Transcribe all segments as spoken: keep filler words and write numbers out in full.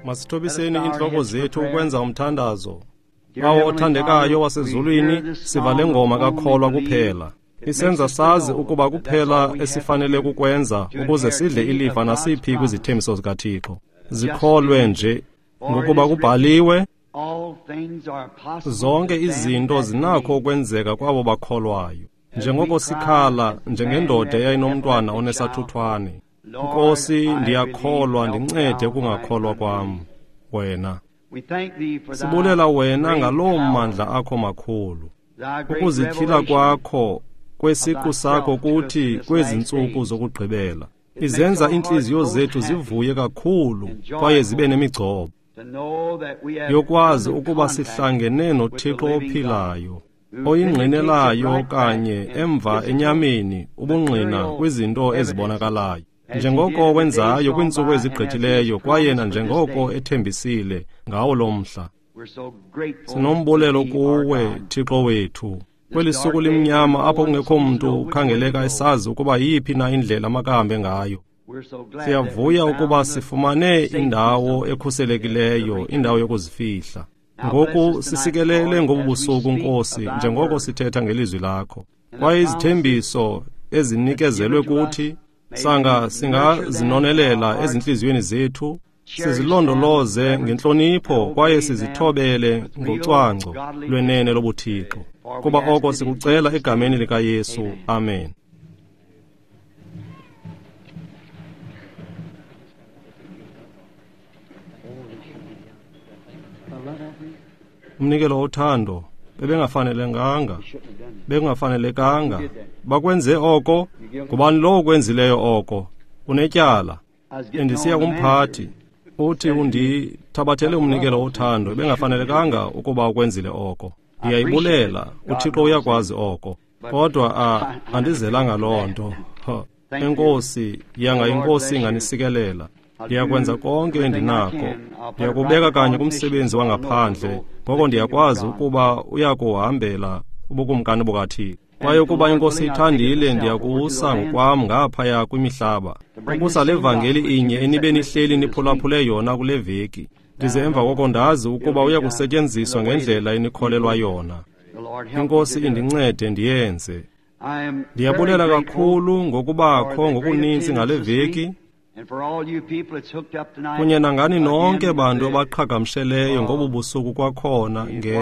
Masithobiseni intloko zethu ukwenza umthandazo. Bawo othandekayo wasezulwini, siva le ngoma kakholwa kuphela. Isenza sazi ukuba kuphela esifanele kukwenza ukuze sidle ilifa nasiphi kwizithembiso zikaThixo. Zikholwe nje, ngokuba kubhaliwe, zonke izinto zinakho ukwenzeka kwabo bakholwayo. Njengoko sikhala njengendoda eyayinomntwana onesathuthwane. Nkosi, ndiyakholwa, ndincede ukungakholwa kwam wena. Sibulela wena ngaloo mandla akho makhulu. Ukuzityhila kwakho kwesiqu sakho kuthi kwezi ntsuku zokugqibela. Izenza iintliziyo zethu zivuye kakhulu kwaye zibe nemigcobo yokwazi ukuba sihlangene noThixo ophilayo, oyingqinelayo kanye emva enyameni ubungqina kwizinto ezibonakalayo. Njengoko wenzayo kwiintsuku ezigqithileyo kwaye nanjengoko ethembisile ngawo lo mhla. Sinombulelo kuwe, Thixo wethu, kweli suku limnyama apho kungekho mntu ukhangeleka esazi ukuba yiphi na indlela makahambe ngayo. Siyavuya ukuba sifumane indawo ekhuselekileyo, indawo yokuzifihla. Ngoku sisikelele ngobu busuku, Nkosi, njengoko sithetha ngelizwi lakho. Kwaye izithembiso ezinikezelwe kuthi sanga singazinonelela ezintliziyweni zethu, sizilondoloze ngentlonipho kwaye sizithobele ngocwangco lwenene lobuThixo. Kuba oko sikucela egameni likaYesu. Amen. Umnikelo wothando bebengafanelekanga, bekungafanelekanga. Bakwenze oko, ngubani lowo ukwenzileyo oko? Unetyala. Endisiya kumphathi, uthi undithabathele umnikelo wothando, bengafanelekanga ukuba ukwenzile oko. Ndiyayibulela, uThixo uyakwazi oko. Kodwa a andizelanga loo nto. Enkosi, yanga inkosi inganisikelela. Ndiyakwenza konke endinako. Ndiyakubeka kanye kumsebenzi wangaphandle, ngoko ndiyakwazi ukuba uyakuhambela ubukumkani bukaThixo. Kwaye ukuba inkosi ithandile, ndiyakusa ngokwam ngaphaya kwimihlaba, ukusa le vangeli inye enibe nihleli niphulaphule yona kule veki. Ndize emva koko ndazi ukuba uyakusetyenziswa ngendlela enikholelwa yona. Inkosi indincede ndiyenze. Ndiyabulela kakhulu ngokubakho ngokuninzi ngale veki, kunye nangani nonke bantu abaqhagamsheleyo ngobu busuku kwakhona nge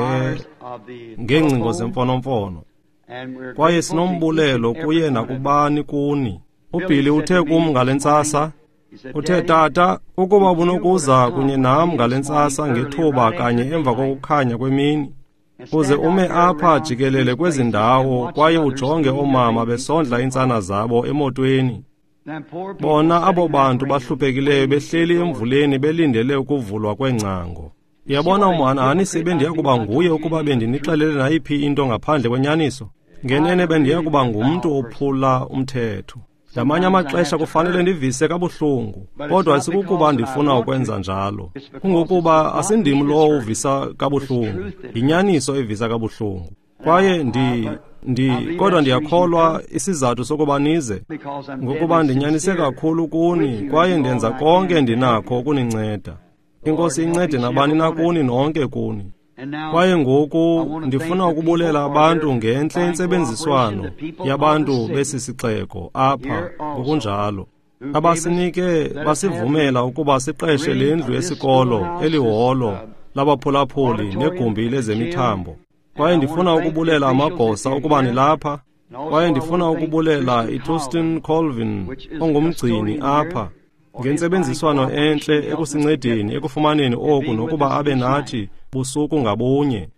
ngeengcingo zemfonomfono. Kwaye sinombulelo kuye nakubani kuni. UBilly uthe kum ngale ntsasa, uthe, Tata, ukuba ubunokuza kunye nam ngale ntsasa ngethuba kanye emva kokukhanya kwemini, uze ume apha jikelele kwezi ndawo kwaye ujonge oomama besondla iintsana zabo emotweni. Bona abo bantu bahluphekileyo behleli emvuleni belindele ukuvulwa kweengcango. Uyabona umhanahanisi bendiya kuba nguye ukuba bendinixelele nayiphi into ngaphandle kwenyaniso. Ngenene bendiya kuba ngumntu ophula umthetho. Ngamanye amaxesha kufanele ndivise kabuhlungu, kodwa asikukuba ndifuna ukwenza njalo. Kungokuba asindim lowo uvisa kabuhlungu, yinyaniso evisa kabuhlungu. Kwaye ndi ndi kodwa ndiyakholwa isizathu sokuba nize, ngokuba ndinyanise kakhulu kuni kwaye ndenza konke endinakho ukuninceda. Inkosi incede nabani na kuni nonke kuni. Kwaye ngoku ndifuna ukubulela abantu ngentle intsebenziswano yabantu besi sixeko apha ngokunjalo, abasinike basivumela ukuba siqeshe le ndlu yesikolo, eliholo labaphulaphuli negumbi lezemithambo. Kwaye ndifuna ukubulela amagosa ukuba nilapha. Kwaye ndifuna ukubulela iTustin Colvin ongumgcini apha ngentsebenziswano entle ekusincedeni ekufumaneni oku nokuba abe nathi busuku ngabunye.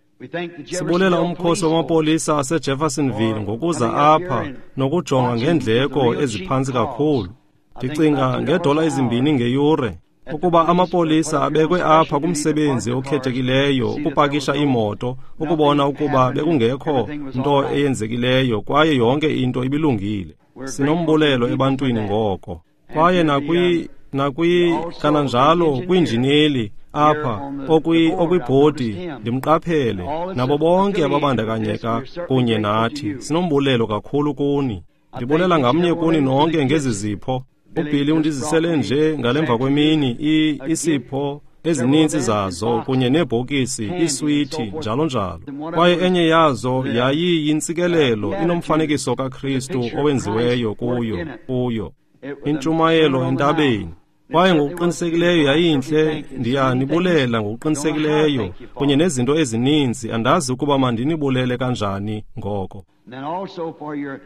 Sibulela umkhosi wamapolisa aseJeffersonville ngokuza apha nokujonga ngeendleko eziphantsi kakhulu. Ndicinga ngeedola ezimbini ngeyure ukuba amapolisa abekwe apha kumsebenzi okhethekileyo ukupakisha iimoto ukubona ukuba bekungekho nto eyenzekileyo kwaye yonke into ibilungile. Sinombulelo ebantwini ngoko. Kwaye nakwi nakwi kananjalo kwiinjineli apha okwibhodi ndimqaphele nabo bonke ababandakanyeka kunye nathi. Sinombulelo kakhulu kuni. Ndibulela ngamnye kuni nonke ngezi zipho. UBilly undizisele nje ngalemva kwemini isipho ezininzi zazo kunye neebhokisi, iiswiti, njalo njalo. Kwaye enye yazo yayiyintsikelelo inomfanekiso kaKristu owenziweyo kuyo kuyo intshumayelo entabeni. Kwaye ngokuqinisekileyo yayintle. Ndiyanibulela ngokuqinisekileyo kunye nezinto ezininzi. Andazi ukuba mandinibulele kanjani ngoko.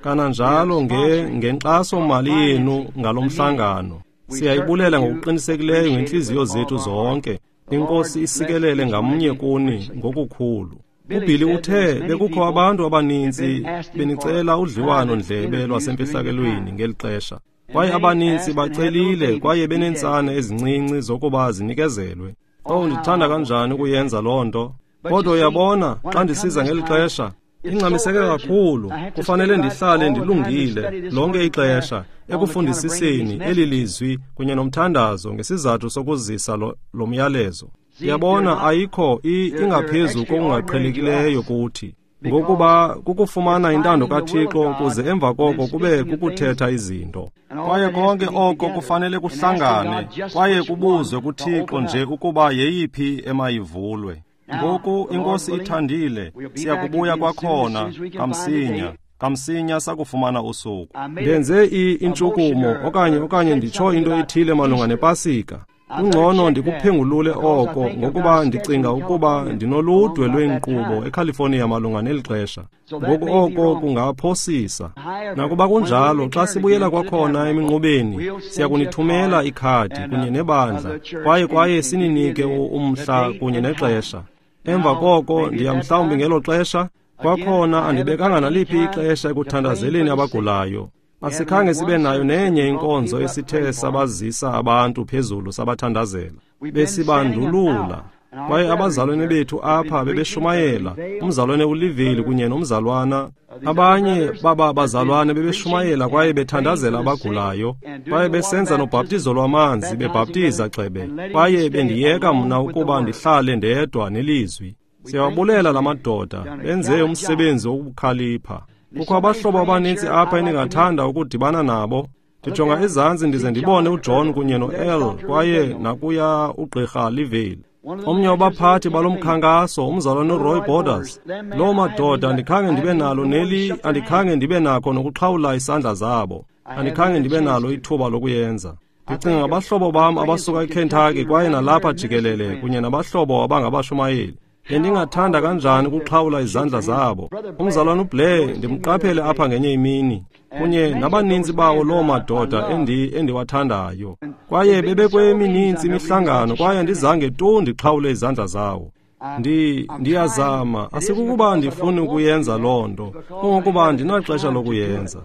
Kananjalo nge ngenkxaso-mali yenu ngalo mhlangano. Siyayibulela ngokuqinisekileyo ngentliziyo zethu zonke. INkosi isikelele ngamnye kuni ngokukhulu. UBilly uthe bekukho abantu abaninzi benicela udliwano-ndlebe lwasemfihlakelweni ngeli xesha. Kwaye abaninzi bacelile kwaye beneentsana ezincinci zokuba zinikezelwe. Oh, ndithanda kanjani ukuyenza loo nto. Kodwa uyabona, xa ndisiza ngeli xesha, ingxamiseke kakhulu. Kufanele ndihlale ndilungile lonke ixesha ekufundisiseni eli lizwi kunye nomthandazo ngesizathu sokuzisa lo, lo myalezo. Uyabona, ayikho ingaphezu kokungaqhelekileyo kuthi, ngokuba kukufumana intando kaThixo kuze emva koko kube kukuthetha izinto. Kwaye konke oko kufanele kuhlangane kwaye kubuzwe kuThixo nje ukuba yeyiphi emayivulwe. Ngoku iNkosi ithandile, siyakubuya kwakhona kamsinya, kamsinya sakufumana usuku. Ndenze intshukumo okanye okanye nditsho into ethile malunga nePasika. Kungcono ndikuphengulule oko ngokuba ndicinga ukuba ndinoludwe lweenkqubo eCalifornia malunga neli xesha. Ngoku oko kungaphosisa. Nakuba kunjalo, xa sibuyela kwakhona eminqubeni, siyakunithumela ikhadi kunye nebandla kwaye kwaye sininike umhla kunye nexesha. Emva koko ndiya mhlawumbi ngelo xesha kwakhona andibekanga naliphi ixesha ekuthandazeleni abagulayo. Asikhange sibe nayo nenye inkonzo esithe sabazisa abantu phezulu sabathandazela. Besibandulula. Kwaye abazalwane bethu apha bebeshumayela, umzalwane uLiveli kunye nomzalwana. Abanye baba bazalwane bebeshumayela kwaye bethandazela abagulayo, kwaye besenza nobhaptizo lwamanzi, bebhaptiza gxebe. Kwaye bendiyeka mna ukuba ndihlale ndedwa nelizwi. Siyawabulela la madoda, benze umsebenzi wokukhalipha. Kukho abahlobo abanintsi apha endingathanda ukudibana nabo. Ndijonga ezantsi ndize ndibone uJohn kunye no-El kwaye nakuya ugqirha Liveli. Omnye wabaphathi balo mkhankaso, umzalwane uRoy Borders. Loo madoda andikhange ndibe nalo neli, andikhange ndibe nakho nokuxhawula isandla zabo. Andikhange ndibe nalo ithuba lokuyenza. Ndicinga ngabahlobo bam abasuka eKentucky kwaye nalapha jikelele kunye nabahlobo abangabashumayeli. Bendingathanda kanjani ukuxhawula izandla zabo. Umzalwane uBlair ndimqaphele apha ngenye imini, kunye nabaninzi bawo loo madoda endi endiwathandayo. Kwaye bebekwemininzi imihlangano kwaye andizange tu ndixhawule izandla zawo. Ndi ndiyazama, asikukuba ndifuni ukuyenza loo nto, kungokuba andinaxesha lokuyenza.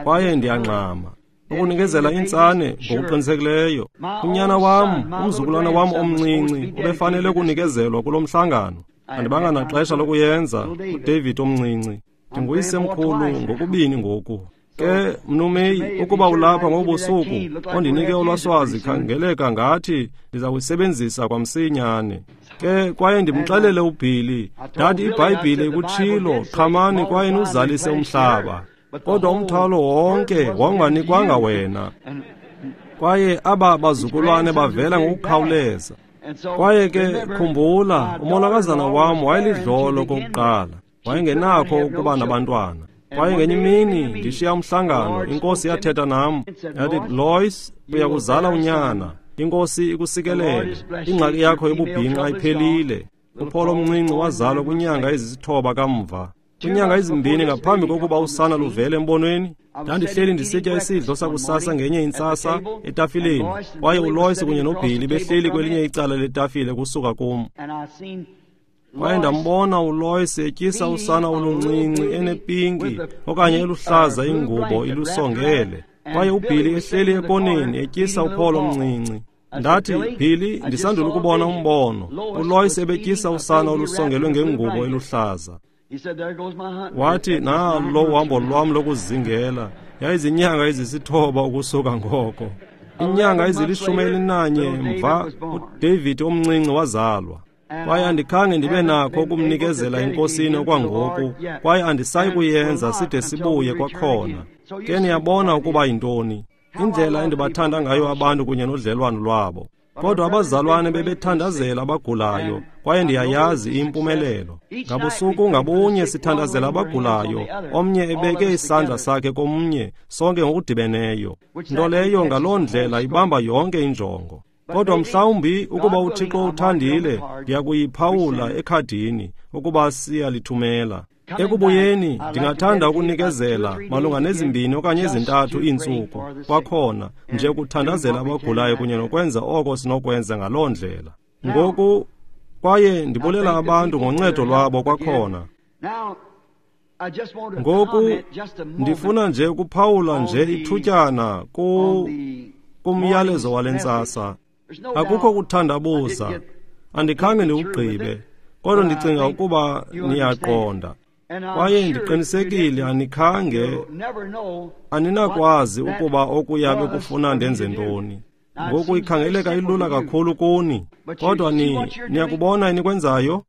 Kwaye ndiyangxama ukunikezela intsane ngokuqinisekileyo. Unyana wam, umzukulwana wam omncinci, ubefanele ukunikezelwa kulo mhlangano. Andibanga naxesha lokuyenza, uDavid omncinci. Ndinguyisemkhulu ngokubini ngoku. Ke, Mnumeyi, ukuba ulapha ngobusuku, ondinike olwaswazi khangeleka ngathi ndiza kuyisebenzisa kwamsinyane. Ke, kwaye ndimxelele uBilly, ndathi iBhayibhile ikutshilo, qhamani kwaye nuzalise umhlaba. Kodwa umthwalo wonke wawunganikwanga wena. Kwaye aba bazukulwane bavela ngokukhawuleza. Kwaye ke khumbula, umolokazana wam wayelidlolo kokuqala. Wayengenakho ukuba nabantwana. Kwaye ngenye imini ndishiya umhlangano, iNkosi yathetha nam. Yathi, Lois, uyakuzala unyana. INkosi ikusikelele. Ingxaki yakho yobubhinqa iphelile. UPaul omncinci wazalwa kwinyanga ezisithoba kamva. Kwinyanga ezimbini ngaphambi kokuba usana luvele embonweni, ndandihleli ndisitya isidlo sakusasa ngenye intsasa etafileni, kwaye uLois kunye noBilly behleli kwelinye icala letafile kusuka kum. Kwaye ndambona uLois etyisa usana oluncinci enepinki okanye eluhlaza ingubo ilusongele, kwaye uBilly ehleli ekoneni etyisa uPaul omncinci. Ndathi, Billy, ndisandula ukubona umbono. uLois ebetyisa usana olusongelwe ngengubo eluhlaza. Wathi, nalo uhambo lwam lokuzingela. Yayizinyanga ezisithoba ukusuka ngoko. Inyanga ezilishumi elinanye mva, uDavid omncinci wazalwa. Kwaye andikhange ndibe nakho ukumnikezela eNkosini okwangoku, kwaye andisayi kuyenza side sibuye kwakhona. Ke niyabona ukuba yintoni, indlela endibathanda ngayo abantu kunye nodlelwano lwabo. Kodwa abazalwane bebethandazela abagulayo, kwaye ndiyayazi impumelelo. Ngabusuku ngabunye sithandazela abagulayo, omnye ebeke isandla sakhe komnye, sonke ngokudibeneyo. Nto leyo ngaloo ndlela ibamba yonke injongo. Kodwa mhlawumbi ukuba uThixo uthandile, ndiyakuyiphawula ekhadini ukuba siyalithumela. Ekubuyeni ndingathanda ukunikezela malunga nezimbini okanye ezintathu iintsuku kwakhona nje ukuthandazela abagulayo kunye nokwenza oko sinokwenza ngaloo ndlela. Ngoku kwaye ndibulela abantu ngoncedo lwabo kwakhona. Ngoku ndifuna nje ukuphawula nje ithutyana ku kumyalezo wale ntsasa. Akukho kuthandabuza, andikhange ndiwugqibe, kodwa ndicinga ukuba niyaqonda. Kwaye ndiqinisekile anikhange, aninakwazi ukuba okuya bekufuna ndenze ntoni. Ngoku ikhangeleka ilula kakhulu kuni, kodwa ni niyakubona enikwenzayo?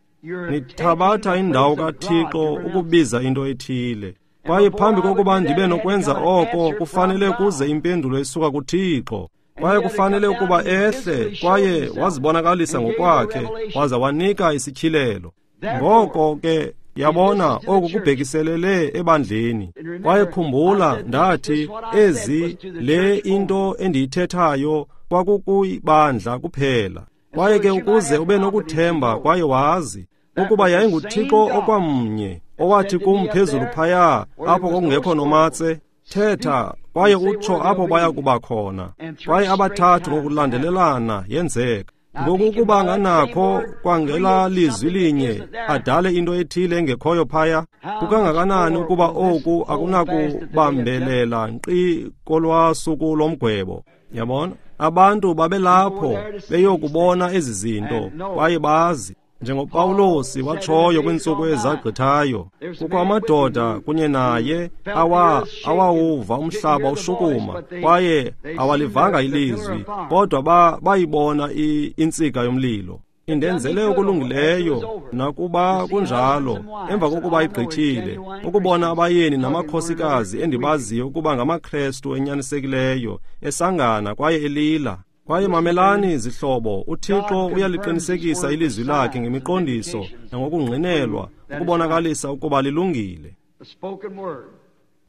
Nithabatha indawo kaThixo ukubiza into ethile. Kwaye phambi kokuba ndibe nokwenza oko, kufanele kuze impendulo esuka kuThixo. Kwaye kufanele ukuba ehle, kwaye wazibonakalisa ngokwakhe, waza wanika isityhilelo. Ngoko ke yabona oku kubhekiselele ebandleni. Kwaye khumbula ndathi ezi le into endiyithethayo kwakukuyibandla kuphela. Kwaye ke ukuze ube nokuthemba kwaye wazi ukuba yayinguThixo okwamnye owathi kum phezulu phaya apho kwakungekho nomatse, thetha kwaye utsho apho baya kuba khona. Kwaye abathathu ngokulandelelana yenzeka. Ngoku ukuba anganakho kwangela lizwi linye adale into ethile engekhoyo phaya, kukangakanani ukuba oku akunakubambelela nkqi kolwasuku lomgwebo. Yabona, abantu babelapho beyokubona ezi zinto kwaye bazi. NjengoPawulosi watshoyo kwiintsuku ezagqithayo, kukho amadoda kunye naye awa awawuva umhlaba ushukuma, kwaye awalivanga ilizwi, kodwa ba bayibona intsika yomlilo. Indenzele okulungileyo, nakuba kunjalo, emva kokuba igqithile, ukubona abayeni namakhosikazi endibaziyo ukuba ngamaKrestu enyanisekileyo, esangana kwaye elila. Kwaye mamelani zihlobo, uThixo uyaliqinisekisa ilizwi lakhe ngemiqondiso nangokungqinelwa ukubonakalisa ukuba lilungile.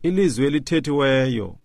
Ilizwi elithethiweyo.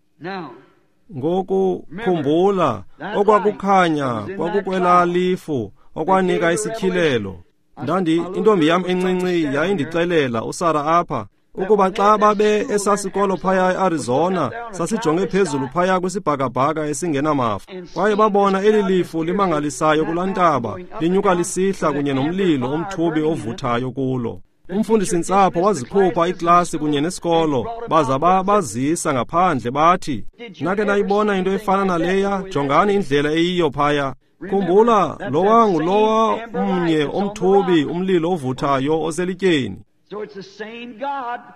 Ngoku khumbula, okwakukhanya kwakukwelaa lifu okwanika isityhilelo. Ndandi intombi yam encinci yayindixelela uSara apha ukuba xa babe esasikolo phaya eArizona, sasijonge phezulu phaya kwisibhakabhaka esingenamafu. Kwaye babona eli lifu limangalisayo kulaa ntaba, linyuka lisihla kunye nomlilo omthubi ovuthayo kulo. Umfundisi-ntsapho wazikhupha iklasi kunye nesikolo, baza bazisa ngaphandle bathi, nake nayibona into efana naleya, jongani indlela eyiyo phaya. Khumbula, lowa ngulowa mnye omthubi umlilo ovuthayo oselityeni.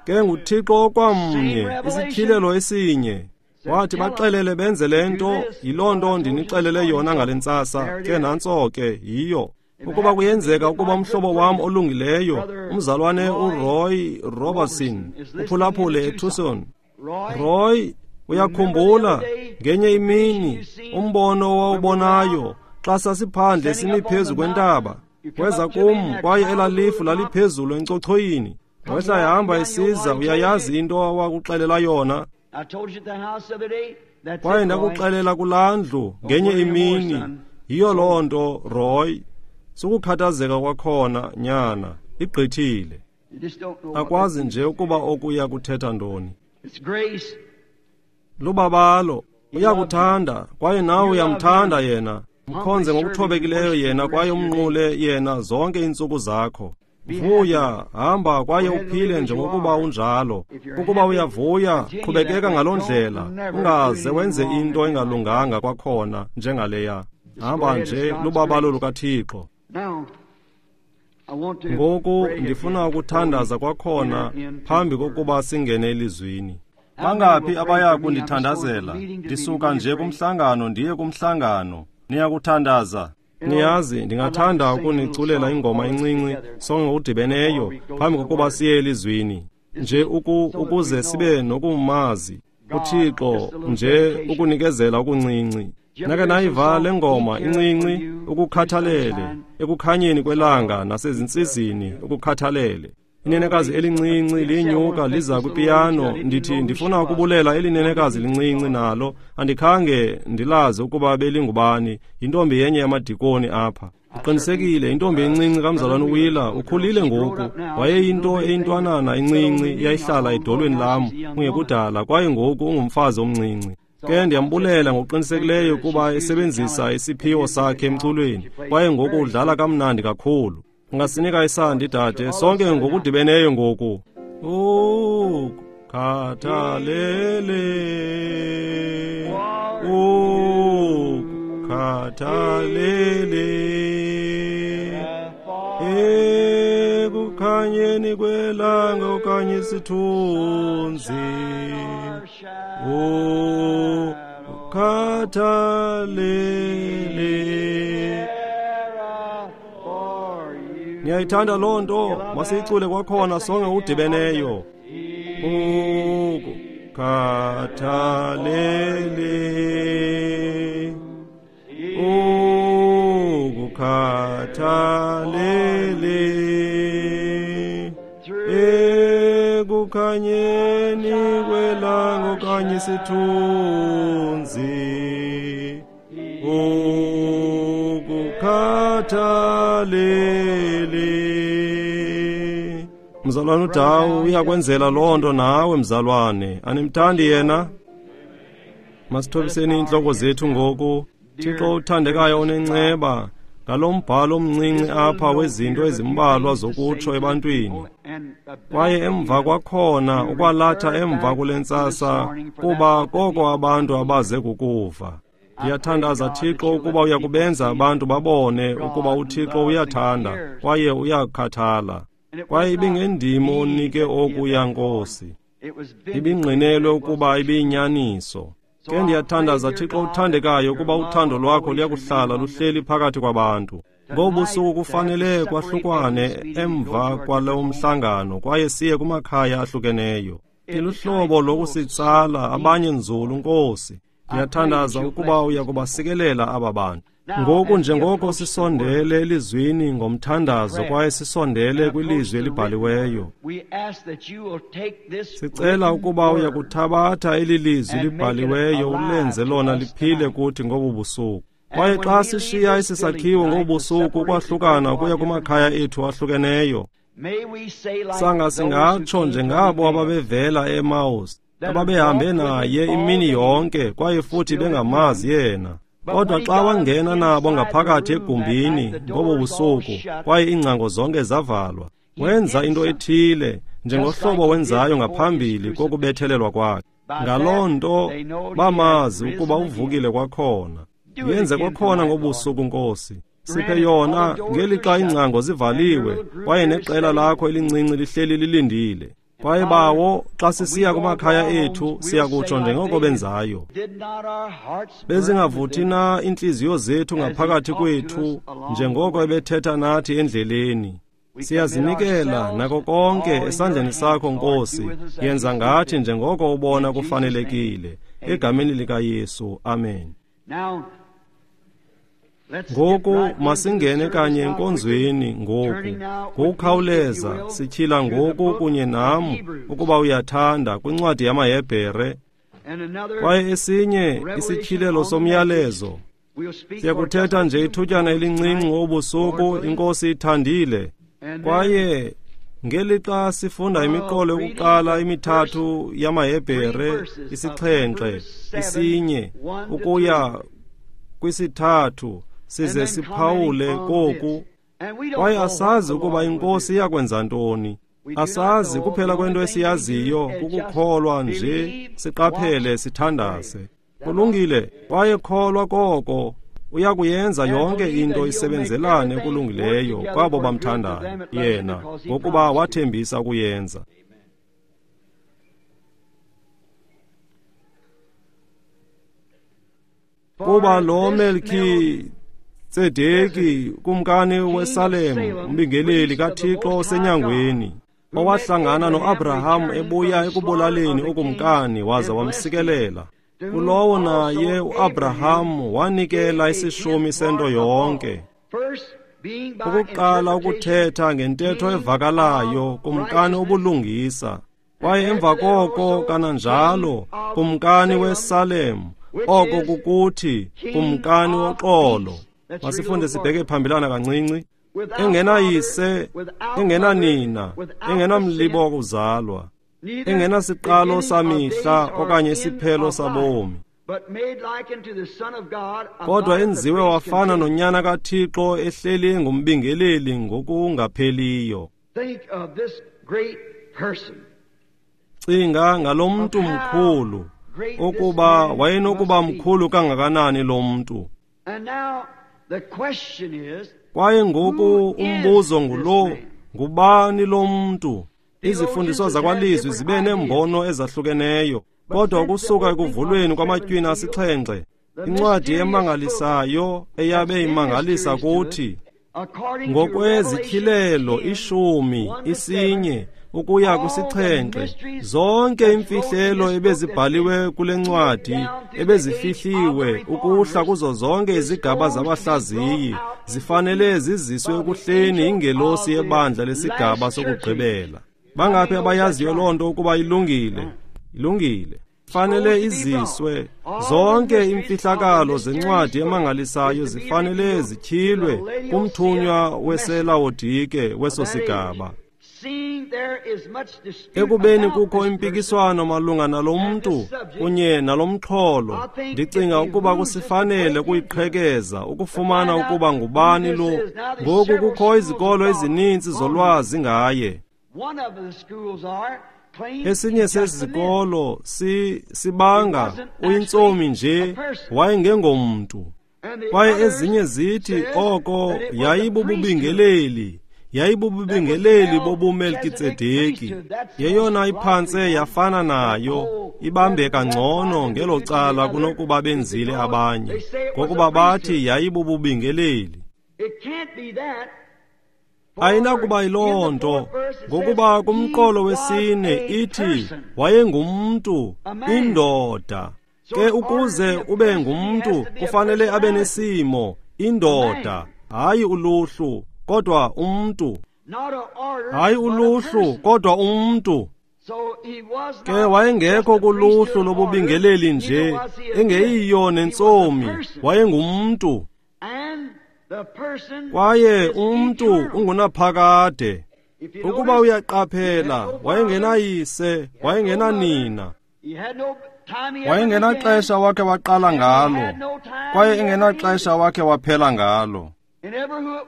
Ke nguThixo okwamnye, isityhilelo esinye. Wathi baxelele benze le nto, yiloo nto ndinixelele yona ngale ntsasa. Ke nantso ke yiyo. Ukuba kuyenzeka ukuba umhlobo wam olungileyo, umzalwane uRoy Robertson, uphulaphule eTucson. Roy, uyakhumbula ngenye imini umbono owawubonayo xa sasiphandle simi phezu kwentaba. Weza kum kwaye elaa lifu laliphezulu encochoyini. Wehla ehamba esiza, uyayazi into awakuxelela yona. Kwaye ndakuxelela kulaa ndlu ngenye imini. Yiyo loo nto, Roy. Sukukhathazeka kwakhona, nyana, igqithile. Akwazi nje ukuba okuya kuthetha ntoni. Lubabalo, uyakuthanda kwaye nawe uyamthanda yena. Mkhonze ngokuthobekileyo yena kwaye umnqule yena zonke iintsuku zakho. Vuya, hamba kwaye uphile njengokuba unjalo. Ukuba uyavuya, qhubekeka ngaloo ndlela, ungaze wenze into engalunganga kwakhona njengaleya. Hamba nje, lubabalo lukaThixo. Ngoku ndifuna ukuthandaza kwakhona phambi kokuba singene elizwini. Bangaphi abaya kundithandazela? Ndisuka nje kumhlangano ndiye kumhlangano. Niyakuthandaza. Niyazi, ndingathanda ukuniculela ingoma encinci sonke ngokudibeneyo phambi kokuba siye elizwini, nje uku, ukuze sibe nokumazi uThixo, nje ukunikezela okuncinci. Nake nayiva le ngoma incinci, ukukhathalele ekukhanyeni kwelanga nasezintsizini, ukukhathalele. Inenekazi elincinci linyuka liza kwipiyano. Ndithi ndifuna ukubulela elinenekazi lincinci nalo, andikhange ndilazi ukuba belingubani, yintombi yenye yamadikoni apha. Uqinisekile, intombi encinci kamzalwane uWheeler, ukhulile ngoku. Wayeyinto eyintwanana encinci yayihlala edolweni lam kungekudala, kwaye ngoku ungumfazi omncinci. Ke ndiyambulela ngokuqinisekileyo kuba esebenzisa isiphiwo sakhe emculweni, kwaye ngoku udlala kamnandi kakhulu. Ungasinika isandi, dade, sonke ngokudibeneyo ngoku. Ukhathalele, ukhathalele, ekukhanyeni kwelanga okanye isithunzi, ukhathalele. Niyayithanda loo nto? Masiyicule kwakhona sonke ngokudibeneyo. Ukukhathalele, ukukhathalele, ekukhanyeni kwelanga okanye isithunzi, ukukhathalele. Mzalwane uDawu uyakwenzela loo nto nawe, mzalwane. Animthandi yena? Masithobiseni iintloko zethu ngoku. Thixo uthandekayo onenceba, ngalo mbhalo omncinci apha wezinto ezimbalwa zokutsho ebantwini, kwaye emva kwakhona ukwalatha emva kule ntsasa, kuba koko abantu abaze kukuva. Ndiyathandaza, Thixo, ukuba uyakubenza abantu babone ukuba uThixo uyathanda kwaye uyakhathala. Kwaye ibingendimo onike okuya, Nkosi, ibingqinelwe ukuba ibiyinyaniso. Ke ndiyathandaza, Thixo uthandekayo, ukuba uthando lwakho luyakuhlala luhleli phakathi kwabantu. Ngobusuku kufanele kwahlukwane emva kwalo mhlangano, kwaye siye kumakhaya ahlukeneyo. Iluhlobo lokusitsala abanye nzulu, Nkosi. Ndiyathandaza ukuba uyakubasikelela aba bantu. Ngoku njengoko sisondele elizwini ngomthandazo kwaye sisondele kwilizwi elibhaliweyo, sicela ukuba uyakuthabatha eli lizwi libhaliweyo ulenze lona liphile kuthi ngobu busuku. Kwaye xa sishiya esi sakhiwo ngobu busuku ukwahlukana ukuya kumakhaya ethu ahlukeneyo, sanga singatsho njengabo ababevela eMaus, ababehambe naye imini yonke kwaye futhi bengamazi yena. Kodwa xa wangena nabo ngaphakathi egumbini ngobo busuku kwaye iingcango zonke zavalwa, wenza into ethile njengohlobo wenzayo ngaphambili kokubethelelwa kwakhe. Ngaloo nto bamazi ukuba uvukile kwakhona. Yenze kwakhona ngobusuku, Nkosi. Siphe yona ngelixa iingcango zivaliwe kwaye neqela lakho elincinci lihleli lilindile. Kwaye bawo, xa sisiya kumakhaya ethu, siyakutsho njengoko benzayo. Bezingavuthi na iintliziyo zethu ngaphakathi kwethu njengoko ebethetha nathi endleleni? Siyazinikela nako konke esandleni sakho, Nkosi. Yenza ngathi njengoko ubona kufanelekile. Egameni likaYesu, amen. Ngoku masingene kanye enkonzweni ngoku. Ngokukhawuleza sityhila ngoku kunye nam, ukuba uyathanda, kwincwadi yamaHebhere, kwaye esinye isityhilelo somyalezo. Siyakuthetha nje ithutyana elincinci ngobusuku, iNkosi ithandile. Kwaye ngelixa sifunda imiqolo yokuqala emithathu yamaHebhere, isixhenxe, isinye, ukuya kwisithathu, size siphawule koku. Kwaye asazi ukuba iNkosi iyakwenza ntoni. Asazi, kuphela kwento esiyaziyo kukukholwa nje, siqaphele, sithandaze. Kulungile, kwaye kholwa koko uyakuyenza yonke into isebenzelane okulungileyo kwabo bamthandayo yena, ngokuba wathembisa ukuyenza. Kuba lo Melkitsedeki kumkani weSalem, umbingeleli kaThixo osenyangweni, owahlangana noAbraham ebuya ekubulaleni ukumkani waza wamsikelela. Kulowo naye uAbraham wanikela isishumi sento yonke. Ukuqala ukuthetha ngentetho evakalayo kumkani obulungisa, kwaye emva koko kananjalo kumkani weSalem, oko kukuthi kumkani woxolo. Masifunde sibheke phambilana kancinci. Engenayise, engenanina, engenamlibo wokuzalwa, engenasiqalo samihla okanye isiphelo sabomi, kodwa enziwe wafana nonyana kaThixo ehleli engumbingeleli ngokungapheliyo. Cinga ngalo mntu mkhulu, ukuba wayenokuba mkhulu kangakanani lo mntu. Kwaye ngoku umbuzo ngulo, ngubani lo mntu? Izifundiswa zakwalizwi zibe neembono ezahlukeneyo, kodwa ukusuka ekuvulweni kwamatywina asixhenxe, incwadi emangalisayo eyabe imangalisa kuthi, ngokwezityhilelo ishumi isinye ukuya kwisixhenxe, zonke imfihlelo ebezibhaliwe kule ncwadi ebezifihliwe ukuhla kuzo zonke izigaba zabahlaziyi zifanele ziziswe ekuhleni ingelosi yebandla lesigaba sokugqibela. Bangaphi abayaziyo loo nto ukuba ilungile? Ilungile. Fanele iziswe zonke imfihlakalo zencwadi emangalisayo zifanele zityhilwe kumthunywa weselawodike weso sigaba. Ekubeni kukho impikiswano malunga nalo mntu kunye nalo mxholo, ndicinga ukuba kusifanele ukuyiqhekeza ukufumana ukuba ngubani lo. Ngoku kukho izikolo ezininzi zolwazi ngaye. Esinye sezikolo si sibanga uyintsomi nje, wayengengomntu. Kwaye ezinye zithi oko yayibububingeleli, yayibububingeleli bobuMelkitsedeki. Yeyona iphantse yafana nayo, ibambeka ngcono ngelo cala kunokuba benzile abanye, ngokuba bathi yayibububingeleli. Ayinakuba yiloo nto, ngokuba kumqolo wesine ithi wayengumntu, indoda. Ke ukuze ube ngumntu kufanele abe nesimo, indoda, hayi uluhlu, kodwa umntu. Hayi uluhlu, kodwa umntu. Ke wayengekho kuluhlu lobubingeleli nje, engeyiyo nentsomi, wayengumntu. Kwaye umntu ungunaphakade. Ukuba uyaqaphela, wayengenayise, wayengenanina, wayengenaxesha wakhe waqala ngalo, kwaye engenaxesha wakhe waphela ngalo.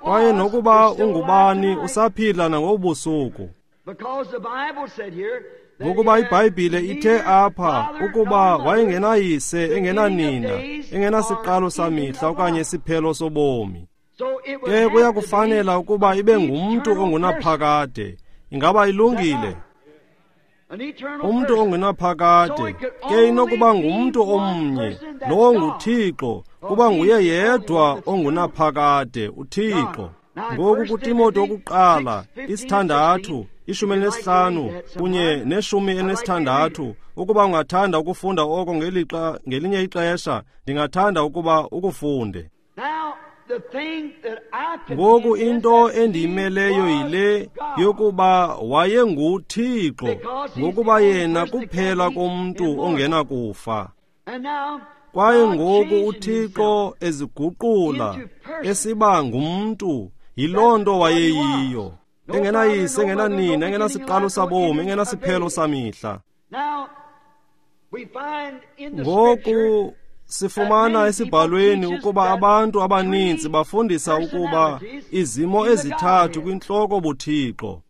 Kwaye nokuba ungubani usaphila nangobusuku. Ngokuba iBhayibhile ithe apha ukuba wayengenayise, engenanina, engenasiqalo samihla okanye isiphelo sobomi. Ke kuyakufanela ukuba ibe ngumntu ongunaphakade. Ingaba ilungile? Umntu ongunaphakade. Ke inokuba ngumntu omnye, lowo nguThixo, kuba nguye yedwa ongunaphakade, uThixo. Ngoku kuTimoti wokuqala isithandathu, ishumi elinesihlanu kunye neshumi elinesithandathu. Ukuba ungathanda ukufunda oko ngelixa ngelinye ixesha, ndingathanda ukuba ukufunde. Ngoku into endiyimeleyo yile yokuba wayenguThixo, ngokuba yena kuphela komntu ongenakufa. Kwaye ngoku uThixo eziguqula esiba ngumntu, yiloo nto wayeyiyo, engenayise, engenanina, engenasiqalo sabomi, engenasiphelo samihla. Ngoku sifumana esibhalweni ukuba abantu abaninzi bafundisa ukuba izimo ezithathu kwintloko buThixo.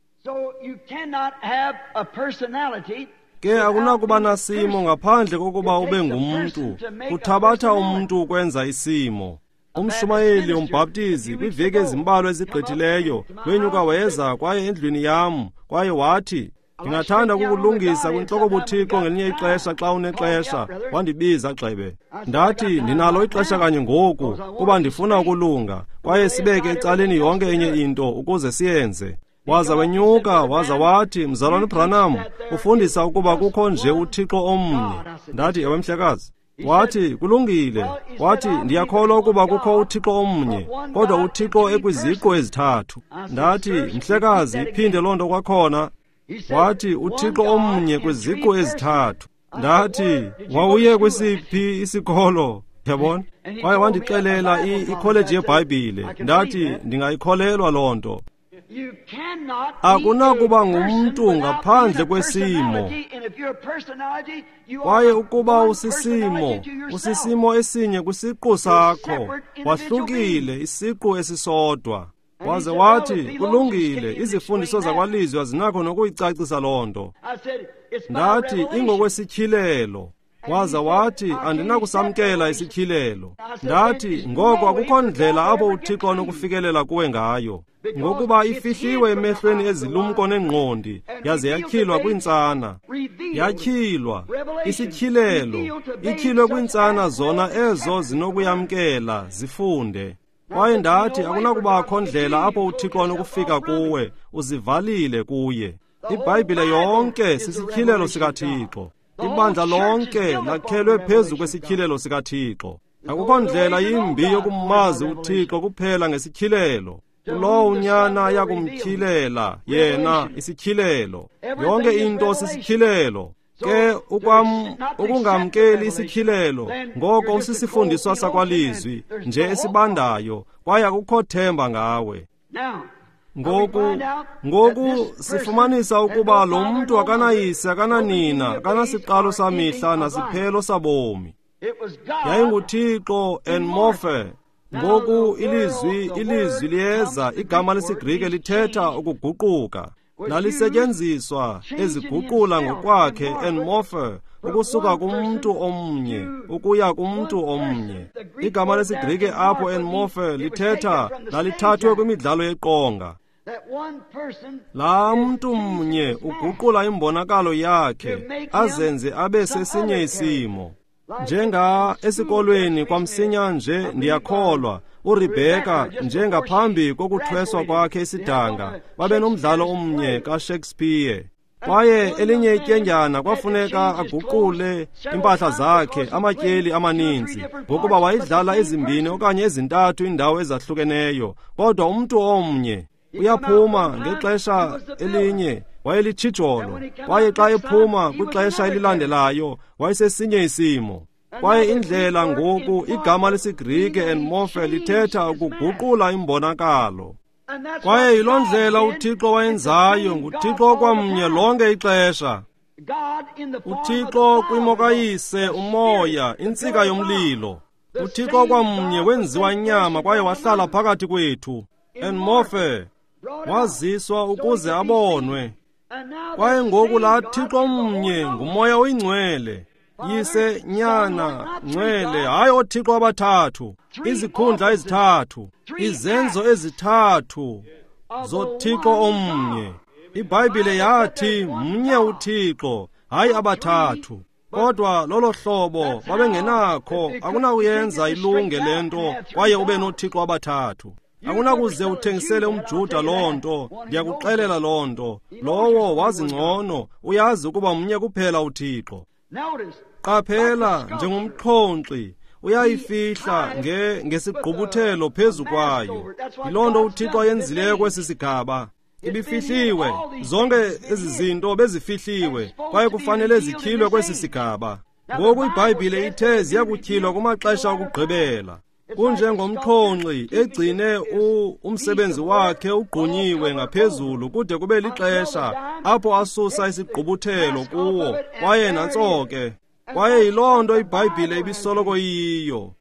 Ke akunakuba nasimo ngaphandle kokuba ube ngumntu. Kuthabatha umntu ukwenza isimo. Umshumayeli umbhaptizi kwiiveki ezimbalwa ezigqithileyo wenyuka weza kwaye endlwini yam, kwaye wathi, Ndingathanda ukukulungisa kwintloko buthixo ngelinye ixesha xa unexesha. Wandibiza gxebe. Ndathi ndinalo ixesha kanye ngoku kuba ndifuna ukulunga, kwaye sibeke ecaleni yonke enye into ukuze siyenze. Waza wenyuka waza wathi, Mzalwana Branham, ufundisa ukuba kukho nje uThixo omnye. Ndathi, ewe mhlekazi. Wathi, kulungile. Wathi, ndiyakholwa ukuba kukho uThixo omnye, kodwa uThixo ekwiziqu ezithathu. Ndathi, mhlekazi, iphinde loo nto kwakhona. Wathi, uThixo omnye kwiziqu ezithathu. Ndathi, wawuye kwisiphi isikolo? Yabona? Kwaye wandixelela ikholeji yeBhayibhile. Ndathi, ndingayikholelwa loo nto. Akunakuba ngumntu ngaphandle kwesimo. Kwaye ukuba usisimo, usisimo esinye kwisiqu sakho, wahlukile isiqu esisodwa. Waze wathi, kulungile, izifundiso zakwalizwi azinakho nokuyicacisa loo nto. Ndathi, ingokwesityhilelo. Waza wathi, andinakusamkela isityhilelo. Ndathi, ngoko akukho ndlela apho uThixo anokufikelela kuwe ngayo, ngokuba ifihliwe emehlweni ezilumko nengqondi, yaze yatyhilwa kwintsana. Yatyhilwa, isityhilelo, ityhilwe kwintsana zona ezo zinokuyamkela, zifunde. Kwaye ndathi, akunakubakho ndlela apho uThixo anokufika kuwe, uzivalile kuye. IBhayibhile yonke sisityhilelo sikaThixo. Ibandla lonke lakhelwe phezu kwesityhilelo sikaThixo. Akukho ndlela yimbi yokumazi uThixo kuphela ngesityhilelo. Kulowo unyana ayakumtyhilela yena isityhilelo. Yonke into sisityhilelo. Ke ukwam ukungamkeli isityhilelo, ngoko usisifundiswa sakwalizwi nje esibandayo, kwaye akukho themba ngawe. Ngoku ngoku sifumanisa ukuba lo mntu akanayise, akananina, akanasiqalo samihla nasiphelo sabomi. YayinguThixo en morphe. Ngoku ilizwi ilizwi liyeza, igama lesiGrike lithetha ukuguquka. Lalisetyenziswa eziguqula ngokwakhe en morphe, ukusuka kumntu omnye ukuya kumntu omnye. Igama lesiGrike apho en morphe lithetha lalithathwe kwimidlalo yeqonga. Laa mntu mnye uguqula imbonakalo yakhe azenze abe sesinye isimo. Njenga esikolweni kwamsinya nje ndiyakholwa uRebecca njengaphambi kokuthweswa kwakhe isidanga babenomdlalo omnye kaShakespeare. Kwaye elinye ityendyana kwafuneka aguqule impahla zakhe amatyeli amaninzi, ngokuba wayidlala ezimbini okanye ezintathu iindawo ezahlukeneyo, kodwa umntu omnye uyaphuma ngexesha elinye wayelitshijolo, kwaye xa ephuma kwixesha elilandelayo wayesesinye isimo. Kwaye indlela ngoku igama lesiGrike en morphe lithetha ukuguqula imbonakalo. Kwaye yiloo ndlela uThixo wayenzayo, nguThixo okwamnye lonke ixesha. UThixo kwimo kaYise, uMoya, intsika yomlilo. UThixo okwamnye wenziwa inyama kwaye wahlala phakathi kwethu. En morphe waziswa ukuze abonwe. Kwaye ngoku laa Thixo mnye nguMoya oyiNgcwele. Yise, Nyana, Ngcwele, hayi ooThixo abathathu, izikhundla ezithathu, izenzo ezithathu zoThixo omnye. IBhayibhile yathi mnye uThixo, hayi abathathu. Kodwa lolo hlobo babengenakho, akunakuyenza ilunge le nto kwaye ube nooThixo abathathu. Akunakuze uthengisele umJuda loo nto, ndiyakuxelela loo nto. Lowo wazi ngcono, uyazi ukuba mnye kuphela uThixo. Qaphela, njengomxhonkxi uyayifihla nge ngesigqubuthelo phezu kwayo. Yiloo nto uThixo ayenzileyo kwesi sigaba. Ibifihliwe, zonke ezi zinto bezifihliwe, kwaye kufanele zityhilwe kwesi sigaba. Ngoku iBhayibhile ithe ziyakutyhilwa kumaxesha okugqibela. Kunjengomxhonxi egcine umsebenzi wakhe ugqunyiwe ngaphezulu kude kube lixesha apho asusa isigqubuthelo kuwo, kwaye nantso ke. Kwaye yiloo nto iBhayibhile ibisoloko iyiyo.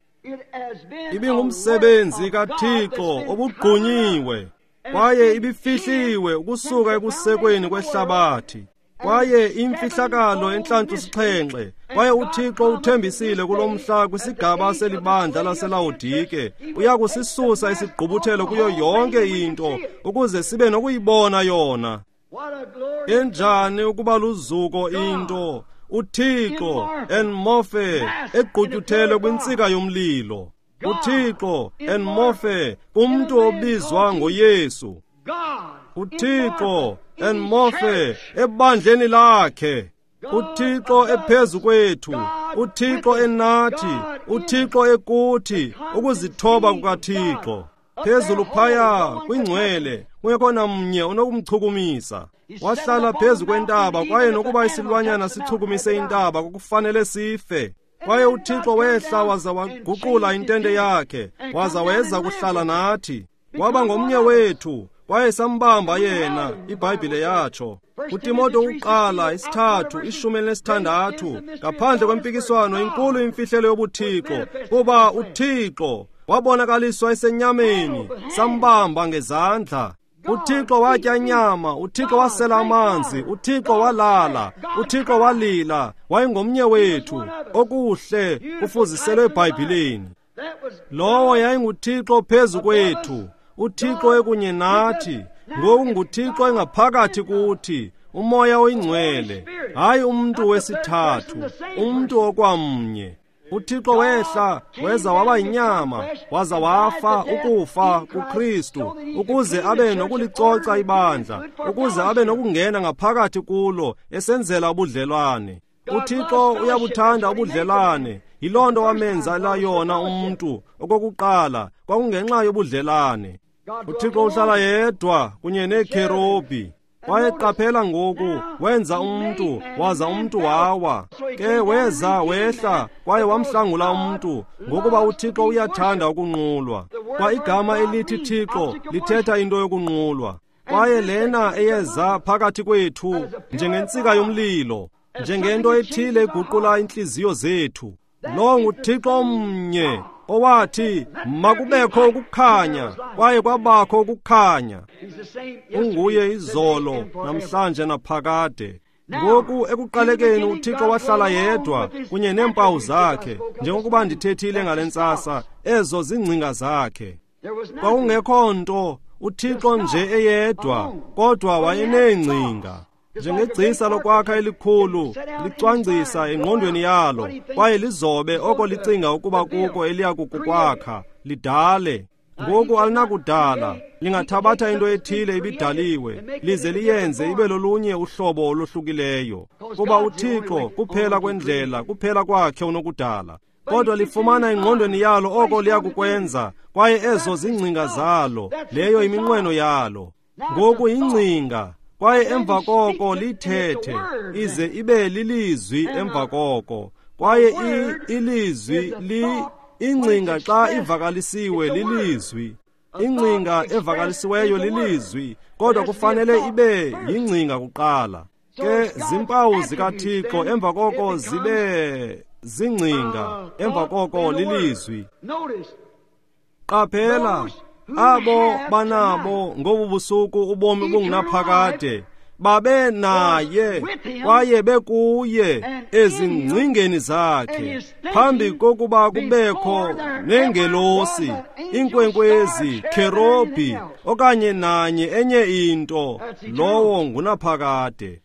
Ibingumsebenzi kaThixo obugqunyiwe, kwaye ibifihliwe ukusuka ekusekweni kwehlabathi. Kwaye imfihlakalo entlantlu sixhenxe, kwaye uThixo uthembisile kulo mhla kwisigaba selibandla laseLawodike uyakusisusa isigqubuthelo kuyo yonke into ukuze sibe nokuyibona yona. Enjani ukuba luzuko into, uThixo enmorphe egqutyuthelwe kwintsika yomlilo. uThixo enmorphe kumntu obizwa ngoYesu. uThixo enmorphe ebandleni lakhe. uThixo ephezu kwethu, uThixo enathi, uThixo ekuthi, ukuzithoba kukaThixo. Phezulu phaya kwingcwele, kungekho namnye onokumchukumisa. Wahlala phezu kwentaba, kwaye nokuba isilwanyana sichukumise intaba kwakufanele sife. Kwaye uThixo wehla waza waguqula intente yakhe, waza weza kuhlala nathi. Waba ngomnye wethu, kwaye sambamba yena, iBhayibhile yatsho. uTimoto uqala isithathu ishumi elinesithandathu, ngaphandle kwempikiswano inkulu imfihlelo yobuThixo, kuba uThixo wabonakaliswa esenyameni, sambamba ngezandla. uThixo watya inyama, uThixo wasela amanzi, uThixo walala, uThixo walila, wayengomnye wethu. Okuhle kufuziselwe eBhayibhileni. Lowo yayinguThixo phezu kwethu, uThixo ekunye nathi, ngoku nguThixo engaphakathi kuthi, uMoya oyiNgcwele, hayi umntu wesithathu, umntu okwamnye. uThixo wehla weza waba yinyama, waza wafa ukufa kuKristu, ukuze abe nokulicoca ibandla, ukuze abe nokungena ngaphakathi kulo esenzela ubudlelwane. uThixo uyabuthanda ubudlelwane, yiloo nto wamenzela yona umntu okokuqala, kwakungenxa yobudlelwane. uThixo uhlala yedwa kunye neekherubhi. Kwaye qaphela ngoku, wenza umntu, waza umntu wawa. Ke weza wehla, kwaye wamhlangula umntu, ngokuba uThixo uyathanda ukunqulwa. Kwa igama elithi Thixo lithetha into yokunqulwa. Kwaye lena eyeza phakathi kwethu njengentsika yomlilo, njengento ethile eguqula intliziyo zethu. Lo nguThixo omnye owathi makubekho ukukhanya, kwaye kwabakho ukukhanya. Unguye izolo, namhlanje naphakade. Ngoku ekuqalekeni uThixo wahlala yedwa kunye neempawu zakhe, njengokuba ndithethile ngale ntsasa, ezo zingcinga zakhe. Kwakungekho nto, uThixo nje eyedwa, kodwa wayeneengcinga. Njengegcisa lokwakha elikhulu licwangcisa engqondweni yalo, kwaye lizobe oko licinga ukuba kuko eliya kukwakha, lidale. Ngoku alinakudala, lingathabatha into ethile ibidaliwe, lize liyenze ibe lolunye uhlobo olohlukileyo, kuba uThixo kuphela kwendlela, kuphela kwakhe unokudala. Kodwa lifumana engqondweni yalo oko liya kukwenza, kwaye ezo zingcinga zalo, leyo iminqweno yalo. Ngoku ingcinga, kwaye emva koko lithethe, ize ibe lilizwi emva koko. Kwaye ilizwi li ingcinga xa ivakalisiwe lilizwi. Ingcinga evakalisiweyo lilizwi, kodwa kufanele ibe yingcinga kuqala. Ke zimpawu zikaThixo emva koko zibe zingcinga, emva koko lilizwi. Qaphela, abo banabo ngobu busuku ubomi obungunaphakade babe naye kwaye bekuye ezingcingeni zakhe, phambi kokuba kubekho nengelosi, inkwenkwezi, kherobhi okanye nanye enye into, lowo ngunaphakade.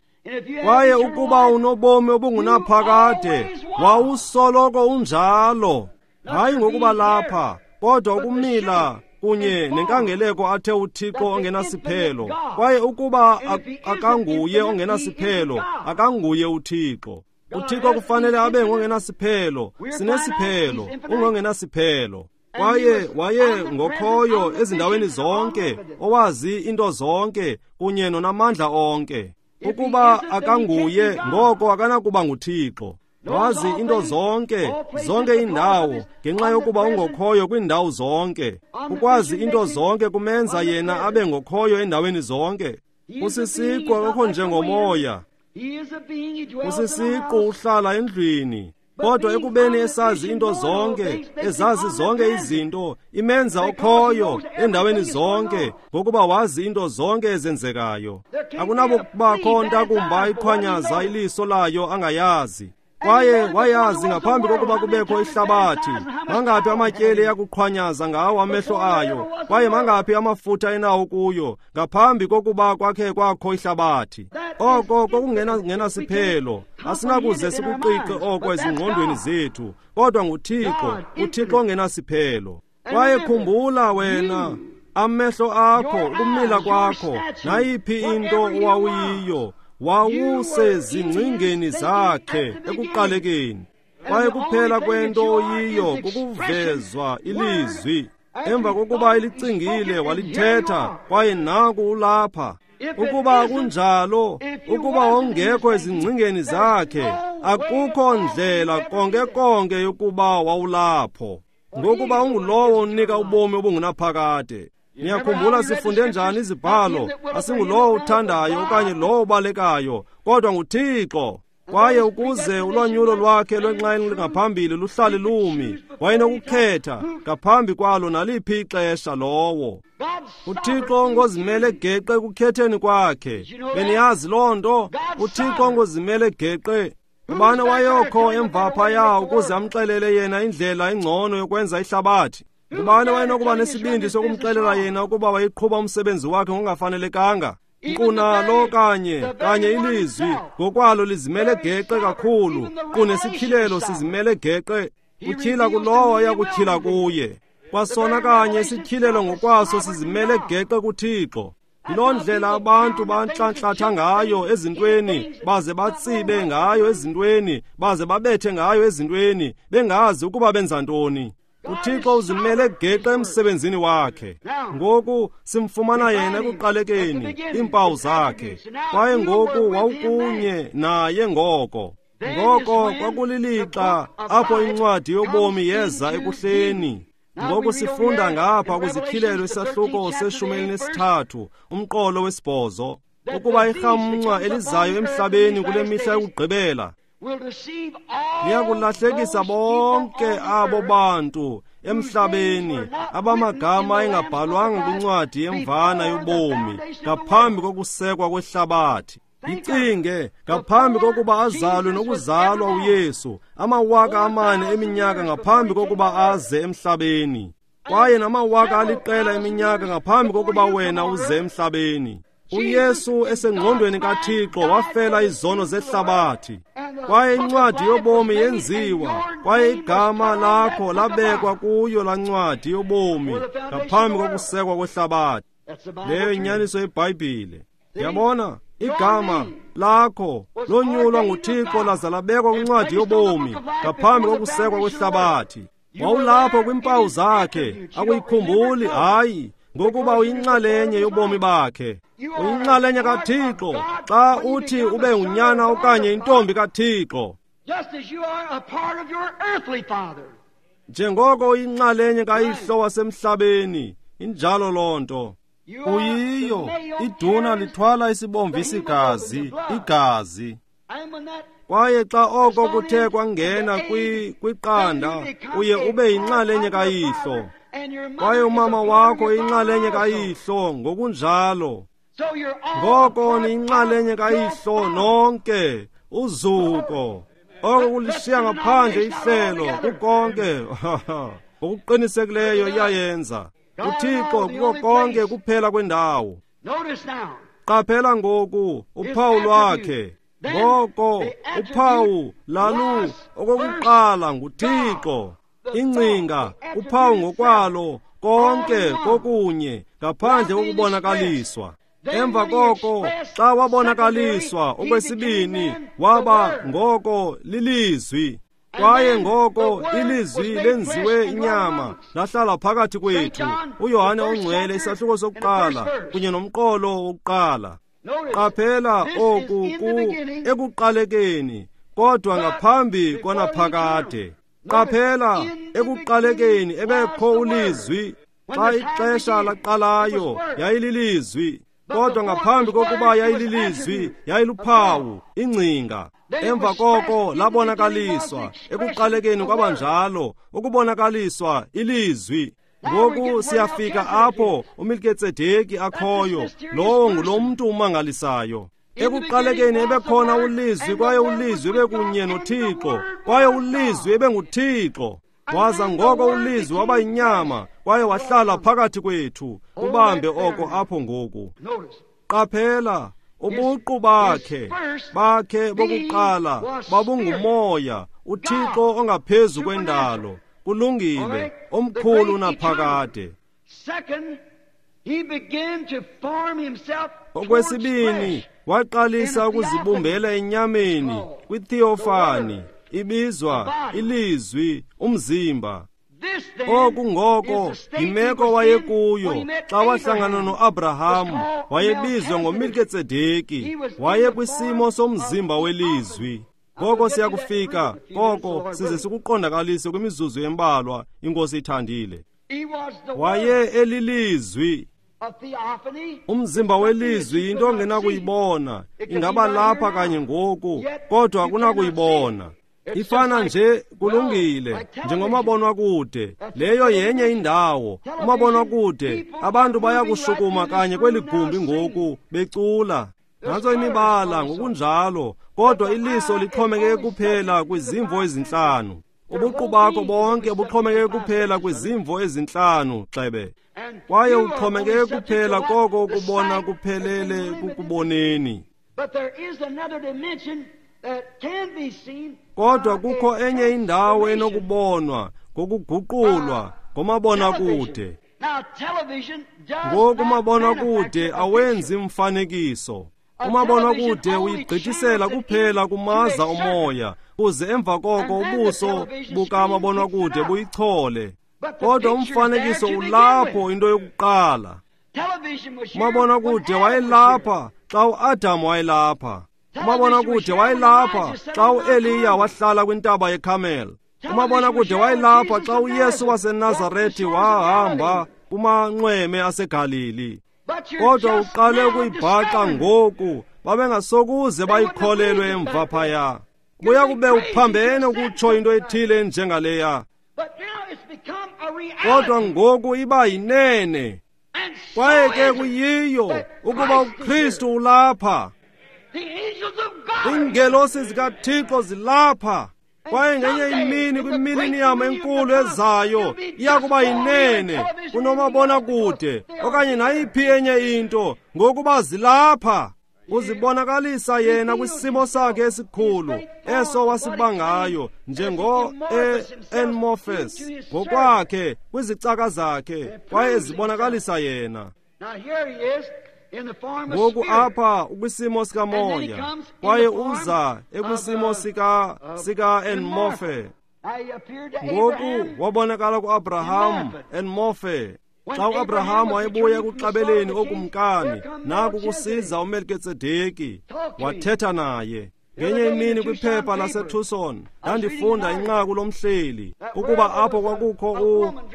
Kwaye ukuba unobomi obungunaphakade, wawusoloko unjalo, hayi ngokuba lapha, kodwa ukumila kunye nenkangeleko athe uThixo ongenasiphelo. Kwaye ukuba akanguye ongenasiphelo, akanguye uThixo. uThixo kufanele abe ngongenasiphelo, sinesiphelo, ungongenasiphelo. Kwaye waye ngokhoyo ezindaweni zonke, owazi into zonke, kunye nonamandla onke. Ukuba akanguye, ngoko akanakuba nguThixo. Wazi into zonke, zonke indawo, ngenxa yokuba ungokhoyo kwindawo zonke. Ukwazi into zonke kumenza yena abe ngokhoyo endaweni zonke. Usisiqu akukho njengomoya. Usisiqu uhlala endlwini. Kodwa ekubeni esazi into zonke, ezazi zonke izinto, imenza okhoyo endaweni zonke, ngokuba wazi into zonke ezenzekayo. Akunakubakho ntakumba iqhwanyaza iliso layo angayazi. Kwaye wayazi ngaphambi kokuba kubekho ihlabathi, mangaphi amatyeli eyakuqhwanyaza ngawo amehlo ayo, kwaye mangaphi amafutha enawo kuyo, ngaphambi kokuba kwakhe kwakho ihlabathi. Oko kokungenasiphelo, asinakuze sikuqiqe oko ezingqondweni zethu, kodwa nguThixo, uThixo ongenasiphelo. Kwaye khumbula wena, amehlo akho, ukumila kwakho, nayiphi into owawuyiyo, wawusezingcingeni zakhe ekuqalekeni. Kwaye kuphela kwento oyiyo kukuvezwa ilizwi. Emva kokuba elicingile walithetha, kwaye naku ulapha. Ukuba kunjalo, ukuba wawungekho ezingcingeni zakhe, akukho ndlela konke konke yokuba wawulapho, ngokuba ungulowo unika ubomi obungunaphakade. Niyakhumbula sifunde njani izibhalo? Asingulowo uthandayo okanye lowo ubalekayo, kodwa nguThixo. Kwaye ukuze ulwanyulo lwakhe lwenxa ngaphambili luhlale lumi, wayenokukhetha ngaphambi kwalo naliphi ixesha lowo. UThixo ngozimele geqe ekukhetheni kwakhe. Beniyazi loo nto? UThixo ngozimele geqe. Ubani wayekho emva phaya ukuze amxelele yena indlela engcono yokwenza ihlabathi? Ubani wayenokuba nesibindi sokumxelela yena ukuba wayeqhuba umsebenzi wakhe ngokungafanelekanga? Kunalo kanye kanye ilizwi ngokwalo lizimele geqe kakhulu, kunesityhilelo sizimele geqe. Utyhila kulowo ayakutyhila kuye. Kwasona kanye isityhilelo ngokwaso sizimele geqe kuThixo. Yiloo ndlela abantu bantlantlatha ngayo ezintweni, baze batsibe ngayo ezintweni, baze babethe ngayo ezintweni, bengazi ukuba benza ntoni. UThixo uzimele geqe emsebenzini wakhe. Ngoku simfumana yena ekuqalekeni, iimpawu zakhe. Kwaye ngoku wawukunye naye ngoko. Ngoko kwakulilixa apho incwadi yobomi yeza ekuhleni. Ngoku sifunda ngapha kwizityhilelo isahluko seshumi elinesithathu, umqolo wesibhozo, ukuba irhamncwa elizayo emhlabeni kule mihla yokugqibela liyakulahlekisa bonke abo bantu emhlabeni abamagama engabhalwanga kwincwadi yemvana yobomi ngaphambi kokusekwa kwehlabathi. Icinge, ngaphambi kokuba azalwe nokuzalwa uYesu, amawaka amane eminyaka ngaphambi kokuba aze emhlabeni, kwaye namawaka aliqela eminyaka ngaphambi kokuba wena uze emhlabeni. uYesu esengqondweni kaThixo wafela izono zehlabathi, kwaye incwadi yobomi yenziwa, kwaye igama lakho labekwa kuyo laa ncwadi yobomi ngaphambi kokusekwa kwehlabathi. Leyo inyaniso yeBhayibhile. Yabona, igama lakho lonyulwa nguThixo laza labekwa kwincwadi yobomi ngaphambi kokusekwa kwehlabathi. Wawulapho kwiimpawu zakhe, akuyikhumbuli, hayi, ngokuba uyinxalenye yobomi bakhe. Uyinxalenye kaThixo xa uthi ube ngunyana okanye intombi kaThixo. Njengoko uyinxalenye kayihlo wasemhlabeni, injalo loo nto. Uyiyo, iduna lithwala isibomvu isigazi, igazi. Kwaye xa oko kuthe kwangena kwiqanda, uye ube yinxalenye kayihlo. Kwaye umama wakho inxalenye kayihlo ngokunjalo. Ngoko niyinxalenye kayihlo nonke, uzuko. Oko kulishiya ngaphandle ihlelo kukonke. Ngokuqinisekileyo iyayenza. UThixo kuko konke kuphela kwendawo. Qaphela ngoku uphawu lwakhe. Ngoko uphawu lalu okokuqala nguThixo. Ingcinga, uphawu ngokwalo, konke kokunye ngaphandle kokubonakaliswa. Emva koko xa wabonakaliswa okwesibini, waba ngoko lilizwi. Kwaye ngoko ilizwi lenziwe inyama lahlala phakathi kwethu. uYohane ongcwele isahluko sokuqala kunye nomqolo wokuqala. Qaphela oku ku ekuqalekeni, kodwa ngaphambi konaphakade. Qaphela ekuqalekeni ebekho ulizwi. Xa ixesha laqalayo yayililizwi, kodwa ngaphambi kokuba yayililizwi yayiluphawu, ingcinga. Emva koko labonakaliswa ekuqalekeni kwabanjalo, ukubonakaliswa ilizwi. Ngoku siyafika apho uMelkitsedeki akhoyo, lowo ngulo mntu umangalisayo. Ekuqalekeni ebekhona uLizwi, kwaye uLizwi ebekunye noThixo, kwaye uLizwi ebenguThixo. Waza ngoko uLizwi waba yinyama, kwaye wahlala phakathi kwethu. Ubambe oko apho ngoku. Qaphela, ubuqu bakhe bakhe bokuqala babungumoya, uThixo ongaphezu kwendalo. Kulungile, omkhulu naphakade. Okwesibini, waqalisa ukuzibumbela enyameni kwitheofani, ibizwa ilizwi, umzimba. Oku ngoko yimeko wayekuyo xa wahlangana noAbraham. Wayebizwa ngoMelkitsedeki, wayekwisimo somzimba welizwi. Ngoko siyakufika koko size sikuqondakalise kwimizuzu embalwa, iNkosi ithandile. Waye elilizwi. Umzimba welizwi yinto ongenakuyibona, ingaba lapha kanye ngoku, kodwa akunakuyibona. Ifana nje, kulungile, njengomabonwakude. Leyo yenye indawo. Umabonwakude, abantu bayakushukuma kanye kweli gumbi ngoku becula. Nantso imibala ngokunjalo, kodwa iliso lixhomekeke kuphela kwizimvo ezintlanu. Ubuqu bakho bonke buxhomekeke kuphela kwizimvo ezintlanu, xebe. Kwaye uxhomekeke kuphela koko ukubona kuphelele kukuboneni. Kodwa kukho enye indawo enokubonwa ngokuguqulwa ngomabonakude. Ngoku umabonakude awenzi mfanekiso. Umabonakude uyigqithisela kuphela kumaza omoya, kuze emva koko ubuso bukamabonakude buyichole. Kodwa umfanekiso ulapho into yokuqala. Umabonakude wayelapha xa uAdam wayelapha. Umabonakude wayelapha xa uEliya wahlala kwintaba yeKarmel. Umabonakude wayelapha xa uYesu waseNazarethi wahamba kumanxweme aseGalili. Kodwa uqale ukuyibhaqa ngoku, babengasokuze bayikholelwe emva phaya. Buya kube uphambene ukutsho into ethile njengaleya. Kodwa ngoku iba yinene. Kwaye ke kuyiyo ukuba uKristu ulapha. Iingelosi zikaThixo zilapha. Kwaye ngenye imini kwimiliniyam enkulu ezayo iya kuba yinene kunomabonakude okanye nayiphi enye into, ngokuba zilapha. Uzibonakalisa yena kwisimo sakhe esikhulu eso wasibangayo njengo-Enmorphus ngokwakhe kwizicaka zakhe, kwaye ezibonakalisa yena. Ngoku apha ukwisimo sikamoya, kwaye uza ekwisimo sika sika-Enmorphe. Ngoku wabonakala ku-Abraham Enmorphe. Xa uAbraham wayebuya ekuxabeleni okumkani, naku kusiza uMelkitsedeki, wathetha naye. Ngenye imini kwiphepha laseTucson, ndandifunda inqaku lomhleli, ukuba apho kwakukho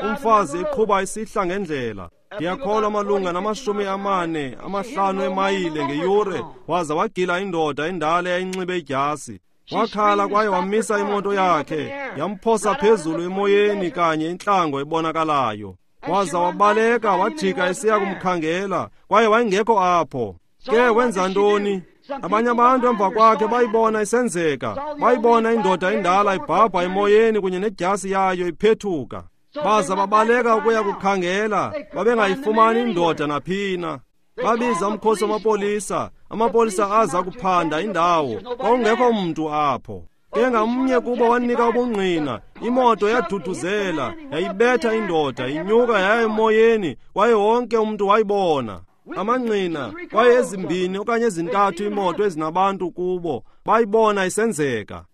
umfazi eqhuba isihla ngendlela. Ndiyakholwa malunga namashumi amane amahlanu emayile ngeyure, waza wagila indoda endala eyayinxibe idyasi. Wakhala kwaye wamisa imoto yakhe, yamphosa phezulu emoyeni kanye intlango ebonakalayo. Waza wabaleka wajika esiya kumkhangela, kwaye wayengekho apho. Ke wenza ntoni? Abanye abantu emva kwakhe bayibona isenzeka, bayibona indoda endala ibhabha emoyeni kunye nedyasi yayo iphethuka. Baza babaleka ukuya kukhangela, babengayifumani indoda naphina. Babiza umkhosi wamapolisa, amapolisa aza kuphanda indawo, kwakungekho mntu apho. Ke ngamnye kubo wanika ubungqina, imoto yaduduzela, yayibetha indoda, inyuka yaya emoyeni, kwaye wonke umntu wayibona. Amangqina, kwaye ezimbini okanye ezintathu imoto ezinabantu kubo, bayibona isenzeka.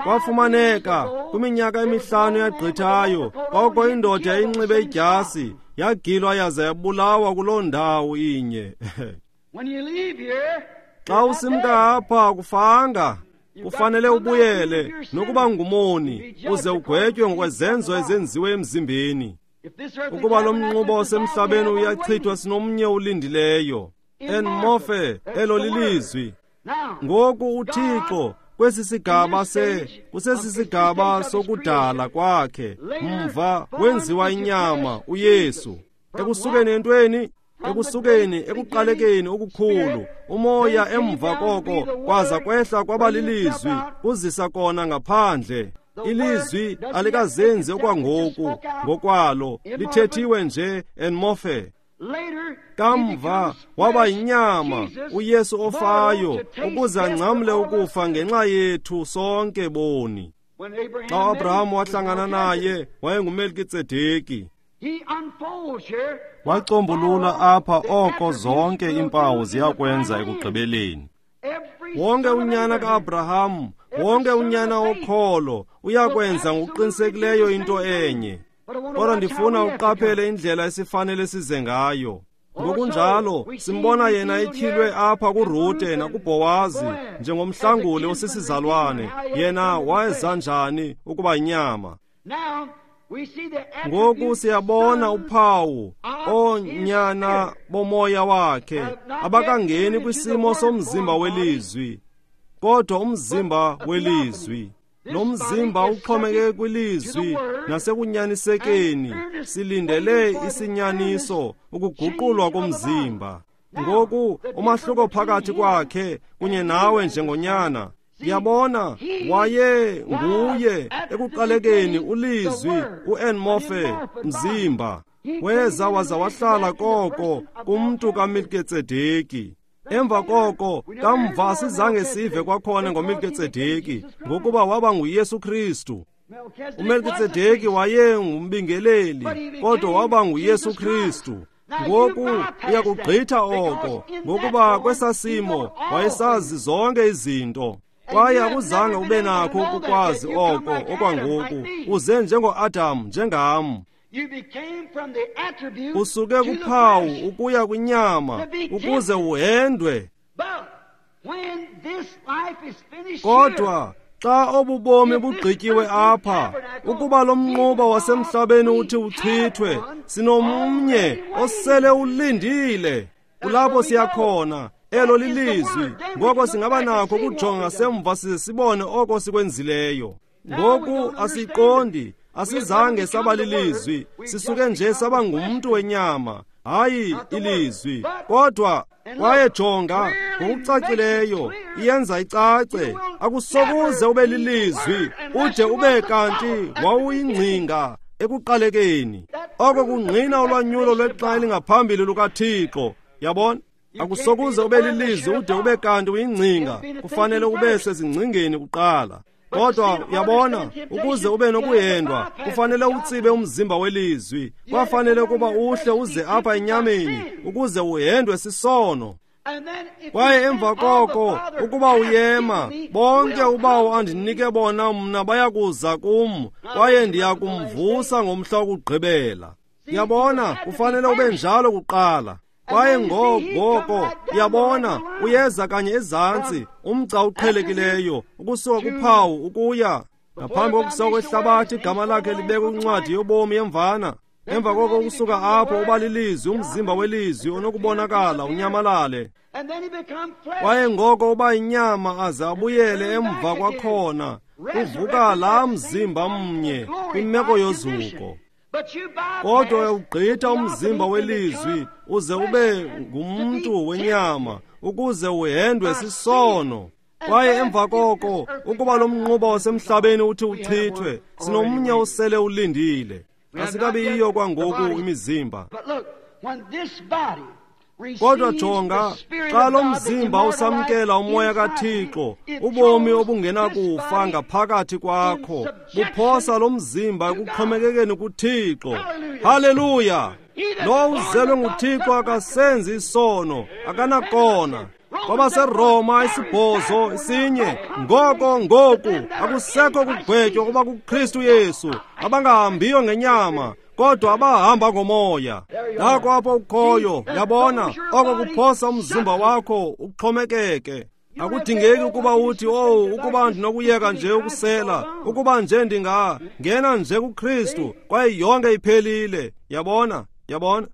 Kwafumaneka kwiminyaka emihlanu yagqithayo, kwakukho indoda yayinxibe idyasi, yagilwa yaza yabulawa kuloo ndawo inye. Xa usimka apha akufanga, kufanele ubuyele nokuba ngumoni, uze ugwetywe ngokwezenzo ezenziwe emzimbeni. Ukuba lo mnquba osemhlabeni uyachithwa, sinomnye ulindileyo. Enmorphe, elo lilizwi. Ngoku uThixo kwesi sigaba se kusesi sigaba sokudala kwakhe, mva wenziwa inyama uYesu. Ekusukeni entweni, Ekusukeni ekuqalekeni okukhulu, umoya emva koko kwaza kwehla kwaba lilizwi, kuzisa kona ngaphandle. Ilizwi alikazenzi okwangoku ngokwalo, lithethiwe nje enmorphe. Kamva waba yinyama uYesu ofayo ukuze angcamle ukufa ngenxa yethu sonke boni. Xa uAbraham wahlangana naye wayenguMelkitsedeki. Wacombulula apha oko zonke iimpawu ziyakwenza ekugqibeleni. Wonke unyana kaAbraham, wonke unyana wokholo uyakwenza ngokuqinisekileyo into enye. Kodwa ndifuna uqaphele indlela esifanele size ngayo. Ngokunjalo simbona yena etyhilwe apha kuRute nakuBhowazi njengomhlanguli osisizalwane. Yena wayeza njani ukuba yinyama? Ngoku siyabona uphawu oonyana bomoya wakhe abakangeni kwisimo somzimba welizwi, kodwa umzimba welizwi. Lo mzimba uxhomekeke kwilizwi nasekunyanisekeni, silindele isinyaniso, ukuguqulwa komzimba. Ngoku umahluko phakathi kwakhe kunye nawe njengonyana, yabona, waye nguye ekuqalekeni ulizwi uenmorphe mzimba. Weza waza wahlala koko kumntu kaMelkitsedeki. Emva koko kamva sizange sive kwakhona ngoMelkitsedeki, ngokuba waba nguYesu Kristu. UMelkitsedeki waye ngumbingeleli, kodwa waba nguYesu Kristu. Ngoku uyakugqitha oko, ngokuba kwesasimo wayesazi zonke izinto. Kwaye akuzange ube nakho ukukwazi oko okwangoku, uze njengoAdam njengam. Usuke kuphawu ukuya kwinyama ukuze uhendwe. Kodwa xa obubomi bugqityiwe apha, ukuba lo mnquba wasemhlabeni uthi uchithwe, sinomnye osele ulindile. Kulapho siyakhona, elo lilizwi. Ngoko singaba nakho ukujonga semva size sibone oko sikwenzileyo. Ngoku asiqondi, asizange saba lilizwi, sisuke nje saba ngumntu wenyama, hayi ilizwi. Kodwa kwaye jonga ngokucacileyo, iyenza icace, akusokuze ube lilizwi ude ube kanti wawuyingcinga ekuqalekeni. Oko kungqina ulwanyulo lwexa elingaphambili lukaThixo. Yabona, akusokuze ube lilizwi ude ube kanti uyingcinga, kufanele ube sezingcingeni kuqala. Kodwa yabona, ukuze ube nokuhendwa kufanele utsibe umzimba welizwi. Kwafanele ukuba uhle uze apha enyameni ukuze uhendwe sisono. Kwaye emva koko ukuba uyema, bonke ubawo andinike bona mna bayakuza kum, kwaye ndiyakumvusa ngomhla wokugqibela. Yabona, kufanele ube njalo kuqala. Kwaye ngoko yabona, uyeza kanye ezantsi, umgca uqhelekileyo, ukusuka kuphawu ukuya ngaphambi kokusuka kwehlabathi, igama lakhe libekwe kwincwadi yobomi yemvana. Emva koko ukusuka apho uba lilizwi, umzimba welizwi onokubonakala unyamalale. Kwaye ngoko uba inyama aze abuyele emva kwakhona, uvuka laa mzimba mnye kwimeko yozuko. Kodwa uyawugqitha umzimba welizwi uze ube ngumntu wenyama ukuze uhendwe sisono. Kwaye emva koko ukuba lo mnquba wasemhlabeni uthi uchithwe, sinomnye osele ulindile. Asikabi yiyo kwangoku imizimba. Kodwa jonga, xa lo mzimba usamkela umoya kaThixo, ubomi obungenakufa ngaphakathi kwakho buphosa lo mzimba ekuxhomekekeni kuThixo. Haleluya! Lo uzelwe nguThixo akasenzi isono, akanakona. KwabaseRoma isibhozo isinye, ngoko ngoku akusekho kugwetywa kuba kuKristu Yesu, abangahambiyo ngenyama kodwa abahamba ngomoya. Nako apho ukhoyo, yabona, oko kuphosa umzimba wakho uxhomekeke. Akudingeki ukuba uthi, oh, ukuba ndinokuyeka nje ukusela, ukuba nje ndinga ngena nje kuKristu, kwaye yonke iphelile. Yabona, yabona,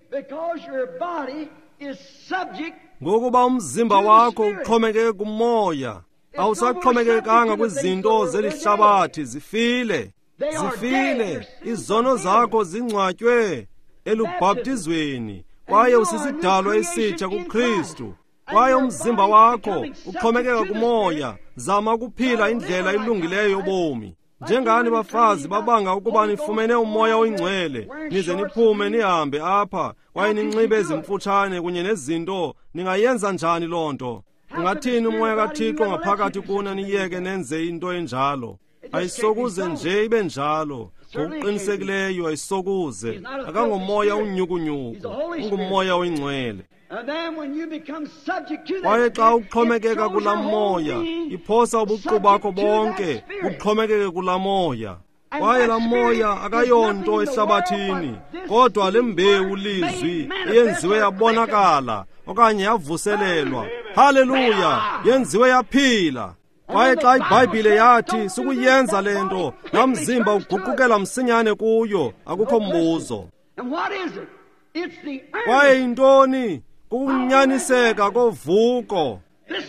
ngokuba umzimba wakho uxhomekeke kumoya, awusaxhomekekanga kwizinto zelihlabathi, zifile. Zifile, izono zakho zingcwatywe elubhaptizweni, Kwaye usisidalwa esitsha kuKristu. Kwaye umzimba wakho uxhomekeka kumoya. Zama ukuphila indlela elungileyo yobomi. Njengani bafazi babanga ukuba nifumene umoya oyingcwele, nize niphume nihambe apha, kwaye ninxibe ezimfutshane kunye nezinto, ningayenza njani loo nto? Ungathini umoya kaThixo ngaphakathi kuna niyeke nenze into enjalo? Ayisokuze nje ibe njalo. Ngokuqinisekileyo ayisokuze. Akangomoya unyukunyuku, ungumoya oyingcwele. Kwaye xa uxhomekeka kulaa moya, iphosa ubuqu bakho bonke buxhomekeke kulaa moya. Kwaye laa moya akayonto ehlabathini, kodwa le mbewu lizwi eyenziwe yabonakala okanye yavuselelwa. Haleluya! Yenziwe yaphila. Kwaye xa iBhayibhile yathi sukuyenza le nto, laa mzimba uguqukela msinyane kuyo, akukho mbuzo. Kwaye yintoni? Kukunyaniseka kovuko.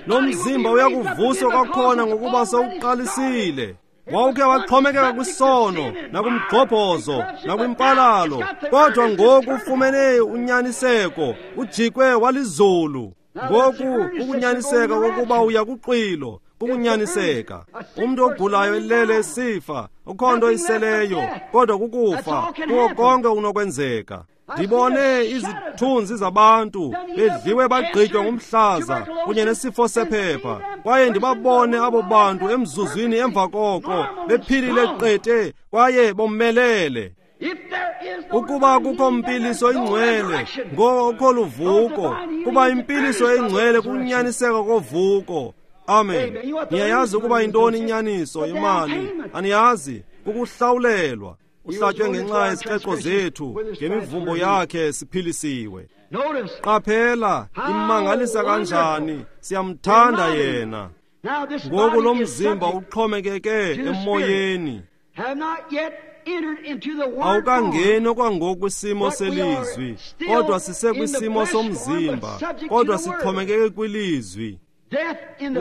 Lo mzimba uyakuvuswa kwakhona ngokuba sewuqalisile. Wawukhe waxhomekeka kwisono nakumgxobhozo nakwimpalalo, kodwa ngoku ufumene unyaniseko, ujikwe walizulu. Ngoku kukunyaniseka kokuba uya kuxwilo, kukunyaniseka. Umntu ogulayo elele esifa, akukho nto iseleyo, kodwa kukufa, kuko konke unokwenzeka. Ndibone izithunzi zabantu bedliwe bagqitywa ngumhlaza kunye nesifo sephepha, kwaye ndibabone abo bantu emzuzwini emva koko bephilile qete kwaye bomelele. Ukuba kukho mpiliso ingcwele, ngoko luvuko. Kuba impiliso engcwele kunyaniseka kovuko. Amen. Niyayazi ukuba yintoni inyaniso imali? Aniyazi? Kukuhlawulelwa. Uhlatywe ngenxa yeziqeqo zethu, ngemivumbo yakhe siphilisiwe. Qaphela, imangalisa kanjani, siyamthanda yena. Ngoku lo mzimba uxhomekeke emoyeni. Awukangeni okwangoku kwisimo selizwi, kodwa sisekwisimo somzimba, kodwa sixhomekeke kwilizwi.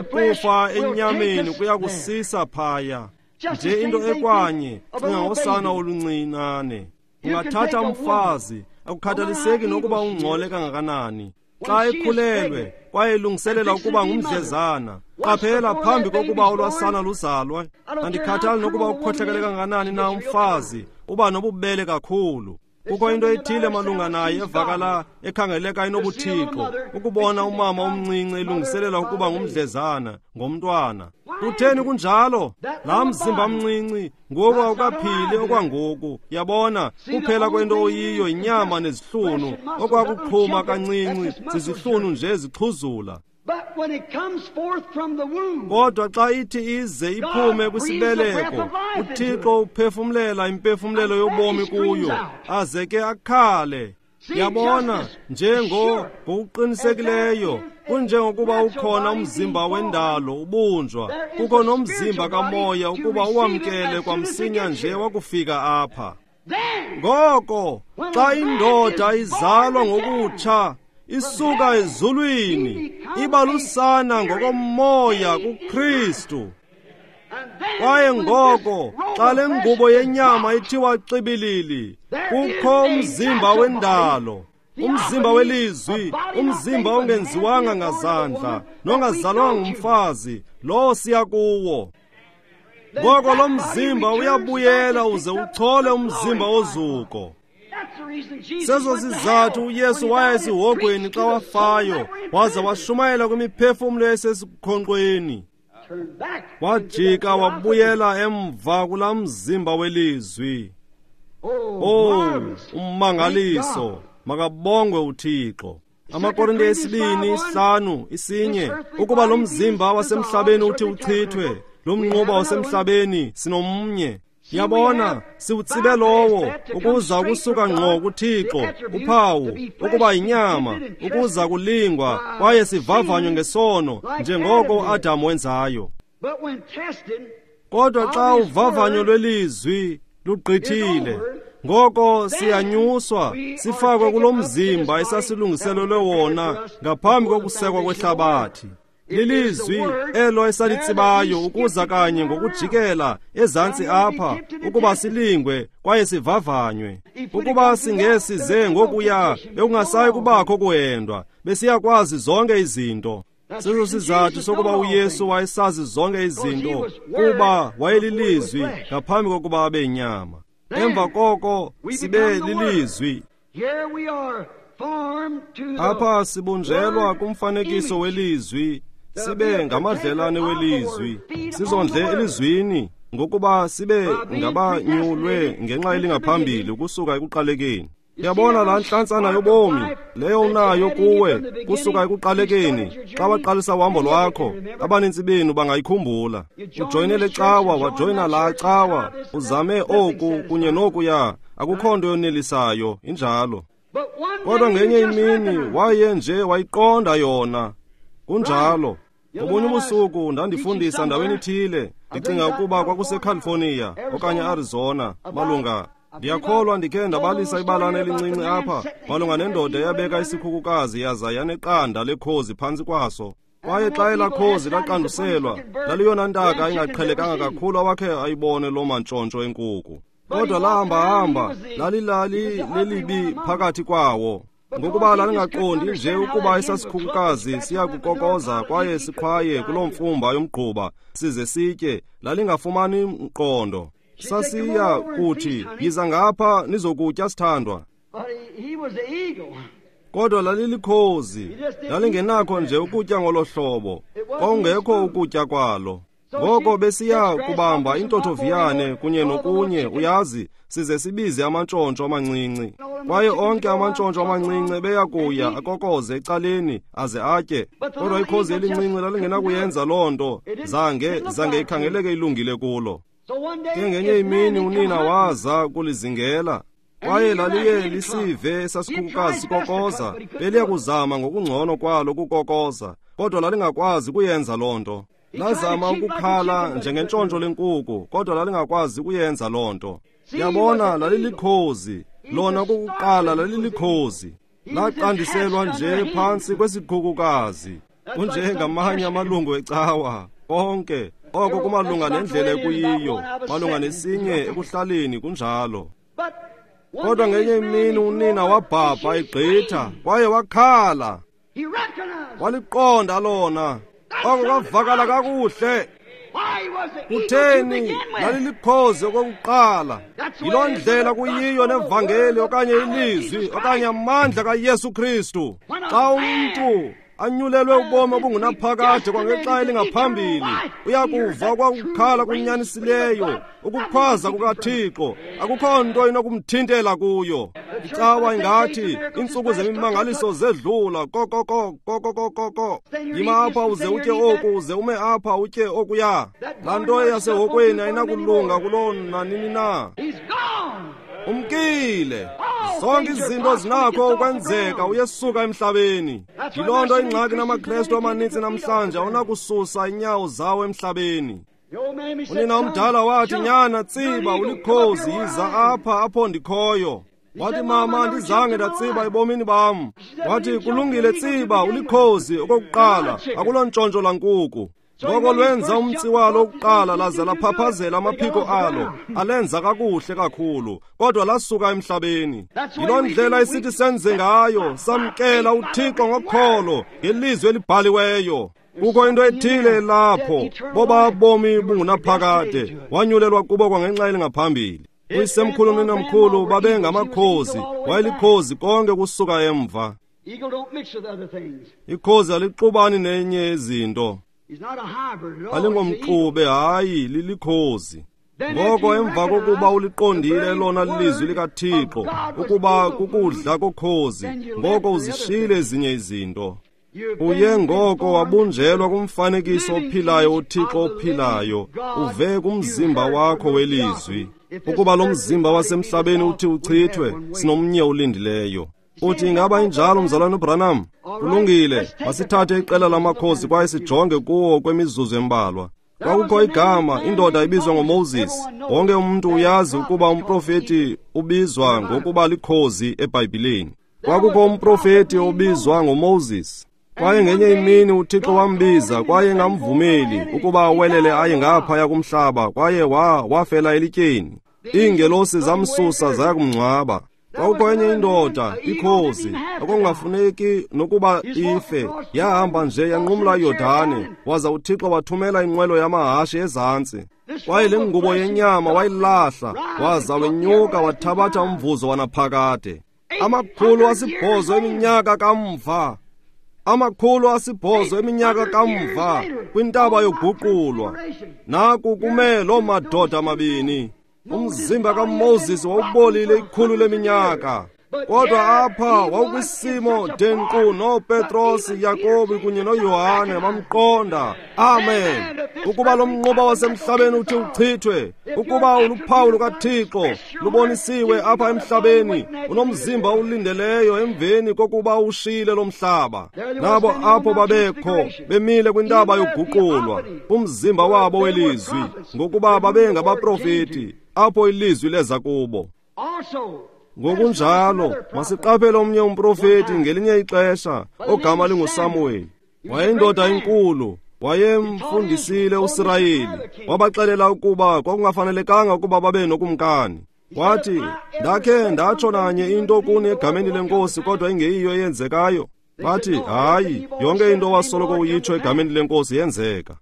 Ukufa enyameni kuyakusisa phaya. Nje into ekwanye, cinga ngosana oluncinane. Ungathatha umfazi, akukhathaliseki nokuba ungcole kangakanani. Xa ekhulelwe, kwaye elungiselela ukuba ngumdlezana, qaphela phambi kokuba olwasana luzalwe. Andikhathali nokuba ukhohlakele kangakanani na umfazi, uba nobubele kakhulu. Kukho into ethile malunga naye evakala ekhangeleka inobuthixo, ukubona umama omncinci elungiselela ukuba ngumdlezana ngomntwana. Kutheni kunjalo? Laa mzimba mncinci ngoku awukaphili okwangoku. Yabona, kuphela kwento oyiyo yinyama nezihlunu, okwakuqhuma kancinci zizihlunu nje zixhuzula. Kodwa xa ithi ize iphume kwisibeleko, uThixo uphefumlela impefumlelo yobomi kuyo, aze ke akhale. Yabona, njengo ngokuqinisekileyo, kunjengokuba ukhona umzimba wendalo ubunjwa, kukho nomzimba kamoya ukuba uwamkele kwamsinya nje wakufika apha. Ngoko, xa indoda izalwa ngokutsha, isuka ezulwini, iba lusana ngokomoya kuKristu. Kwaye ngoko, xa le ngubo yenyama ithiwa xibilili, kukho umzimba wendalo, umzimba welizwi, umzimba ongenziwanga ngazandla, nongazalwanga ngumfazi, lowo siya kuwo. Ngoko lo mzimba uyabuyela uze uchole umzimba ozuko. Sezo sizathu uYesu waya esihogweni xa wafayo, waza washumayela kwimiphefumlo esesikhonkqweni. Wajika wabuyela emva kulaa mzimba welizwi. Oh, ummangaliso, makabongwe uThixo. AmaKorinte esibini isihlanu isinye, ukuba lo mzimba wasemhlabeni uthi uchithwe, lo mnquba wasemhlabeni sinomnye. Yabona, siwutsibe lowo ukuza kusuka ngqo kuThixo, uphawu ukuba yinyama, ukuza kulingwa kwaye sivavanywe ngesono njengoko uAdam wenzayo. Kodwa xa uvavanyo lwelizwi lugqithile, ngoko siyanyuswa sifakwe kulo mzimba esasilungiselelwe wona ngaphambi kokusekwa kwehlabathi. Lilizwi elo esalitsibayo ukuza kanye ngokujikela ezantsi apha ukuba silingwe kwaye sivavanywe. Ukuba singesize ngokuya bekungasayi kubakho kuhendwa, besiyakwazi zonke izinto. Seso sizathu sokuba uYesu wayesazi zonke izinto, kuba wayelilizwi ngaphambi kokuba abe yinyama. Emva koko sibe lilizwi. Apha sibunjelwa kumfanekiso welizwi, sibe ngamadlelane welizwi, sizondle elizwini ngokuba sibe ngabanyulwe ngenxa elingaphambili ukusuka ekuqalekeni. Uyabona laa ntlantsana yobomi leyo unayo kuwe kusuka ekuqalekeni. Xa waqalisa uhambo lwakho, abanintsi benu bangayikhumbula. Ujoyine le cawa, wajoyina laa cawa, uzame oku kunye nokuya, akukho nto yonelisayo, injalo. Kodwa ngenye imini waye nje wayiqonda yona. Kunjalo. Ngobunye ubusuku ndandifundisa ndaweni ithile, ndicinga ukuba kwakuseCalifornia okanye Arizona, malunga. Ndiyakholwa ndikhe ndabalisa ibalana elincinci apha malunga nendoda eyabeka isikhukukazi yaza yaneqanda lekhozi phantsi kwaso. Kwaye xa elaa khozi laqanduselwa, laliyona ntaka ingaqhelekanga kakhulu awakhe ayibone loo mantshontsho enkuku. Kodwa lahamba-hamba lalilali lelibi phakathi kwawo, ngokuba lalingaqondi nje ukuba esasikhukukazi siyakukokoza kwaye siqhwaye kuloo mfumba yomgquba size sitye. Lalingafumani mqondo. Sasiya kuthi, yiza ngapha nizokutya sithandwa. Kodwa lalilikhozi, lalingenakho nje ukutya ngolo hlobo, kwakungekho ukutya kwalo. Ngoko besiya kubamba intothoviyane kunye nokunye, uyazi, size sibize amantshontsho amancinci. Kwaye onke amantshontsho amancinci beyakuya akokoze ecaleni aze atye. Kodwa ikhozi elincinci lalingenakuyenza loo nto, zange zange ikhangeleke ilungile kulo. Ke ngenye imini unina waza kulizingela, kwaye laliye lisive esasikhukukazi sikokoza. Beliya kuzama ngokungcono kwalo ukukokoza, kodwa lalingakwazi kuyenza loo nto. Lazama ukukhala njengentshontsho lenkuku, kodwa lalingakwazi kuyenza loo nto. Yabona, lalilikhozi lona okokuqala, lalilikhozi. Laqandiselwa nje phantsi kwesikhukukazi, kunjengamanye amalungu ecawa konke oko kumalunga nendlela ekuyiyo, malunga nesinye ekuhlaleni kunjalo. Kodwa ngenye imini unina wabhabha egqitha kwaye wakhala. Waliqonda lona. Oko kwavakala kakuhle. Kutheni? Lalilikhozi okokuqala. Yiloo ndlela kuyiyo nevangeli okanye ilizwi okanye amandla kaYesu Kristu. Xa umntu anyulelwe ubomi obungunaphakade kwangexa elingaphambili, uyakuva kwakukhala kunyanisileyo, ukukhwaza kukaThixo. Akukho nto inokumthintela kuyo. Icawa ingathi iintsuku zemimangaliso zedlula, kokoko kokokokoko. Yima apha uze utye oku, uze ume apha utye okuya. Laa nto yasehokweni ayinakulunga kuloo nanini na. Umkile. Zonke izinto zinakho ukwenzeka, uyesuka emhlabeni. Yiloo nto ingxaki namaKrestu amanintsi namhlanje, awunakususa inyawo zawo emhlabeni. Unina omdala wathi, nyana tsiba, ulikhozi, yiza apha apho ndikhoyo. Wathi, mama, andizange ndatsiba ebomini bam. Wathi, kulungile tsiba, ulikhozi okokuqala, akulontshontsho lankuku. Ngoko lwenza umtsi walo wokuqala laze laphaphazela amaphiko alo, alenza kakuhle kakhulu, kodwa lasuka emhlabeni. Yiloo ndlela esithi senze ngayo, samkela uThixo ngokholo ngelizwi elibhaliweyo. Kukho into ethile lapho, boba bomi bungunaphakade, wanyulelwa kubo kwangenxa elingaphambili. Uyisemkhulu nonamkhulu babengamakhozi, wayelikhozi konke kusuka emva. Ikhozi alixubani nenye izinto. Alingomxube, hayi, lilikhozi. Ngoko emva kokuba uliqondile lona lilizwi likaThixo ukuba kukudla kokhozi, ngoko uzishiyile ezinye izinto. Uye ngoko wabunjelwa kumfanekiso ophilayo uThixo ophilayo, uve kumzimba wakho welizwi. Ukuba lo mzimba wasemhlabeni uthi uchithwe, sinomnye ulindileyo. Uthi, ingaba injalo mzalwana uBranham? Kulungile, masithathe iqela lamakhozi kwaye sijonge kuwo kwemizuzu embalwa. Kwakukho igama, indoda ibizwa ngoMoses. Wonke umuntu uyazi ukuba umprofeti ubizwa ngokuba likhozi eBhayibhileni. Kwakukho umprofeti obizwa ngoMoses. Kwaye ngenye imini uThixo wambiza kwaye ngamvumeli ukuba awelele aye ngaphaya kumhlaba, kwaye wa wafela elityeni. Iingelosi zamsusa zaya kumngcwaba. Kwakukho enye indoda, ikhozi, okungafuneki nokuba ife, yahamba nje yanqumla iYordane, waza uThixo wathumela inqwelo yamahashe ezantsi. Kwaye le ngubo yenyama wayilahla, waza wenyuka wathabatha umvuzo wanaphakade. Amakhulu asibhozo eminyaka kamva, amakhulu asibhozo eminyaka kamva, kwintaba yoguqulwa, naku kume loo madoda amabini. Umzimba kaMoses wawubolile ikhulu leminyaka, kodwa apha wawukwisimo de nkqu noPetros, Yakobi kunye noYohane bamqonda. Amen. Ukuba lo mnquba wasemhlabeni uthi uchithwe, ukuba uluphawu lukaThixo lubonisiwe apha emhlabeni, unomzimba ulindeleyo emveni kokuba ushiyile lo mhlaba. Nabo apho babekho bemile kwintaba yoguqulwa, umzimba wabo welizwi, ngokuba babengabaprofeti apho ilizwi leza kubo. Ngokunjalo masiqaphele omnye umprofeti ngelinye ixesha ogama linguSamuweli. Wayeyindoda enkulu, wayemfundisile uSirayeli, wabaxelela ukuba kwakungafanelekanga ukuba babe nokumkani. Wathi, ndakhe ndatsho nanye into kuni egameni lenkosi kodwa ingeyiyo eyenzekayo. Bathi, hayi, yonke into wasoloko uyitsho egameni lenkosi yenzeka.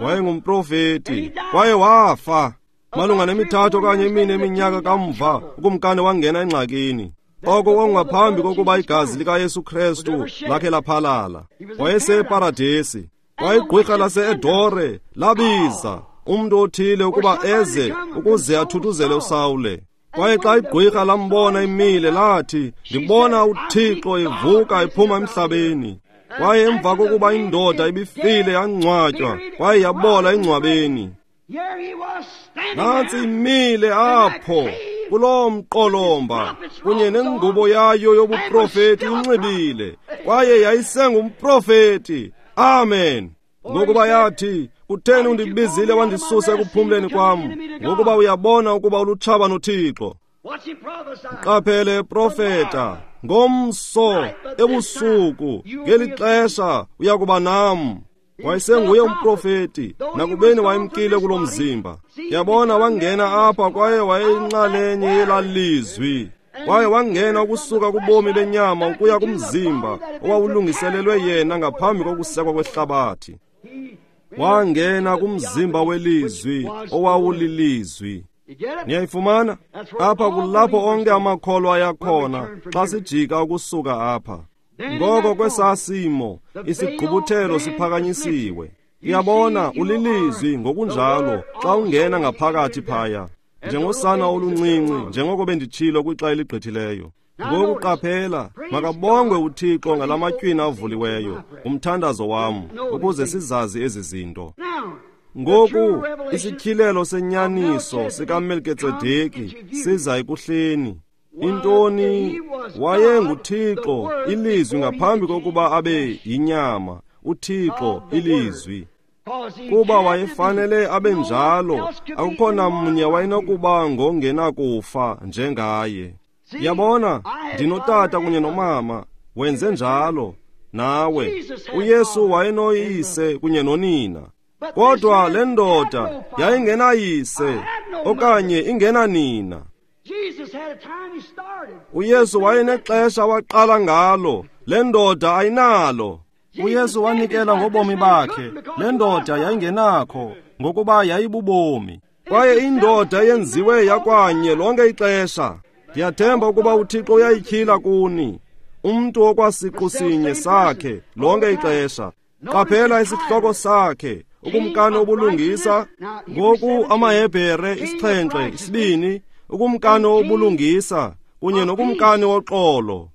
Wayengumprofeti kwaye wafa. Malunga nemithathu okanye imine eminyaka kamva, ukumkani wangena engxakini. Oko kwakungaphambi kokuba igazi likaYesu Krestu lakhe laphalala. Wayeseparadesi. Wayigqwirha lase-Edore labiza umntu othile ukuba eze ukuze athuthuzele uSawule. Kwaye xa igqwirha lambona imile lathi, ndibona uThixo evuka ephuma emhlabeni. Kwaye emva kokuba indoda ibifile yangcwatywa, kwaye yabola engcwabeni. Nantsi imile apho kuloo mqolomba kunye nengubo yayo yobuprofeti inxibile, kwaye yayisengumprofeti. Amen. Ngokuba yathi, kutheni undibizile wandisusa ekuphumleni kwam? Ngokuba uyabona ukuba ulutshaba noThixo. Qaphele profeta, ngomso ebusuku ngeli xesha uyakuba nam. Wayesenguye umprofeti, nakubeni wayemkile kulo mzimba. Yabona, wangena apha kwaye wayeyinxalenye yelalizwi. Kwaye wangena ukusuka kubomi benyama ukuya kumzimba owawulungiselelwe yena ngaphambi kokusekwa kwehlabathi. Wangena kumzimba welizwi owawulilizwi. Niyayifumana? Apha kulapho onke amakholwa ayakhona xa sijika ukusuka apha. Ngoko kwesasimo isigqubuthelo siphakanyisiwe. Uyabona, ulilizwi ngokunjalo xa ungena ngaphakathi phaya, njengosana oluncinci, njengoko benditshilo kwixa eligqithileyo. Ngoku qaphela, makabongwe uThixo ngalamatywina avuliweyo, umthandazo wam, ukuze sizazi ezi zinto. Ngoku isityhilelo senyaniso sikaMelkitsedeki siza ekuhleni. Intoni? WayenguThixo ilizwi ngaphambi kokuba abe yinyama, uThixo ilizwi. Kuba wayefanele abe njalo, akukho namnye wayenokuba ngongenakufa njengaye. Yabona, ndinotata kunye nomama, wenze njalo nawe. uYesu wayenoyise kunye nonina. Kodwa le ndoda yayingenayise okanye ingenanina. uYesu wayenexesha waqala ngalo, le ndoda ayinalo. uYesu wanikela ngobomi bakhe, le ndoda yayingenakho, ngokuba yayibubomi. Kwaye indoda yenziwe yakwanye lonke ixesha. Ndiyathemba ukuba uThixo uyayityhila kuni, umntu okwasiqu sinye sakhe lonke ixesha. Qaphela isihloko sakhe, ukumkani obulungisa. Ngoku amaHebhere isixhenxe isibini, ukumkani obulungisa kunye nokumkani woxolo.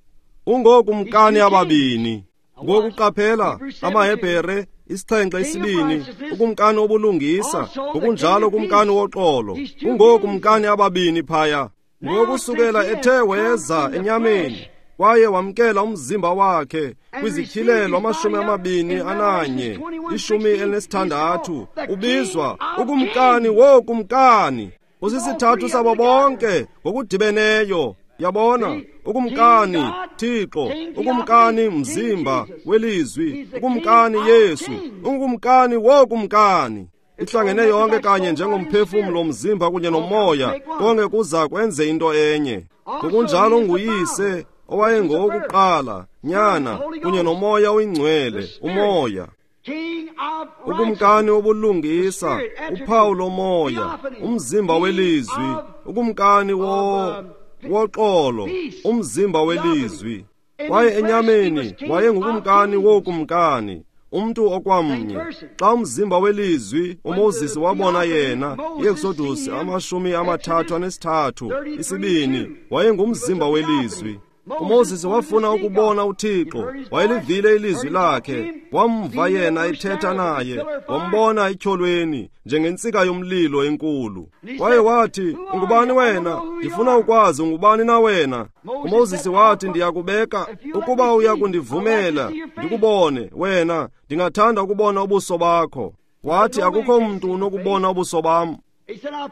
Ungokumkani ababini. Ngoku qaphela amaHebhere isixhenxe isibini, ukumkani obulungisa ngokunjalo ukumkani woxolo. Ungokumkani ababini phaya. Ngokusukela ethe weza enyameni kwaye wamkela umzimba wakhe kwizityhilelo amashumi amabini ananye ishumi elinesithandathu, ubizwa ukumkani wokumkani. Usisithathu sabo bonke ngokudibeneyo. Yabona, ukumkani Thixo, ukumkani mzimba welizwi, ukumkani Yesu, ungukumkani wokumkani. Ihlangene yonke kanye njengomphefumlo, mzimba kunye nomoya, konke kuza kwenze into enye. Ngokunjalo nguyise owayengowokuqala, nyana kunye nomoya oyingcwele, umoya. Ukumkani wobulungisa, uphawu lomoya, umzimba welizwi, ukumkani wo woxolo, umzimba welizwi. Kwaye enyameni wayengukumkani wokumkani, umntu okwamnye. Xa umzimba welizwi uMoses wabona yena, iExodus amashumi amathathu anesithathu isibini, wayengumzimba welizwi. uMoses wafuna ukubona uThixo, wayelivile ilizwi lakhe, wamva yena ethetha naye, wambona etyholweni njengentsika yomlilo enkulu. Kwaye wathi, ungubani wena? Ndifuna ukwazi ungubani na wena. uMoses wathi, ndiyakubeka ukuba uyakundivumela ndikubone wena, ndingathanda ukubona ubuso bakho. Wathi, akukho mntu unokubona ubuso bam.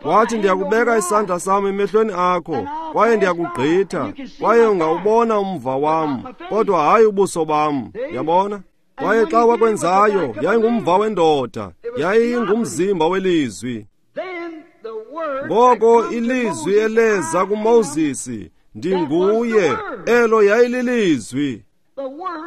Wathi, ndiyakubeka isandla sam emehlweni akho, kwaye ndiyakugqitha, kwaye ungawubona umva wam, kodwa hayi ubuso bam. Yabona? Kwaye xa wakwenzayo, yayingumva wendoda, yayingumzimba welizwi. Ngoko ilizwi eleza kuMoses, ndinguye, elo yayililizwi.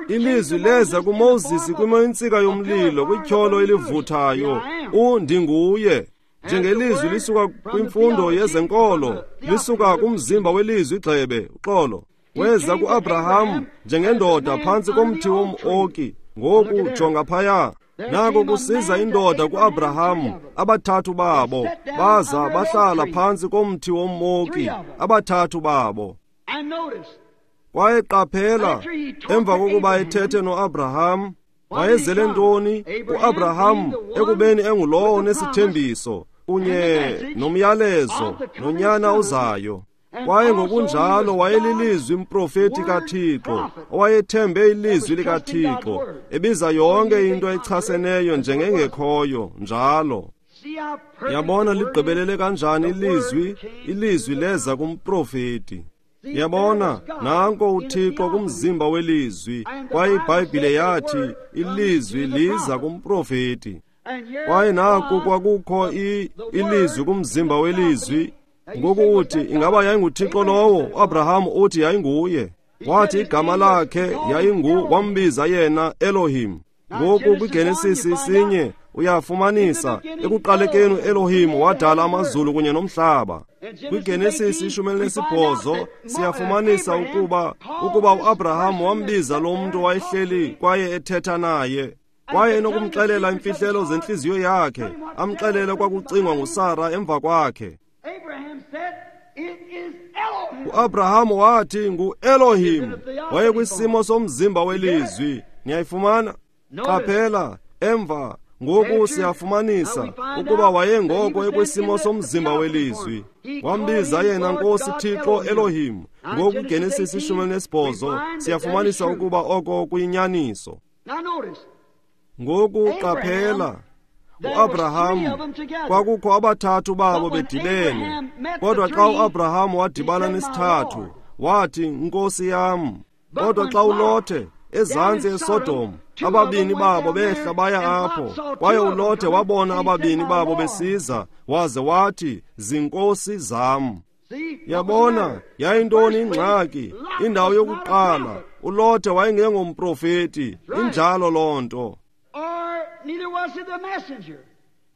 Ilizwi leza kuMoses kwintsika yomlilo, kwityholo elivuthayo, undinguye. Njengelizwi lisuka kwimfundo yezenkolo, lisuka kumzimba welizwi igxebe, uxolo. Weza kuAbraham njengendoda phantsi komthi wom-oki. Ngoku jonga phaya. Nako kusiza indoda kuAbraham, abathathu babo, baza bahlala phantsi komthi wom-oki, abathathu babo. Kwaye qaphela, emva kokuba ethethe noAbraham, wayezele ntoni? uAbraham ekubeni engulowo onesithembiso kunye nomyalezo nonyana ozayo. Kwaye ngokunjalo wayelilizwi mprofeti kaThixo, owayethembe ilizwi likaThixo, ebiza yonke into echaseneyo njengengekhoyo njalo. Yabona ligqibelele kanjani ilizwi? Ilizwi leza kumprofeti. Yabona, nanko uThixo kumzimba welizwi, kwaye iBhayibhile yathi ilizwi liza kumprofeti. Kwaye naku kwakukho ilizwi kumzimba welizwi. Ngoku uthi, ingaba yayinguThixo lowo? uAbraham uthi yayinguye. Wathi igama lakhe yayingu, wambiza yena Elohim. Ngoku kwiGenesis isinye uyafumanisa ekuqalekeni uElohim wadala amazulu kunye nomhlaba. KwiGenesis ishumi elinesibhozo siyafumanisa ukuba ukuba uAbraham wambiza lo mntu wayehleli kwaye ethetha naye, kwaye enokumxelela imfihlelo zentliziyo yakhe, amxelele kwakucingwa nguSara emva kwakhe. uAbraham wathi nguElohim, wayekwisimo somzimba welizwi. Niyayifumana? Qaphela, emva ngoku siyafumanisa ukuba wayengoko ekwisimo somzimba welizwi. Wambiza yena Nkosi Thixo Elohim. Ngoku Genesis ishumi elinesibhozo siyafumanisa ukuba oko kuyinyaniso. Ngoku qaphela, uAbraham kwakukho abathathu babo bedibene, kodwa xa uAbraham wadibana nesithathu wathi, Nkosi yam. Kodwa xa uLothe ezantsi eSodom, ababini babo behla baya apho, kwaye uLothe wabona ababini babo besiza, waze wathi, zinkosi zam. Yabona, yayintoni ingxaki? Indawo yokuqala, uLothe wayengengomprofeti, injalo loo nto.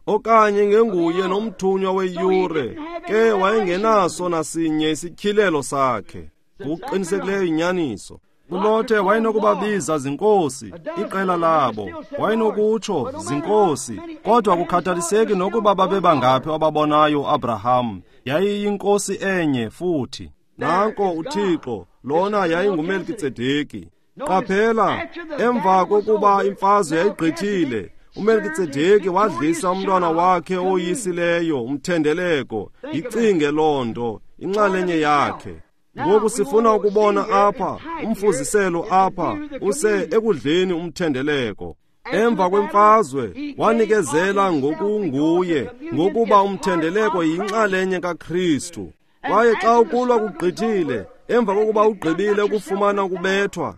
Okanye ngenguye nomthunywa weyure, ke wayengenaso nasinye isityhilelo sakhe. Ngokuqinisekileyo inyaniso. uLothe wayenokubabiza zinkosi, iqela labo, wayenokutsho zinkosi, kodwa kukhathaliseki nokuba babebangaphi ababonayo uAbraham, yayiyinkosi enye futhi. Nanko uThixo, lona yayinguMelkitsedeki. Qaphela, emva kokuba imfazwe yayigqithile, uMelkitsedeki wadlisa umntwana wakhe oyisileyo umthendeleko. Yicinge loo nto, inxalenye yakhe. Ngoku sifuna ukubona apha umfuziselo apha use ekudleni umthendeleko. Emva kwemfazwe wanikezela ngokunguye, ngokuba umthendeleko yinxalenye kaKristu. Kwaye xa ukulwa kugqithile, Emva kokuba ugqibile ukufumana ukubethwa,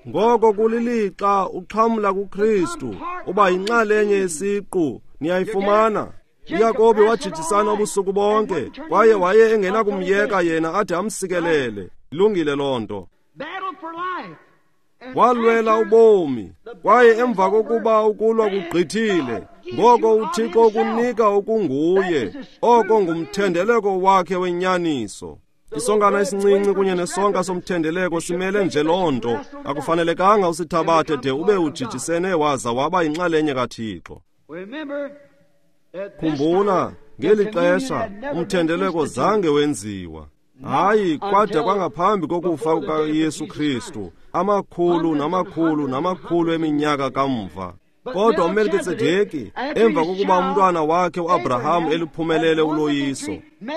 ngoko kulilixa uxhamla kuKristu, uba yinxalenye yesiqu. Niyayifumana? uYakobi wajijisana ubusuku bonke, kwaye waye engenakumyeka yena ade amsikelele. Ilungile loo nto. Walwela ubomi, kwaye emva kokuba ukulwa kugqithile, ngoko uThixo ukunika okunguye, oko ngumthendeleko wakhe wenyaniso. Isonkana esincinci kunye nesonka somthendeleko simele nje loo nto. Akufanelekanga usithabathe de ube ujijisene waza waba yinxalenye kaThixo. Khumbula, ngeli xesha umthendeleko zange wenziwa. Hayi, kwade kwangaphambi kokufa kukaYesu Kristu, amakhulu namakhulu namakhulu eminyaka kamva. Kodwa uMelkitsedeki, emva kokuba umntwana wakhe uAbraham eliphumelele uloyiso,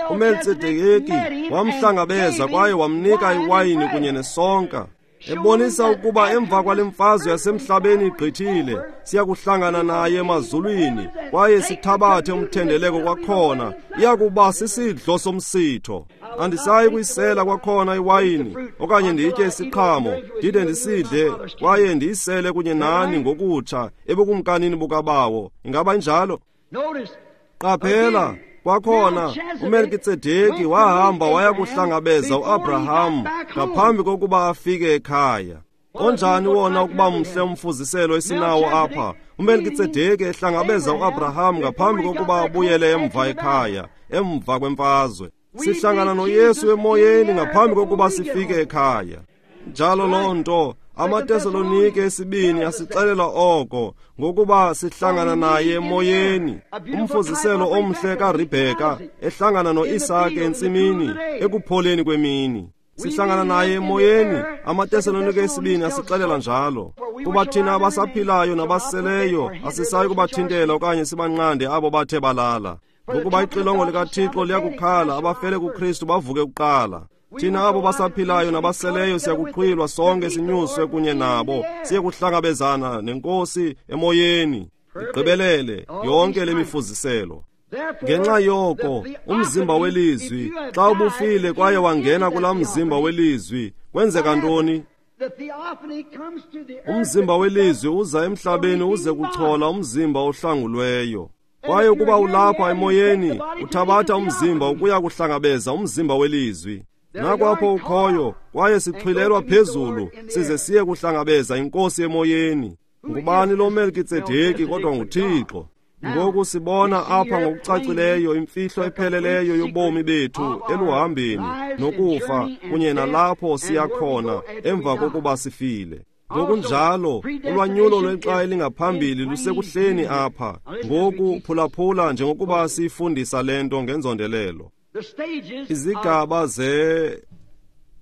uMelkitsedeki wamhlangabeza kwaye wamnika iwayini kunye nesonka, ebonisa ukuba emva kwale mfazwe yasemhlabeni igqithile, siyakuhlangana naye emazulwini kwaye sithabathe umthendeleko kwakhona. Iyakuba sisidlo somsitho. Andisayi kuyisela kwakhona iwayini okanye nditye isiqhamo, ndide ndisidle kwaye ndiyisele kunye nani ngokutsha ebukumkanini bukaBawo. Ingaba injalo? Qaphela, kwakhona uMelkitsedeki wahamba waya kuhlangabeza uAbraham ngaphambi kokuba afike ekhaya. Onjani wona ukuba mhle umfuziselo esinawo apha, uMelkitsedeki ehlangabeza uAbraham ngaphambi kokuba abuyele emva ekhaya, emva kwemfazwe. Sihlangana noYesu emoyeni ngaphambi kokuba sifike ekhaya. Njalo loo nto, amaTesalonike esibini asixelela oko, ngokuba sihlangana naye emoyeni. Umfuziselo omhle kaRebheka ehlangana noIsake entsimini ekupholeni kwemini. Sihlangana naye emoyeni, amaTesalonike esibini asixelela njalo. Kuba thina abasaphilayo nabaseleyo asisayi kubathintela okanye sibanqande abo bathe balala. Ngokuba ixilongo likaThixo liyakukhala, abafele kuKristu bavuke kuqala. Thina abo basaphilayo nabaseleyo siyakuxhwilwa sonke sinyuswe kunye nabo, siye kuhlangabezana nenkosi emoyeni. Igqibelele yonke le mifuziselo. Ngenxa yoko, umzimba welizwi, xa ubufile kwaye wangena kulaa mzimba welizwi, kwenzeka ntoni? Umzimba welizwi uza emhlabeni uze kuchola umzimba ohlangulweyo. Kwaye ukuba ulapha emoyeni, uthabatha umzimba ukuya kuhlangabeza umzimba welizwi. Nakwapho ukhoyo, kwaye sixhwilelwa phezulu, size siye kuhlangabeza inkosi emoyeni. Ngubani lo Melkitsedeki kodwa nguThixo? Ngoku sibona apha ngokucacileyo imfihlo epheleleyo yobomi bethu eluhambeni nokufa kunye nalapho siya khona emva kokuba sifile. Ngokunjalo, ulwanyulo lwexa elingaphambili lusekuhleni apha. Ngoku phulaphula njengokuba siyifundisa le nto ngenzondelelo. Izigaba ze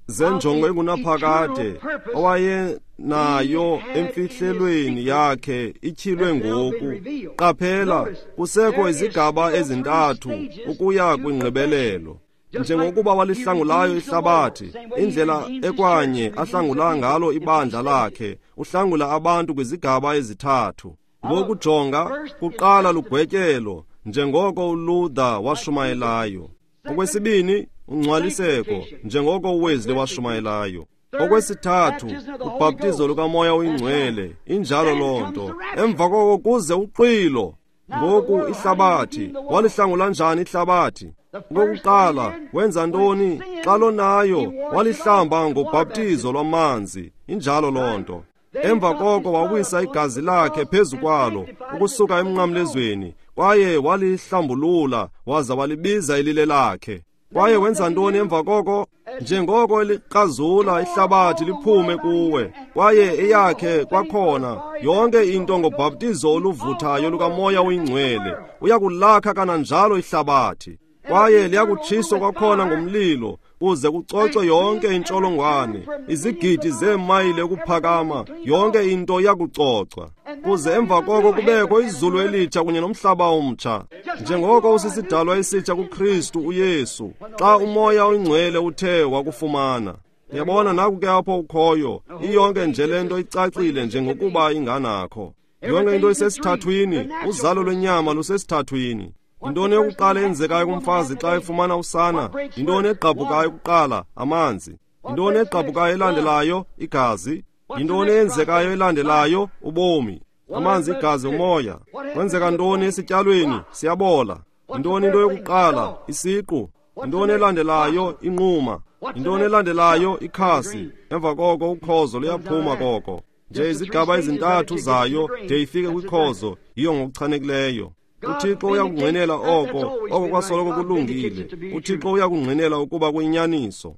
zenjongo engunaphakade owayenayo emfihlelweni yakhe ityhilwe ngoku. Qaphela, kusekho izigaba ezintathu ukuya kwingqibelelo. Njengokuba walihlangulayo ihlabathi, indlela ekwanye ahlangula ngalo ibandla lakhe, uhlangula abantu kwizigaba ezithathu. Ngokujonga, kuqala lugwetyelo, njengoko uLuther washumayelayo. Okwesibini, ungcwaliseko, njengoko uWesley washumayelayo. Okwesithathu, ubhaptizo lukaMoya oyiNgcwele, injalo loo nto. Emva koko kuze uxwilo. Ngoku ihlabathi, walihlangula njani ihlabathi? Okokuqala, wenza ntoni? Xa lonayo, walihlamba ngobhaptizo lwamanzi, injalo loo nto. Emva koko wawisa igazi lakhe phezu kwalo, ukusuka emnqamlezweni, kwaye walihlambulula, waza walibiza ilile lakhe. Kwaye wenza ntoni emva koko? Njengoko elikrazula ihlabathi liphume kuwe, kwaye eyakhe kwakhona yonke into ngobhaptizo oluvuthayo lukaMoya oyiNgcwele, uyakulakha kananjalo ihlabathi. Kwaye liyakutshiswa kwakhona ngomlilo, kuze kucocwe yonke intsholongwane, izigidi zeemayile ukuphakama, yonke into iyakucocwa. Kuze emva koko kubekho izulu elitsha kunye nomhlaba omtsha. Njengoko usisidalwa esitsha kuKristu uYesu, xa uMoya oyiNgcwele uthe wakufumana. Yabona, naku ke apho ukhoyo, iyonke nje le nto icacile njengokuba inganakho. Yonke into isesithathwini, uzalo lwenyama lusesithathwini. Yintoni yokuqala eyenzekayo kumfazi xa efumana usana? Yintoni egqabhukayo kuqala? Amanzi. Yintoni egqabhukayo elandelayo? Igazi. Yintoni eyenzekayo elandelayo? Ubomi. Amanzi, igazi, umoya. Kwenzeka ntoni esityalweni? Siyabola. Yintoni into yokuqala? Isiqu. Yintoni elandelayo? Inquma. Yintoni elandelayo? Ikhasi. Emva koko ukhozo luyaphuma koko. Nje izigaba ezintathu zayo de ifike kwikhozo, yiyo ngokuchanekileyo. UThixo uyakungqinela oko, oko kwasoloko kulungile. UThixo uyakungqinela ukuba kuyinyaniso.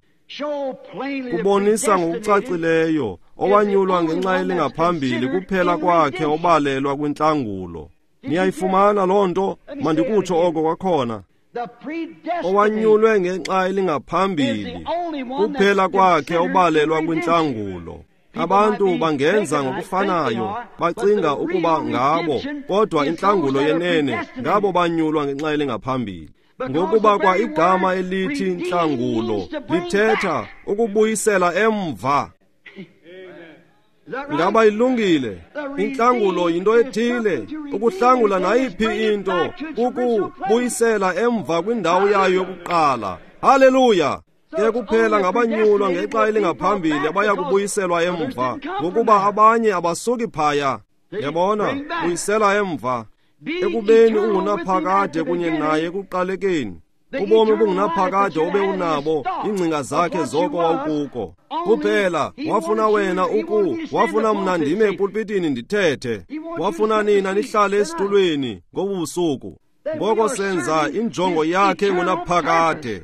Kubonisa ngokucacileyo, owanyulwa ngenxa elingaphambili kuphela kwakhe obalelwa kwintlangulo. Niyayifumana loo nto? Mandikutsho oko kwakhona. Owanyulwe ngenxa elingaphambili kuphela kwakhe obalelwa kwintlangulo. Abantu bangenza ngokufanayo, bacinga ukuba ngabo, kodwa intlangulo yenene ngabo banyulwa ngenxa elingaphambili. Ngokuba kwa igama elithi intlangulo lithetha ukubuyisela emva. Ngaba ilungile? Intlangulo yinto ethile, ukuhlangula nayiphi into, ukubuyisela emva kwindawo yayo yokuqala. Haleluya! Ke kuphela ngabanyulwa ngexa elingaphambili abaya kubuyiselwa emva, ngokuba abanye abasuki phaya. Yabona, buyisela emva. Ekubeni ungunaphakade kunye naye ekuqalekeni. Ubomi obungunaphakade obe unabo, iingcinga zakhe zoko wawukuko. Kuphela wafuna wena uku, wafuna mna ndime epulpitini ndithethe. Wafuna nina nihlale esitulweni ngobu busuku. Ngoko senza injongo yakhe ngunaphakade.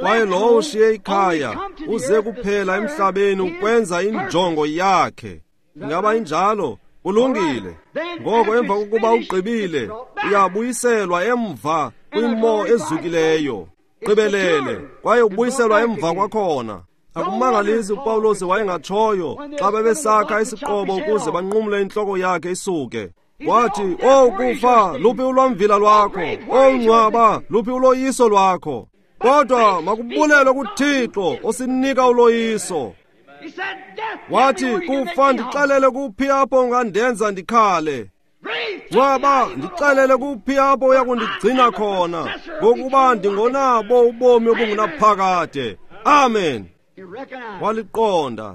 Kwaye lowo ushiye ikhaya uze kuphela emhlabeni ukwenza injongo yakhe. Ingaba injalo? Kulungile. Ngoko emva kokuba ugqibile, uyabuyiselwa emva kwimo ezukileyo. Gqibelele, kwaye ubuyiselwa emva kwakhona. Akumangalisi uPawulos wayengatshoyo xa bebesakha isiqobo ukuze banqumle intloko yakhe isuke. Wathi, "O kufa, luphi ulwamvila lwakho? O ngcwaba, luphi uloyiso lwakho?" Kodwa makubulelwe kuThixo osinika uloyiso. Wathi, "Kufa, ndixelele kuphi apho ungandenza ndikhale. Ngcwaba, ndixelele kuphi apho uyakundigcina khona, ngokuba ndingonabo ubomi obungunaphakade." Amen. Waliqonda.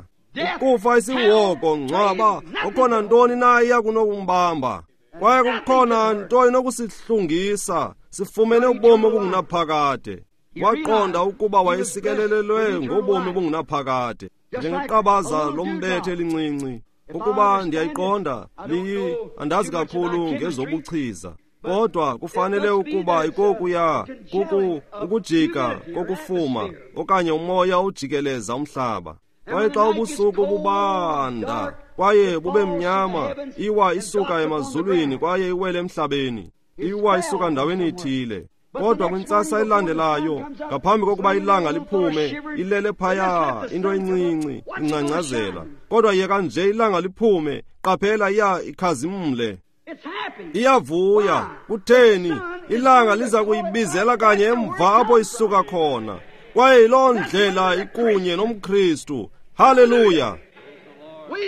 Ukufa isiwoko, ngcwaba, ukhona ntoni na iyakunokumbamba? Kwaye kukhona nto inokusihlungisa, sifumene ubomi obungunaphakade. Waqonda ukuba wayesikelelelwe ngobomi obungunaphakade, njengeqabaza lombethe elincinci. Ukuba ndiyayiqonda, liyi andazi kakhulu ngezobuchiza, kodwa kufanele ukuba ikokuya kuku ukujika kokufuma okanye umoya ujikeleza umhlaba. Kwaye xa ubusuku bubanda kwaye bube mnyama, iwa isuka emazulwini kwaye iwele emhlabeni, iwa isuka ndaweni ithile. Kodwa kwintsasa elandelayo, ngaphambi kokuba ilanga liphume, ilele phaya into encinci ingcangcazela. Kodwa yeka nje ilanga liphume, qaphela iya ikhazimle, iyavuya. Kutheni? Ilanga liza kuyibizela kanye emva apho isuka khona. Kwaye yiloo ndlela ikunye nomKristu. Haleluya!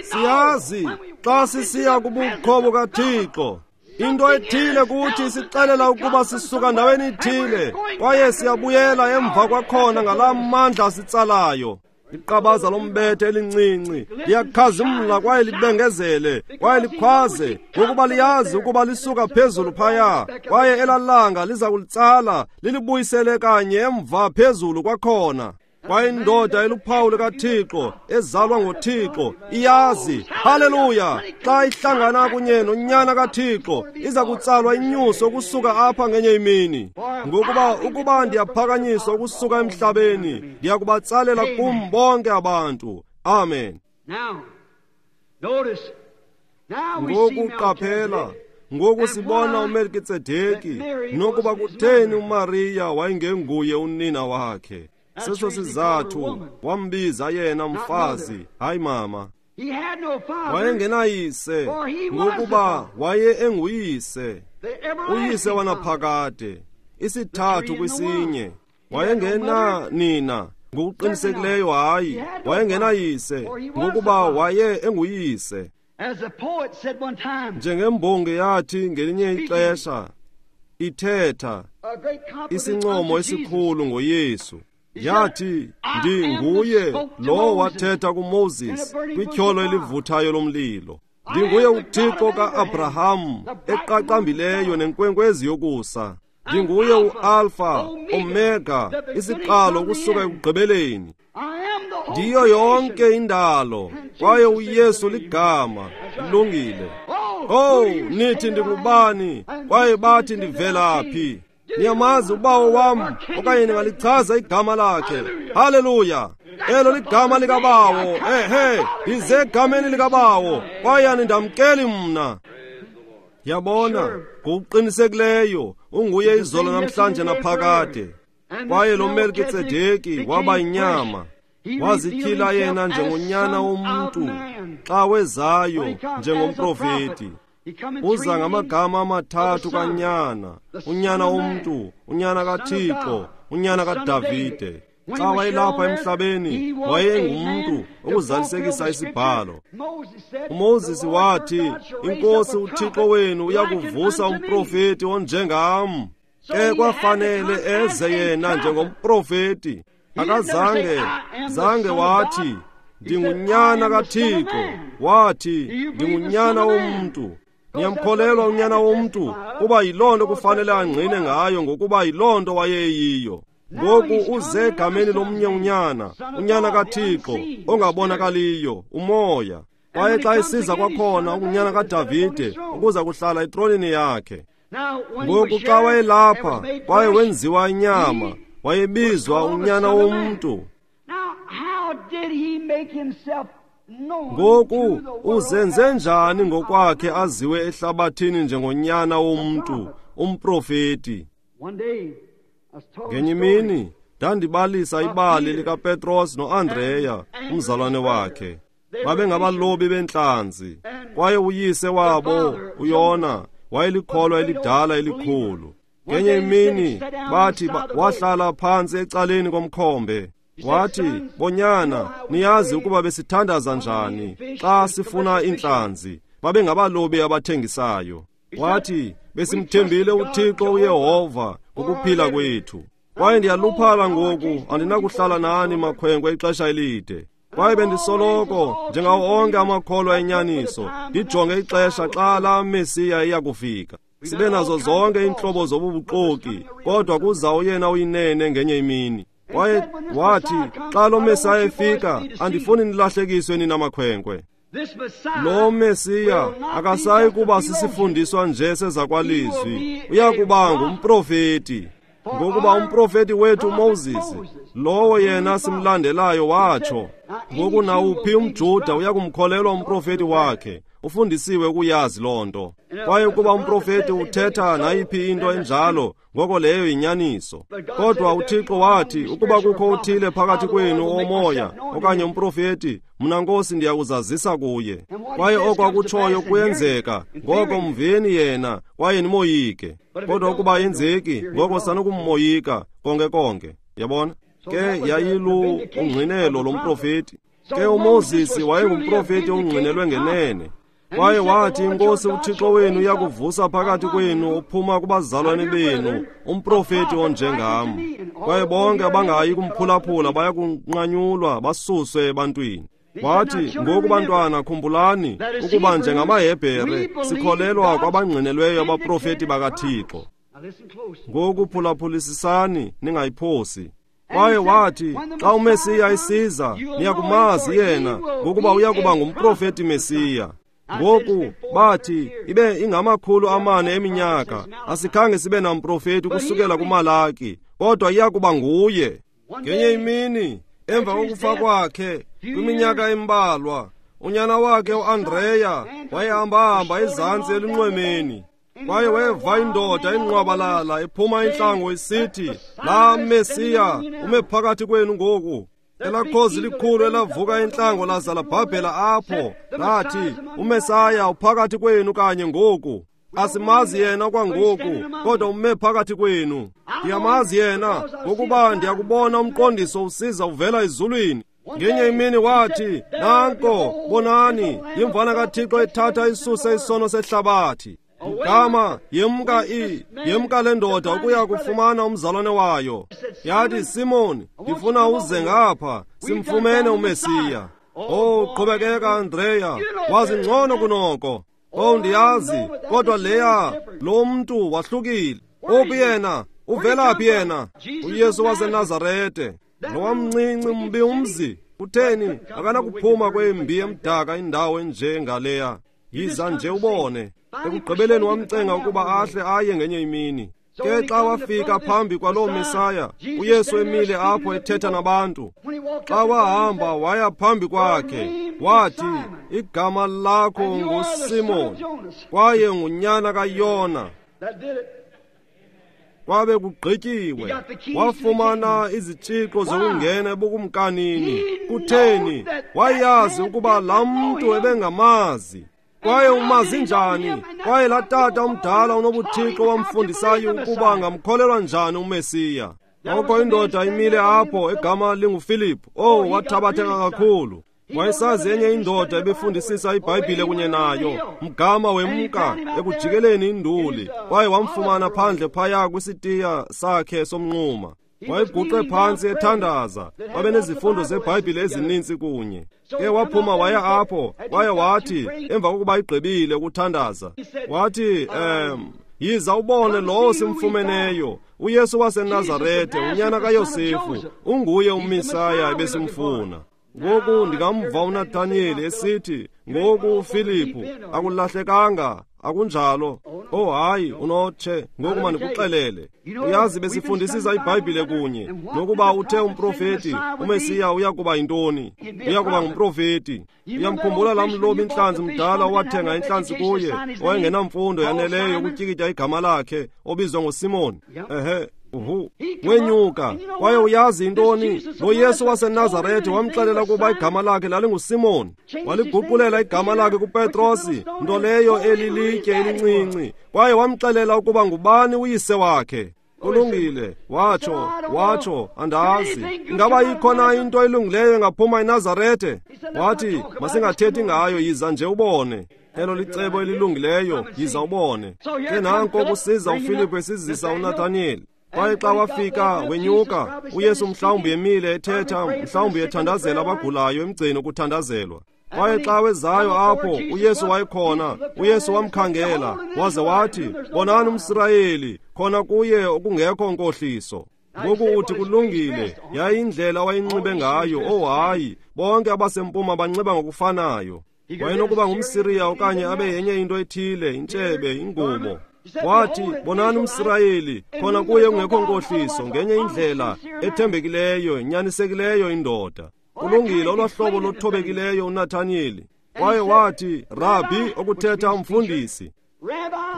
Siyazi xa sisiya kubukho bukaThixo, into ethile kuthi sixelela ukuba sisuka ndaweni ithile, kwaye siyabuyela emva kwakhona ngalaa mandla asitsalayo. Iqabaza lombethe elincinci liyakhazimla kwaye libengezele kwaye likhwaze, ngokuba liyazi ukuba lisuka phezulu phaya, kwaye elalanga liza kulitsala lilibuyisele kanye emva phezulu kwakhona. Kwaye indoda eluphawu lukaThixo, ezalwa ngoThixo, iyazi, haleluya, xa ihlangana kunye noNyana kaThixo, iza kutsalwa inyuso ukusuka apha ngenye imini. Ngokuba ukuba ndiyaphakanyiswa ukusuka emhlabeni, ndiyakubatsalela kum bonke abantu. Amen. Ngoku qaphela, ngoku sibona uMelkitsedeki, nokuba kutheni uMariya wayengenguye unina wakhe. Seso sizathu wambiza yena mfazi, hayi mama. Wayengenayise, ngokuba waye enguyise, uyise wanaphakade, isithathu kwisinye. Wayengena nina, ngokuqinisekileyo hayi. Wayengenayise, ngokuba waye enguyise. Njengembongi yathi ngelinye ixesha, Ithetha isincomo esikhulu ngoYesu. Yathi, ndinguye lowo wathetha kuMoses kwityholo elivuthayo lomlilo. Ndinguye uThixo ka-Abraham eqaqambileyo nenkwenkwezi yokusa. Ndinguye u-Alpha, Omega, isiqalo kusuka ekugqibeleni. Ndiyo yonke indalo, kwaye uYesu ligama. Lungile. Oh, nithi ndingubani, kwaye bathi ndivela phi? Niyamazi ubawo wam, okanye ningalichaza igama lakhe. Haleluya! Elo ligama likabawo. Ehe, ndize egameni likabawo, kwaye anindamkeli mna. Yabona, ngokuqinisekileyo unguye izolo namhlanje naphakade. Kwaye lo Melkitsedeki waba inyama, wazityhila yena njengonyana womntu xa wezayo njengomprofeti. Uza ngamagama amathathu kanyana, unyana womntu, unyana kaThixo, unyana kaDavide. Xa wayelapha emhlabeni wayengumntu ukuzalisekisa isibhalo. uMoses wathi, iNkosi uThixo wenu uyakuvusa umprofeti onjengam. Ke kwafanele eze yena njengomprofeti. Akazange zange wathi ndingunyana kaThixo, wathi ndingunyana womntu. Niyamkholelwa unyana womntu kuba yiloo nto kufanele angqine ngayo, ngokuba yiloo nto wayeyiyo. Ngoku uze egameni lomnye unyana, unyana kaThixo ongabonakaliyo, umoya. Kwaye xa esiza kwakhona unyana kaDavide ukuza kuhlala etronini yakhe. Ngoku xa wayelapha kwaye wenziwa inyama, wayebizwa unyana womntu. Ngoku uzenze njani ngokwakhe aziwe ehlabathini njengonyana womntu, umprofeti? Ngenye imini ndandibalisa ibali likaPetros noAndreya, umzalwane wakhe. Babengabalobi bentlanzi, kwaye uyise wabo uYona wayelikholwa elidala elikhulu. Ngenye imini bathi wahlala phantsi ecaleni komkhombe. Wathi, bonyana, niyazi ukuba besithandaza njani xa sifuna iintlanzi. Babengabalobi abathengisayo. Wathi, besimthembile uThixo uYehova ngokuphila kwethu. Kwaye ndiyaluphala ngoku, andinakuhlala nani makhwenkwe ixesha elide. Kwaye bendisoloko njengawo onke amakholwa enyaniso, ndijonge ixesha xa laa Mesiya iyakufika. Sibe nazo zonke iintlobo zobubuxoki, kodwa kuza uyena uyinene ngenye imini. Kwaye wathi, xa lo Mesiya efika, andifuni nilahlekiswe nina makhwenkwe. Lo Mesiya akasayi kuba sisifundiswa nje sezakwalizwi, uyakuba ngumprofeti. Ngokuba umprofeti wethu uMoses, lowo yena simlandelayo, watsho. Ngoku nawuphi umJuda uyakumkholelwa umprofeti wakhe, ufundisiwe ukuyazi loo nto. Kwaye ukuba umprofeti uthetha nayiphi into enjalo, ngoko leyo yinyaniso. Kodwa uThixo wathi, ukuba kukho uthile phakathi kwenu omoya okanye umprofeti, mna Nkosi ndiyakuzazisa kuye. Kwaye oko akutshoyo kuyenzeka, ngoko mveni yena kwaye nimoyike. Kodwa ukuba yenzeki, ngoko sanukummoyika konke konke. Yabona? Ke yayilu ungqinelo lomprofeti. Ke uMoses wayengumprofeti ongqinelwe ngenene. Kwaye wathi, iNkosi uThixo wenu uyakuvusa phakathi kwenu uphuma kubazalwane benu umprofeti onjengam. Kwaye bonke abangayi kumphulaphula bayakunqanyulwa basuswe ebantwini. Wathi, ngoku bantwana khumbulani ukuba njengamaHebhere sikholelwa kwabangqinelweyo abaprofeti bakaThixo. Ngoku phulaphulisisani ningayiphosi. Kwaye wathi, xa uMesiya esiza, niyakumazi yena, ngokuba uyakuba ngumprofeti Mesiya. Ngoku bathi ibe ingamakhulu amane eminyaka asikhange sibe namprofeti kusukela kuMalaki, kodwa iyakuba nguye. Ngenye imini emva kokufa kwakhe kwiminyaka embalwa, unyana wakhe uAndreya wayehambahamba ezantsi elunxwemeni. Kwaye weva indoda enqwabalala ephuma intlango isithi, laa Mesiya ume phakathi kwenu ngoku. Elakhozi likhulu elavuka entlango laza labhabhela apho, lathi, uMesaya uphakathi kwenu kanye ngoku. Asimazi yena kwangoku, kodwa ume phakathi kwenu. Ndiyamazi yena, ngokuba ndiyakubona umqondiso usiza uvela ezulwini. Ngenye imini wathi, nanko, bonani, yimvana kaThixo ethatha isuse isono sehlabathi. Mgama yemka i yemka le ndoda ukuya kufumana umzalwane wayo. Yathi, Simon, ndifuna uze ngapha, simfumene uMesiya. Oh, qhubekeka Andreya, wazi ngcono kunoko. Oh, ndiyazi, kodwa leya lo mntu wahlukile. Uphi yena? Uvela phi yena? UYesu waseNazarete. Lowa mncinci mbi umzi. Kutheni akanakuphuma kwembi emdaka indawo enjengaleya? Yiza nje ubone. Ekugqibeleni wamcenga ukuba ahle aye ngenye imini. Ke xa wafika phambi kwaloo Mesaya, uYesu emile apho ethetha nabantu. Xa wahamba waya phambi kwakhe, wathi, igama lakho nguSimon, kwaye ngunyana kaYona. Kwabe kugqityiwe. Wafumana izitshixo zokungena ebukumkanini. Kutheni? Wayazi ukuba laa mntu ebengamazi. Kwaye umazi njani? Kwaye laa tata umdala unobuthixo wamfundisayo ukuba angamkholelwa njani uMesiya. Ngoko indoda imile apho egama linguFiliphu. Oh, wathabatheka kakhulu. Wayesazi enye indoda ebefundisisa iBhayibhile kunye nayo, mgama wemka ekujikeleni induli, kwaye wamfumana phandle phaya kwisitiya sakhe somnquma. Wayeguqe phantsi ethandaza, babenezifundo zeBhayibhile ezininzi kunye. Ke waphuma waya apho, kwaye wathi emva kokuba igqibile ukuthandaza, wathi, um, yiza ubone lowo simfumeneyo, uYesu waseNazarete, unyana kaYosefu, unguye uMesaya ebesimfuna. Ngoku ndingamva uNathaniyeli esithi, ngoku uFiliphu, akulahlekanga, akunjalo. Oh hayi, unotshe, ngoku mandikuxelele. Uyazi besifundisisa iBhayibhile kunye, nokuba uthe umprofeti, uMesiya uya kuba yintoni? Uya kuba ngumprofeti. Uyamkhumbula laa mlobi intlanzi mdala owathenga intlanzi kuye, owayengenamfundo yaneleyo yokutyikitya igama lakhe, obizwa ngoSimon? Ehe. Uhu, wenyuka, kwaye uyazi intoni? Lo Yesu waseNazarete wamxelela ukuba igama lakhe lalinguSimon. Waliguqulela igama lakhe kuPetrosi, nto leyo elilitye elincinci, kwaye wamxelela ukuba ngubani uyise wakhe. Kulungile, watsho, watsho, andazi. Ingaba ikho na into elungileyo engaphuma eNazarete? Wathi, masingathethi ngayo, yiza nje ubone. Elo licebo elilungileyo, yiza ubone. Ke nanko kusiza uFiliphu esizisa uNathaniyeli. Kwaye xa wafika wenyuka, uYesu mhlawumbi emile ethetha, mhlawumbi ethandazela abagulayo emgceni ukuthandazelwa. Kwaye xa wezayo apho uYesu wayekhona, uYesu wamkhangela waze wathi, bonani umSirayeli, khona kuye okungekho nkohliso. Ngoku uthi kulungile, yayindlela wayinxibe ngayo. Oh hayi, bonke abasempuma banxiba ngokufanayo. Wayenokuba ngumSiriya okanye abe yenye into ethile, intshebe, ingubo. Wathi, bonani umSirayeli, khona kuye kungekho nkohliso, ngenye indlela ethembekileyo, inyanisekileyo indoda. Kulungile, olwahlobo lothobekileyo uNathaniyeli. Kwaye wathi, Rabbi, okuthetha umfundisi.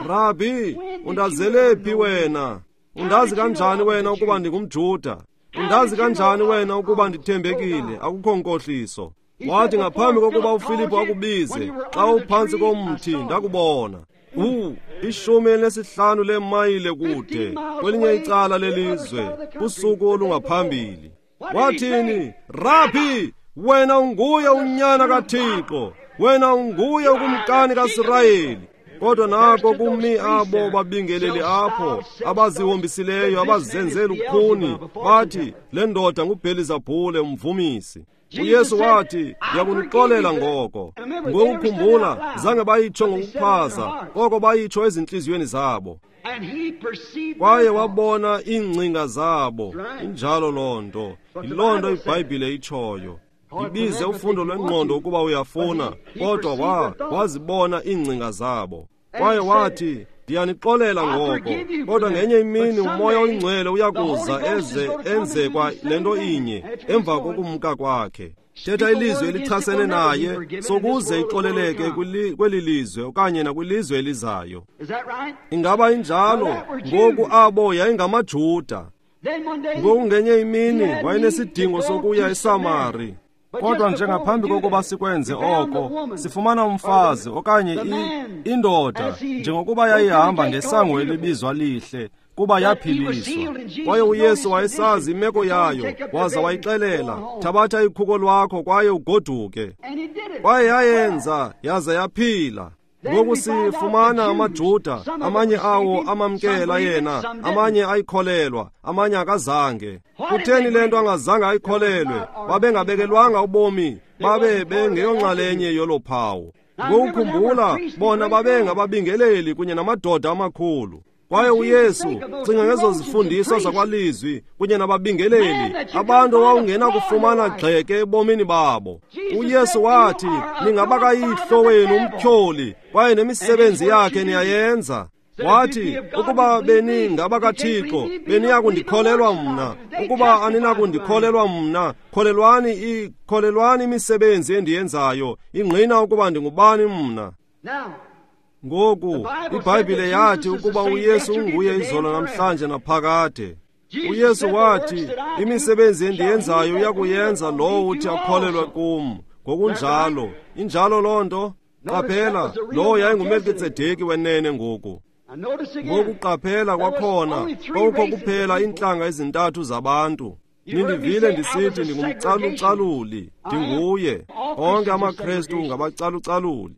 Rabbi, undazele phi wena? Undazi kanjani wena ukuba ndingumJuda? Undazi kanjani wena ukuba ndithembekile, akukho nkohliso? Wathi, ngaphambi kokuba uFiliphu akubize, xa uphantsi komthi ndakubona. U, ishumi elinesihlanu leemayile kude, kwelinye icala lelizwe, kusuku olungaphambili. Wathini? Rabbi, wena unguye unyana kaThixo, wena unguye ukumkani kaSirayeli. Kodwa nako kumi abo babingeleli apho, abazihombisileyo, abazenzela ukhuni, bathi, le ndoda nguBhelizabhule umvumisi. uYesu wathi, ndiyakunixolela ngoko. Ngokukhumbula, zange bayitsho ngokuchaza, koko bayitsho ezintliziyweni zabo. Kwaye wabona iingcinga zabo. Injalo loo nto. Yiloo nto iBhayibhile itshoyo. Ibize ufundo lwengqondo ukuba uyafuna, kodwa wa wazibona iingcinga zabo. Kwaye wathi, ndiyanixolela ngoko, kodwa ngenye imini uMoya oyiNgcwele uyakuza eze enze kwa le nto inye emva kokumka kwakhe. Thetha ilizwi elichasene naye, sokuze ixoleleke kweli lizwe okanye nakwilizwe elizayo. Ingaba injalo? Ngoku abo yayingamaJuda. Ngoku ngenye imini wayenesidingo sokuya eSamari. Kodwa njengaphambi kokuba sikwenze oko, sifumana umfazi okanye indoda njengokuba yayihamba ngesango elibizwa lihle, kuba yaphiliswa. Kwaye uYesu wayesazi imeko yayo, waza wayixelela, thabatha ikhuko lwakho kwaye ugoduke. Kwaye yayenza, yaza yaphila. Ngoku sifumana amaJuda, amanye awo amamkela yena, amanye ayikholelwa, amanye akazange. Kutheni le nto angazange ayikholelwe? Babengabekelwanga ubomi, babe bengeyonxalenye yolo phawu. Ngokukhumbula, bona babengababingeleli kunye namadoda amakhulu. Kwaye uYesu, cinga ngezo zifundiso zakwalizwi kunye nababingeleli, abantu owawungena kufumana gxeke ebomini babo. UYesu wathi, ningabakayihlo wenu umtyholi, kwaye nemisebenzi yakhe niyayenza. Wathi, ukuba beningabakaThixo, beniyakundikholelwa mna. Ukuba aninakundikholelwa mna, kholelwani ikholelwani imisebenzi endiyenzayo, ingqina ukuba ndingubani mna. Ngoku, iBhayibhile yathi ukuba uYesu unguye izolo namhlanje naphakade. UYesu wathi, imisebenzi endiyenzayo uyakuyenza lowo uthi akholelwe kum. Ngokunjalo, injalo loo nto. Qaphela, lowo yayinguMelkitsedeki wenene ngoku. Ngoku qaphela kwakhona, kwakukho kuphela iintlanga ezintathu zabantu. Nindivile ndisithi ndingumcalucaluli, ndinguye. Onke amaKrestu ngabacalucaluli.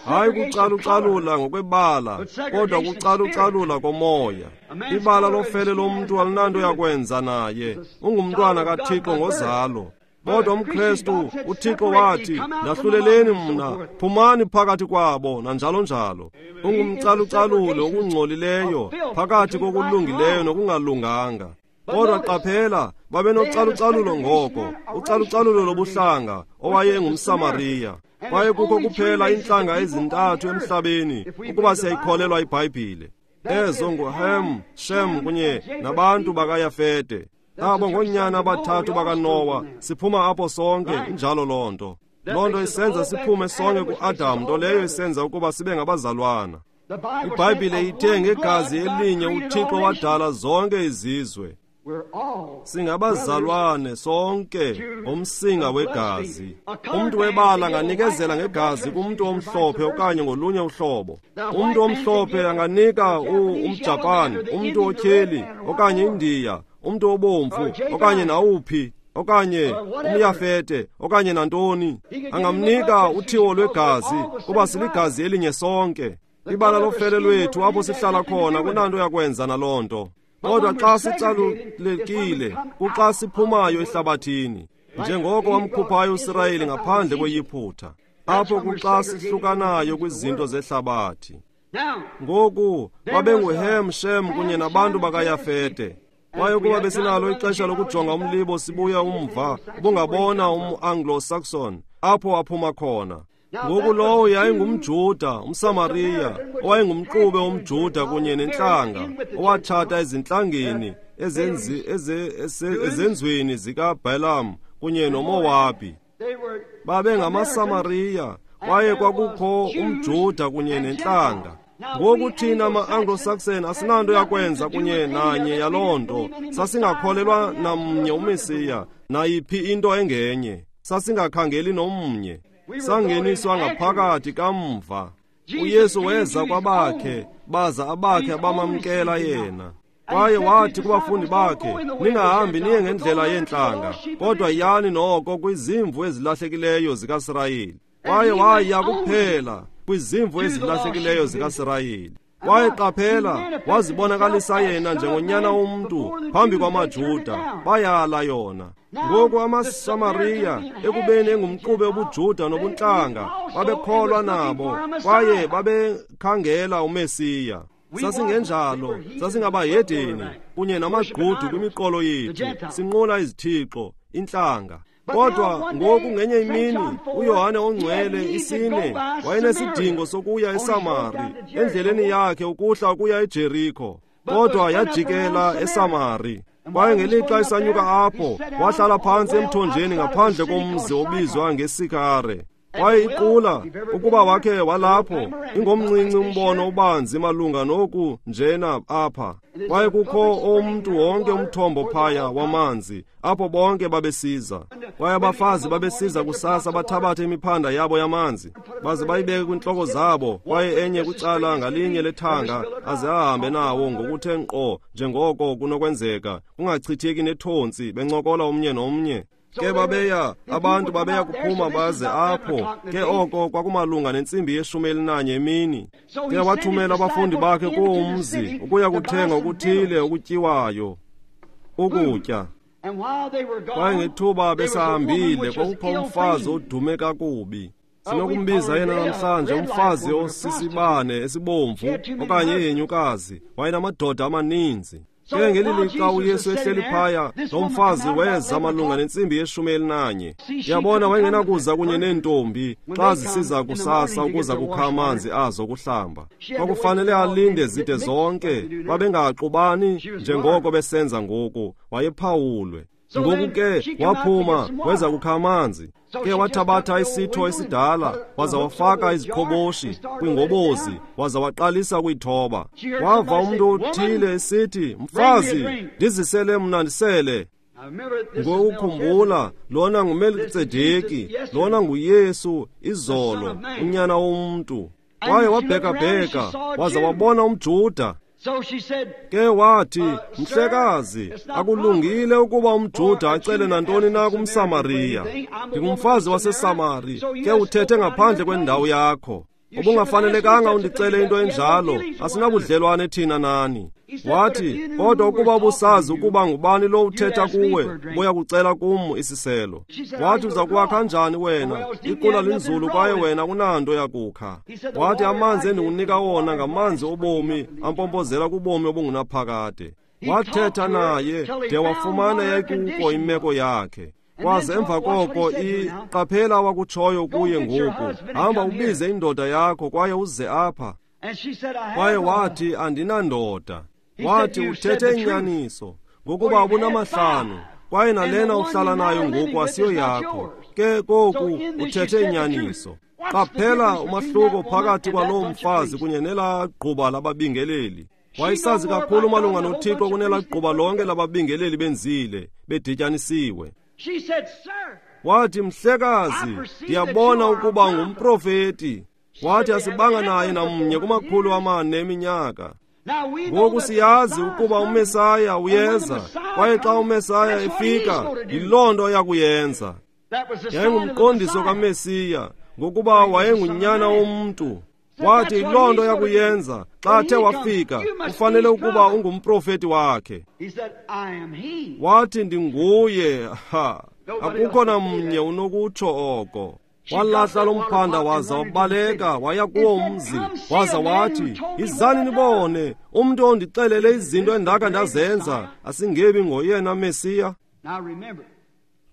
Hayi kucalucalula ngokwebala, kodwa kucalucalula komoya. Ibala lofele lomntu alinanto yakwenza naye. Ungumntwana kaThixo ngozalo. Kodwa umKrestu, uThixo wathi, ndahluleleni mna, phumani phakathi kwabo, nanjalo njalo. Ungumcalucaluli okungcolileyo, phakathi kokulungileyo nokungalunganga. Kodwa qaphela, babenocalucalulo ngoko, ucalucalulo lobuhlanga, owayengumSamariya. Kwaye kukho kuphela iintlanga ezintathu emhlabeni, ukuba siyayikholelwa iBhayibhile. Ezo nguHem, Shem kunye nabantu bakaYafete. Abo ngoonyana abathathu bakaNowa, siphuma apho sonke, injalo loo nto. Loo nto isenza siphume sonke kuAdam, nto leyo isenza ukuba sibe ngabazalwana. IBhayibhile ithe ngegazi elinye uThixo wadala zonke izizwe. Singabazalwane sonke ngomsinga wegazi. Umntu webala anganikezela ngegazi kumntu omhlophe okanye ngolunye uhlobo. Umntu omhlophe anganika umJapan, umntu otyheli okanye iNdiya, umntu obomvu okanye nawuphi, okanye umYafete okanye nantoni. Angamnika uthiwo lwegazi kuba siligazi elinye sonke. Ibala lofele lwethu apho sihlala khona kunanto yakwenza naloo nto. Kodwa xa sicalulekile, kuxa siphumayo ehlabathini, njengoko wamkhuphayo uSirayeli ngaphandle kweYiphutha, apho kuxa sihlukanayo kwizinto zehlabathi. Ngoku babenguHem, Shem kunye nabantu bakaYafete. Kwaye ukuba besinalo ixesha lokujonga umlibo sibuya umva, ubungabona um-Anglo-Saxon apho aphuma khona. Ngoku lowo yayingumJuda, umSamariya, owayengumxube womJuda kunye nentlanga, owatshata ezintlangeni ezenzweni zikaBalaam kunye noMowabi. BabengamaSamariya, kwaye kwakukho umJuda kunye nentlanga. Ngoku thina ma-Anglo-Saxon asinanto yakwenza kunye nanye yaloo nto. Sasingakholelwa namnye uMesiya, nayiphi into engenye. Sasingakhangeli nomnye. Sangeniswa ngaphakathi kamva. uYesu weza kwabakhe, baza abakhe abamamkela yena. Kwaye wathi kubafundi bakhe, ningahambi niye ngendlela yeentlanga, kodwa yani noko kwizimvu ezilahlekileyo zikaSirayeli. Kwaye waya kuphela kwizimvu ezilahlekileyo zikaSirayeli. Kwaye qaphela, wazibonakalisa yena njengonyana womntu phambi kwamaJuda, bayala yona. Ngoku amaSamariya, ekubeni engumxube wobuJuda nobuntlanga, babekholwa nabo, kwaye babekhangela uMesiya. Sasingenjalo, sasingabahedeni kunye namagqudu kwimiqolo yethu, sinqula izithixo, intlanga. Kodwa ngoku ngenye imini uYohane ongcwele isine wayenesidingo sokuya eSamari, endleleni yakhe ukuhla ukuya eJeriko, kodwa yajikela eSamari. Kwaye ngelixa esanyuka apho, wahlala phantsi emthonjeni ngaphandle komzi obizwa ngeSikare. Kwaye iqula, ukuba wakhe walapho, ingomncinci umbono obanzi malunga noku njena apha. Kwaye kukho umntu wonke umthombo phaya wamanzi, apho bonke babesiza. Kwaye abafazi babesiza kusasa bathabathe imiphanda yabo yamanzi, baze bayibeke kwintloko zabo, kwaye enye kwicala ngalinye lethanga, aze ahambe nawo ngokuthe nkqo njengoko kunokwenzeka, kungachitheki nethontsi, bencokola omnye nomnye. Ke babeya abantu babeya kuphuma baze apho. Ke oko kwakumalunga nentsimbi yeshumi elinanye emini. Ke wathumela abafundi bakhe kuwo umzi ukuya kuthenga okuthile okutyiwayo, ukutya. Kwaye ngethuba besahambile kwakukho umfazi odume kakubi. Sinokumbiza yena namhlanje umfazi osisibane esibomvu okanye ihenyukazi. Wayenamadoda amaninzi. Ke ngeli lixa uYesu ehleli phaya, lo mfazi weza malunga nentsimbi yeshumi elinanye. Yabona, wayengenakuza kunye neentombi xa zisiza kusasa ukuza kukha amanzi azo kuhlamba. Kwakufanele alinde zide zonke, babengaxubani njengoko besenza ngoku. Wayephawulwe. Ngoku ke waphuma weza kukha amanzi. Ke wathabatha isitho esidala waza wafaka iziqhoboshi kwingobozi waza waqalisa ukuyithoba. Wava umntu othile esithi, "Mfazi, ndizisele mna ndisele." Ngokukhumbula, lona nguMelkisedeki, lona nguYesu izolo, unyana womntu. Kwaye wabhekabheka waza wabona umJuda. Ke wathi, "Mhlekazi, akulungile ukuba umJuda acele nantoni na kumSamariya. Ndingumfazi waseSamari, ke uthethe ngaphandle kwendawo yakho. Ubungafanelekanga undicele into enjalo, asinabudlelwane thina nani." Wathi, "Kodwa ukuba ubusazi ukuba ngubani lo uthetha kuwe, buya kucela kum isiselo." Wathi, "Uza kuwa kanjani wena? Iqula linzulu kwaye wena unanto yakukha." Wathi, "Amanzi endikunika wona ngamanzi obomi ampompozela kubomi obungunaphakade." Wathetha naye de wafumana yayikuko imeko yakhe. Kwaze emva koko iqaphela wakutshoyo kuye ngoku, "Hamba ubize indoda yakho kwaye uze apha." Kwaye wathi, "Andinandoda." Wathi, "Uthethe inyaniso, ngokuba ubunamahlanu, kwaye nalena uhlala nayo ngoku asiyo yakho. Ke koku uthethe inyaniso." Qaphela umahluko phakathi kwaloo mfazi kunye nelaa gquba lababingeleli. Wayesazi kakhulu malunga noThixo kunelaa gquba lonke lababingeleli benzile, bedityanisiwe. Wathi, "Mhlekazi, ndiyabona ukuba ngumprofeti." Wathi, "Asibanga naye namnye kumakhulu amane eminyaka. Ngoku siyazi ukuba uMesaya uyeza, kwaye xa uMesaya efika, yiloo nto yakuyenza." Yayingumqondiso kaMesiya, ngokuba wayengunyana womntu. Wathi yiloo nto yakuyenza xa athe wafika, ufanele ukuba ungumprofeti wakhe. Wathi, "Ndinguye." Ha, akukho namnye unokutsho oko. Walahla lo mphanda waza wabaleka waya kuwo umzi, waza wathi, "Izani nibone umntu ondixelele izinto endaka ndazenza, asingebi ngoyena Mesiya."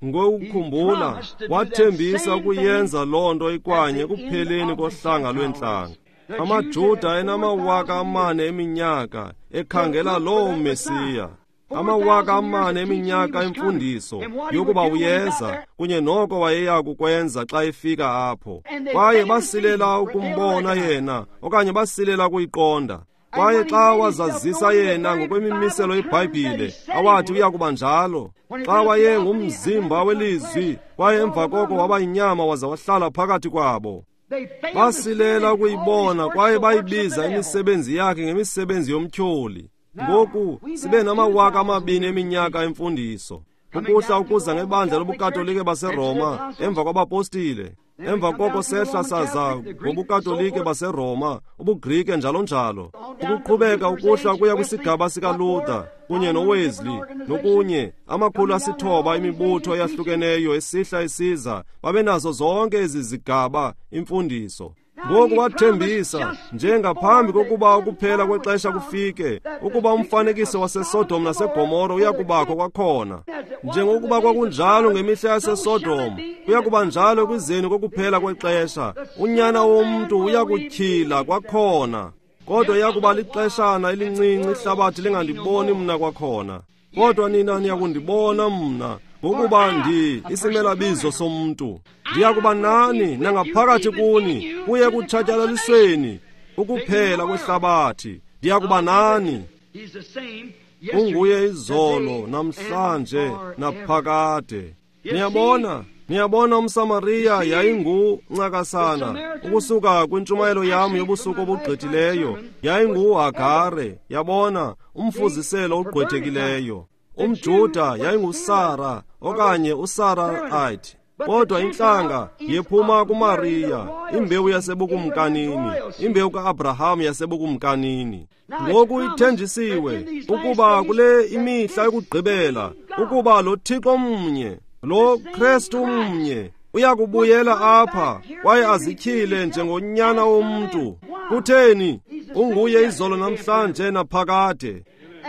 Ngokukhumbula, wathembisa ukuyenza loo nto ikwanye ekupheleni kohlanga lweentlanga. AmaJuda enamawaka amane eminyaka ekhangela loo Mesiya. Amawaka amane eminyaka emfundiso yokuba uyeza kunye noko wayeya kukwenza xa efika apho. Kwaye basilela ukumbona yena okanye basilela ukuyiqonda. Kwaye xa wazazisa yena ngokwemimiselo yeBhayibhile awathi uya kuba njalo, xa wayengumzimba welizwi kwaye emva koko waba yinyama waza wahlala phakathi kwabo, basilela ukuyibona kwaye bayibiza imisebenzi yakhe ngemisebenzi yomtyholi. Ngoku sibe namawaka amabini eminyaka emfundiso, ukuhla ukuza ngebandla lobuKatolike baseRoma emva kwabapostile. Emva koko sehla saza ngobuKatolike baseRoma, ubuGrike njalo njalo, ukuqhubeka ukuhla kuya kwisigaba sikaLuther kunye noWesley nokunye, amakhulu asithoba imibutho eyahlukeneyo esihla isiza, babenazo zonke ezi zigaba imfundiso. Ngoku wathembisa njengaphambi kokuba ukuphela kwexesha kufike, ukuba umfanekiso waseSodom naseGomora uyakubakho kwakhona. Njengokuba kwakunjalo ngemihla yaseSodom, kuyakuba njalo ekuzeni kokuphela kwexesha. Unyana womntu uyakutyhila kwakhona, kodwa iyakuba lixeshana elincinci ihlabathi lingandiboni mna kwakhona. Kodwa nina niyakundibona mna, ngokuba ndi isimelabizo somntu. Ndiyakuba nani nangaphakathi kuni kuye kutshatyalalisweni ukuphela kwehlabathi. Ndiyakuba nani. Unguye izolo, namhlanje, naphakade. Niyabona, niyabona umSamariya yayinguncakasana ukusuka kwintshumayelo yam yobusuku obugqithileyo, yayinguHagare, yabona, umfuziselo ogqwethekileyo. UmJuda yayinguSara, okanye uSarah. Kodwa intlanga yephuma kuMariya, imbewu yasebukumkanini, imbewu ka-Abraham yasebukumkanini. Ngoku ithenjisiwe ukuba kule imihla yokugqibela ukuba lo Thixo mnye, lo Kristu mnye, uyakubuyela apha kwaye azityhile njengonyana womntu. Kutheni? Unguye izolo namhlanje naphakade.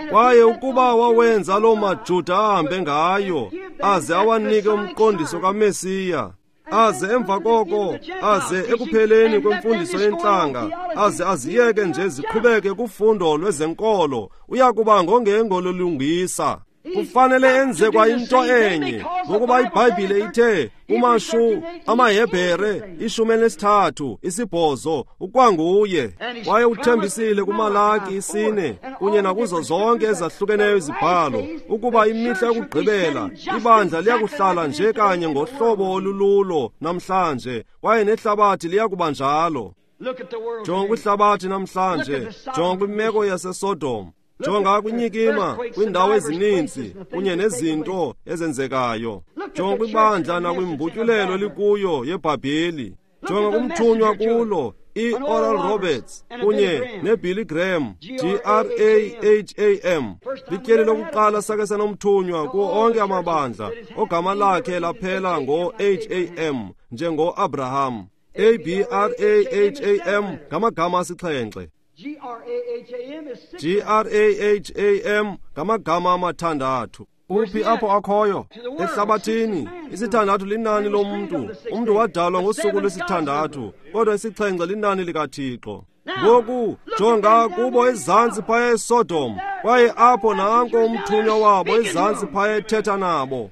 Kwaye ukuba wawenza loo maJuda ahambe ngayo, aze awanike umqondiso kaMesiya, aze emva koko, aze ekupheleni kwemfundiso yentlanga, aze aziyeke nje ziqhubeke kufundo lwezenkolo, uyakuba ngongengololungisa. Kufanele enze kwa into enye, ngokuba iBhayibhile ithe kumashu amaHebhere ishumi elinesithathu isibhozo ukwanguye. Kwaye uthembisile kuMalaki isine kunye nakuzo zonke ezahlukeneyo izibhalo ukuba imihla yokugqibela ibandla liyakuhlala nje kanye ngohlobo olululo namhlanje, kwaye nehlabathi liyakuba njalo. Jonga kwihlabathi namhlanje, jonga kwimeko yaseSodom, jonga kwinyikima kwiindawo ezininzi kunye nezinto ezenzekayo, jonga kwibandla nakwimbutyulelo elikuyo yeBhabheli, jonga kumthunywa kulo i-Oral Roberts kunye neBilly Graham, G R A H A M. Lityeli lokuqala sake sanomthunywa kuwo onke amabandla ogama lakhe laphela ngo-H A M njengo-Abraham. A B R A H A M ngamagama asixhenxe. G R A H A M ngamagama amathandathu. Uphi apho akhoyo? Ehlabathini. Isithandathu linani lomntu. Umntu wadalwa ngosuku lwesithandathu, kodwa isixhenxe linani likaThixo. Ngoku jonga kubo ezantsi phaya eSodom, kwaye apho nanko umthunywa wabo ezantsi phaya ethetha nabo.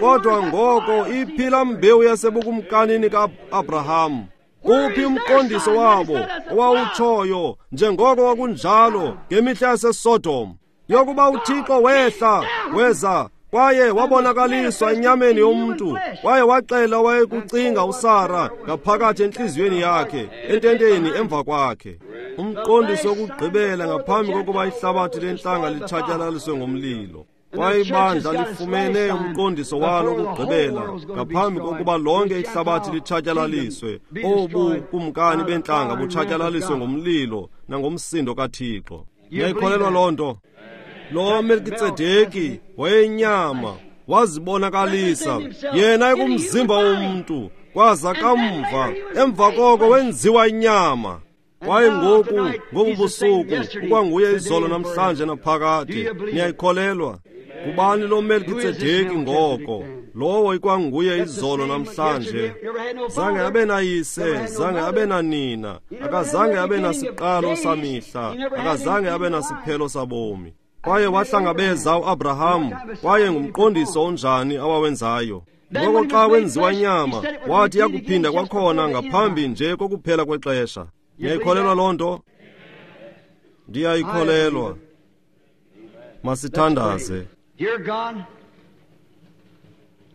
Kodwa ngoko iphila mbewu yasebukumkanini ka-Abraham. Uphi umqondiso wabo owawutshoyo njengoko kwakunjalo ngemihla yaseSodom, yokuba uThixo wehla weza kwaye wabonakaliswa enyameni yomntu, kwaye waxela wayekucinga uSara ngaphakathi entliziyweni yakhe ententeni emva kwakhe. Umqondiso wokugqibela ngaphambi kokuba ihlabathi lentlanga litshatyalaliswe ngomlilo. Kwaye ibandla lifumene umqondiso walo wokugqibela ngaphambi kokuba lonke ihlabathi litshatyalaliswe, obu kumkani bentlanga butshatyalaliswe ngomlilo nangomsindo kaThixo. Niyayikholelwa loo nto? Lo Melkitsedeki wayenyama, wazibonakalisa yena ekumzimba womntu, kwaza kamva emva koko wenziwa inyama. Kwaye ngoku ngobu busuku ukwanguye izolo namhlanje naphakade. Niyayikholelwa? Kubani lo Melkitsedeki ngoko? Lowo ikwanguye izolo namhlanje. Zange abe nayise, zange abe nanina, akazange abe nasiqalo samihla, akazange abe nasiphelo sabomi. Kwaye wahlangabeza uAbraham, kwaye ngumqondiso onjani awawenzayo. Ngoko xa wenziwa inyama, wathi yakuphinda kwakhona ngaphambi nje kokuphela kwexesha. Niyayikholelwa loo nto? Ndiyayikholelwa. Masithandaze.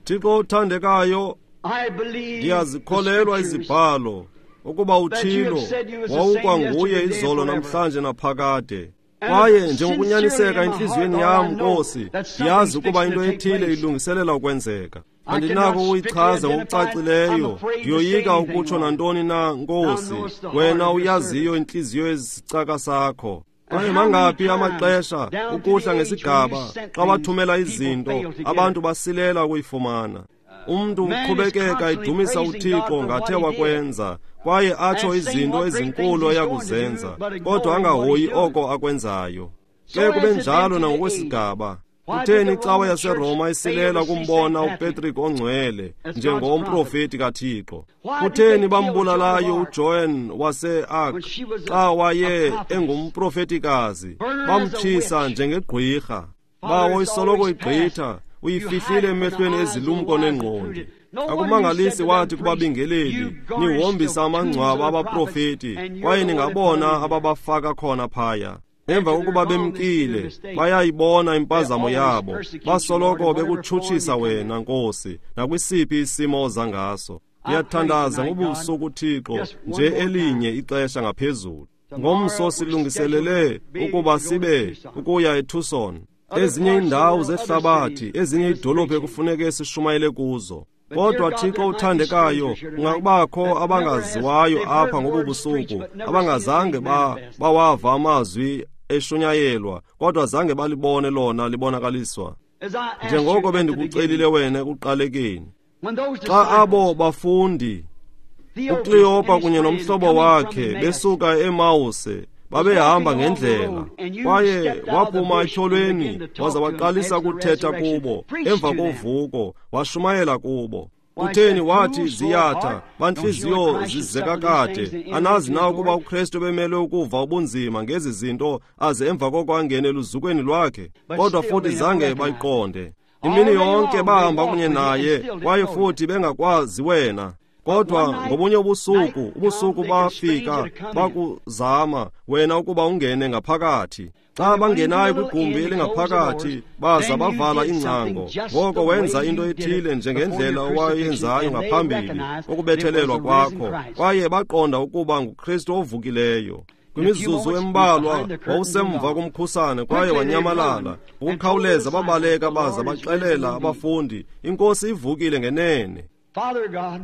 Thixo othandekayo, ndiyazikholelwa izibhalo ukuba uThixo wawukwanguye izolo namhlanje naphakade. Kwaye njengokunyaniseka entliziyweni yam, Nkosi, ndiyazi ukuba into ethile ilungiselela ukwenzeka. Andinako ukuyichaza ngokucacileyo, ndiyoyika ukutsho nantoni na, Nkosi, wena uyaziyo intliziyo yesicaka sakho. Kwaye mangaphi amaxesha ukuhla ngesigaba xa bathumela izinto, abantu basilela ukuyifumana. Umntu uqhubekeka edumisa uThixo ngathe wakwenza, kwaye atsho izinto ezinkulu ayakuzenza, kodwa angahoyi oko akwenzayo. Ke kube njalo nangokwesigaba. Kutheni icawa yaseRoma isilela kumbona uPatrick ongcwele njengomprofeti kaThixo? Kutheni bambulalayo uJoan wase-Arc xa waye engumprofetikazi, bamtshisa njengegqwirha? Bawo isoloko igqitha, uyifihlile emehlweni ezilumko nengqondi. Akumangalisi wathi kubabingeleli, nihombisa amangcwaba abaprofeti, kwaye ningabona ababafaka khona phaya. Emva kokuba bemkile, bayayibona impazamo yabo, basoloko bekutshutshisa wena, Nkosi, nakwisiphi isimo oza ngaso. Ndiyathandaza ngobusuku, Thixo, nje elinye ixesha ngaphezulu. Ngomso silungiselele ukuba sibe ukuya eTucson. Ezinye iindawo zehlabathi, ezinye iidolophu ekufuneke sishumayele kuzo. Kodwa Thixo uthandekayo, kungakubakho abangaziwayo apha ngobu busuku, abangazange ba bawava amazwi eshunyayelwa, kodwa zange balibone lona libonakaliswa. Njengoko bendikucelile wena ekuqalekeni, xa abo bafundi uKleopa kunye nomhlobo wakhe besuka eEmawuse babehamba ngendlela, kwaye waphuma etyholweni waza waqalisa ukuthetha kubo emva kovuko, washumayela kubo. Kutheni wathi ziyatha, bantliziyo zizeka kade, anazi na ukuba uKristu bemelwe ukuva ubunzima ngezi zinto aze emva koko angene eluzukweni lwakhe? Kodwa futhi zange bayiqonde. Imini yonke bahamba kunye naye, kwaye futhi bengakwazi wena. Kodwa ngobunye ubusuku, ubusuku bafika bakuzama wena ukuba ungene ngaphakathi. Xa bangenayo kwigumbi elingaphakathi, baza bavala ingcango. Ngoko wenza into ethile njengendlela owayenzayo ngaphambili ukubethelelwa kwakho, kwaye baqonda ukuba nguKristu ovukileyo. Kwimizuzu embalwa wawusemva komkhusane kwaye wanyamalala. Ngokukhawuleza babaleka baza baxelela abafundi, iNkosi ivukile ngenene.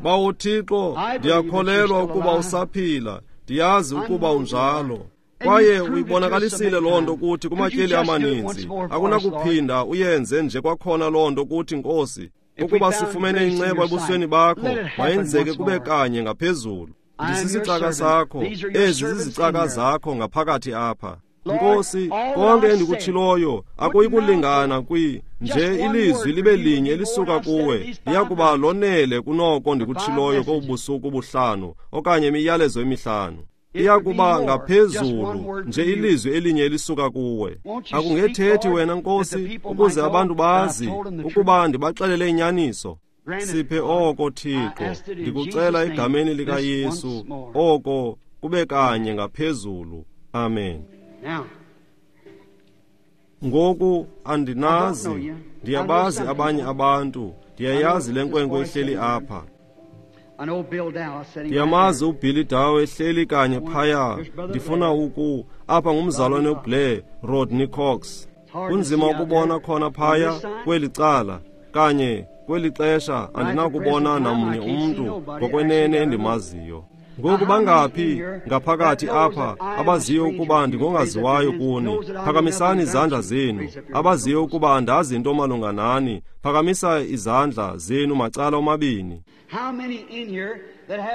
Bawo Thixo, ndiyakholelwa ukuba usaphila, ndiyazi ukuba unjalo. Kwaye uyibonakalisile loo nto kuthi kumatyeli amaninzi. Akunakuphinda uyenze nje kwakhona loo nto kuthi, Nkosi. Ukuba sifumene inceba ebusweni bakho, mayenzeke kube kanye ngaphezulu. Ndisisicaka sakho, ezi zizicaka zakho ngaphakathi apha. Nkosi, konke endikutshiloyo akuyikulingana kwi nje ilizwi libe linye elisuka kuwe, liyakuba lonele kunoko ndikutshiloyo kobusuku obuhlanu okanye imiyalezo emihlanu. Iyakuba ngaphezulu nje ilizwi elinye elisuka kuwe. Akungethethi wena, Nkosi, ukuze abantu bazi ukuba ndibaxelele inyaniso. Siphe oko, Thixo, ndikucela egameni likaYesu, oko kube kanye ngaphezulu. Amen. Ngoku andinazi, ndiyabazi abanye abantu, ndiyayazi le nkwenkwe ehleli apha. Ndiyamazi uBilly Dow ehleli kanye phaya. Ndifuna uku apha ngumzalwane uBlair Rodney Cox. Kunzima ukubona khona phaya kweli cala kanye kweli xesha andinakubona namnye umntu ngokwenene endimaziyo. Ngoku bangaphi ngaphakathi apha abaziyo ukuba ndingongaziwayo kuni? Phakamisani izandla zenu. Abaziyo ukuba andazi into malunga nani, phakamisa izandla zenu macala omabini.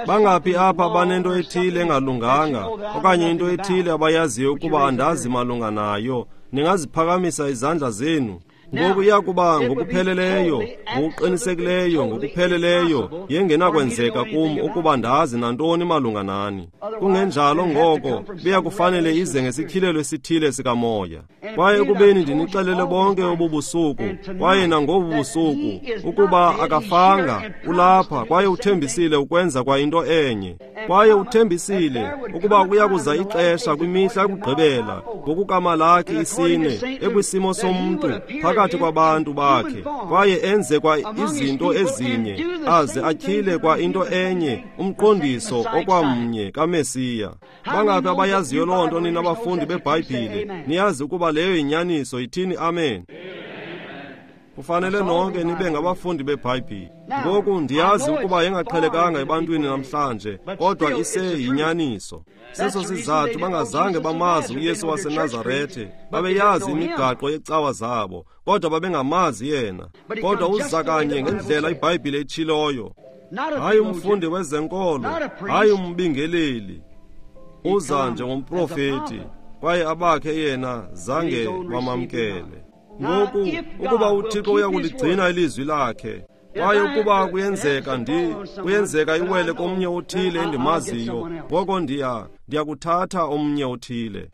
Bangaphi apha banento ethile engalunganga okanye into ethile abayaziyo ukuba andazi malunga nayo? Ningaziphakamisa izandla zenu. Ngoku iyakuba ngokupheleleyo, ngokuqinisekileyo, ngokupheleleyo, yengenakwenzeka kum ukuba ndazi nantoni malunga nani. Kungenjalo ngoko biyakufanele ize ngesityhilelo esithile sikamoya. Kwaye ekubeni ndinixelele bonke obu busuku, kwaye nangobu busuku, ukuba akafanga, ulapha, kwaye uthembisile ukwenza kwa into enye. Kwaye uthembisile ukuba kuyakuza ixesha kwimihla yokugqibela, ngokukaMalaki isine, ekwisimo somntu phakathi kwabantu bakhe, kwaye enze kwa izinto ezinye, aze atyhile kwa into enye, umqondiso okwamnye kaMesiya. Bangaphi abayaziyo loo nto nina bafundi beBhayibhile? Niyazi ukuba leyo yinyaniso? Yithini amen. Kufanele nonke nibe ngabafundi beBhayibhile. Ngoku ndiyazi ukuba yengaqhelekanga ebantwini namhlanje, kodwa iseyinyaniso. Seso sizathu bangazange bamazi uYesu waseNazarethe. Babeyazi imigaqo yecawa zabo, kodwa babengamazi yena. Kodwa uza kanye ngendlela iBhayibhile etshiloyo. Hayi umfundi wezenkolo, hayi umbingeleli. Uza njengomprofeti, kwaye abakhe yena zange bamamkele. Ngoku ukuba uThixo uyakuligcina ilizwi lakhe, kwaye ukuba kuyenzeka ndi kuyenzeka iwele komnye othile endimaziyo, ngoko ndiya ndiyakuthatha omnye othile.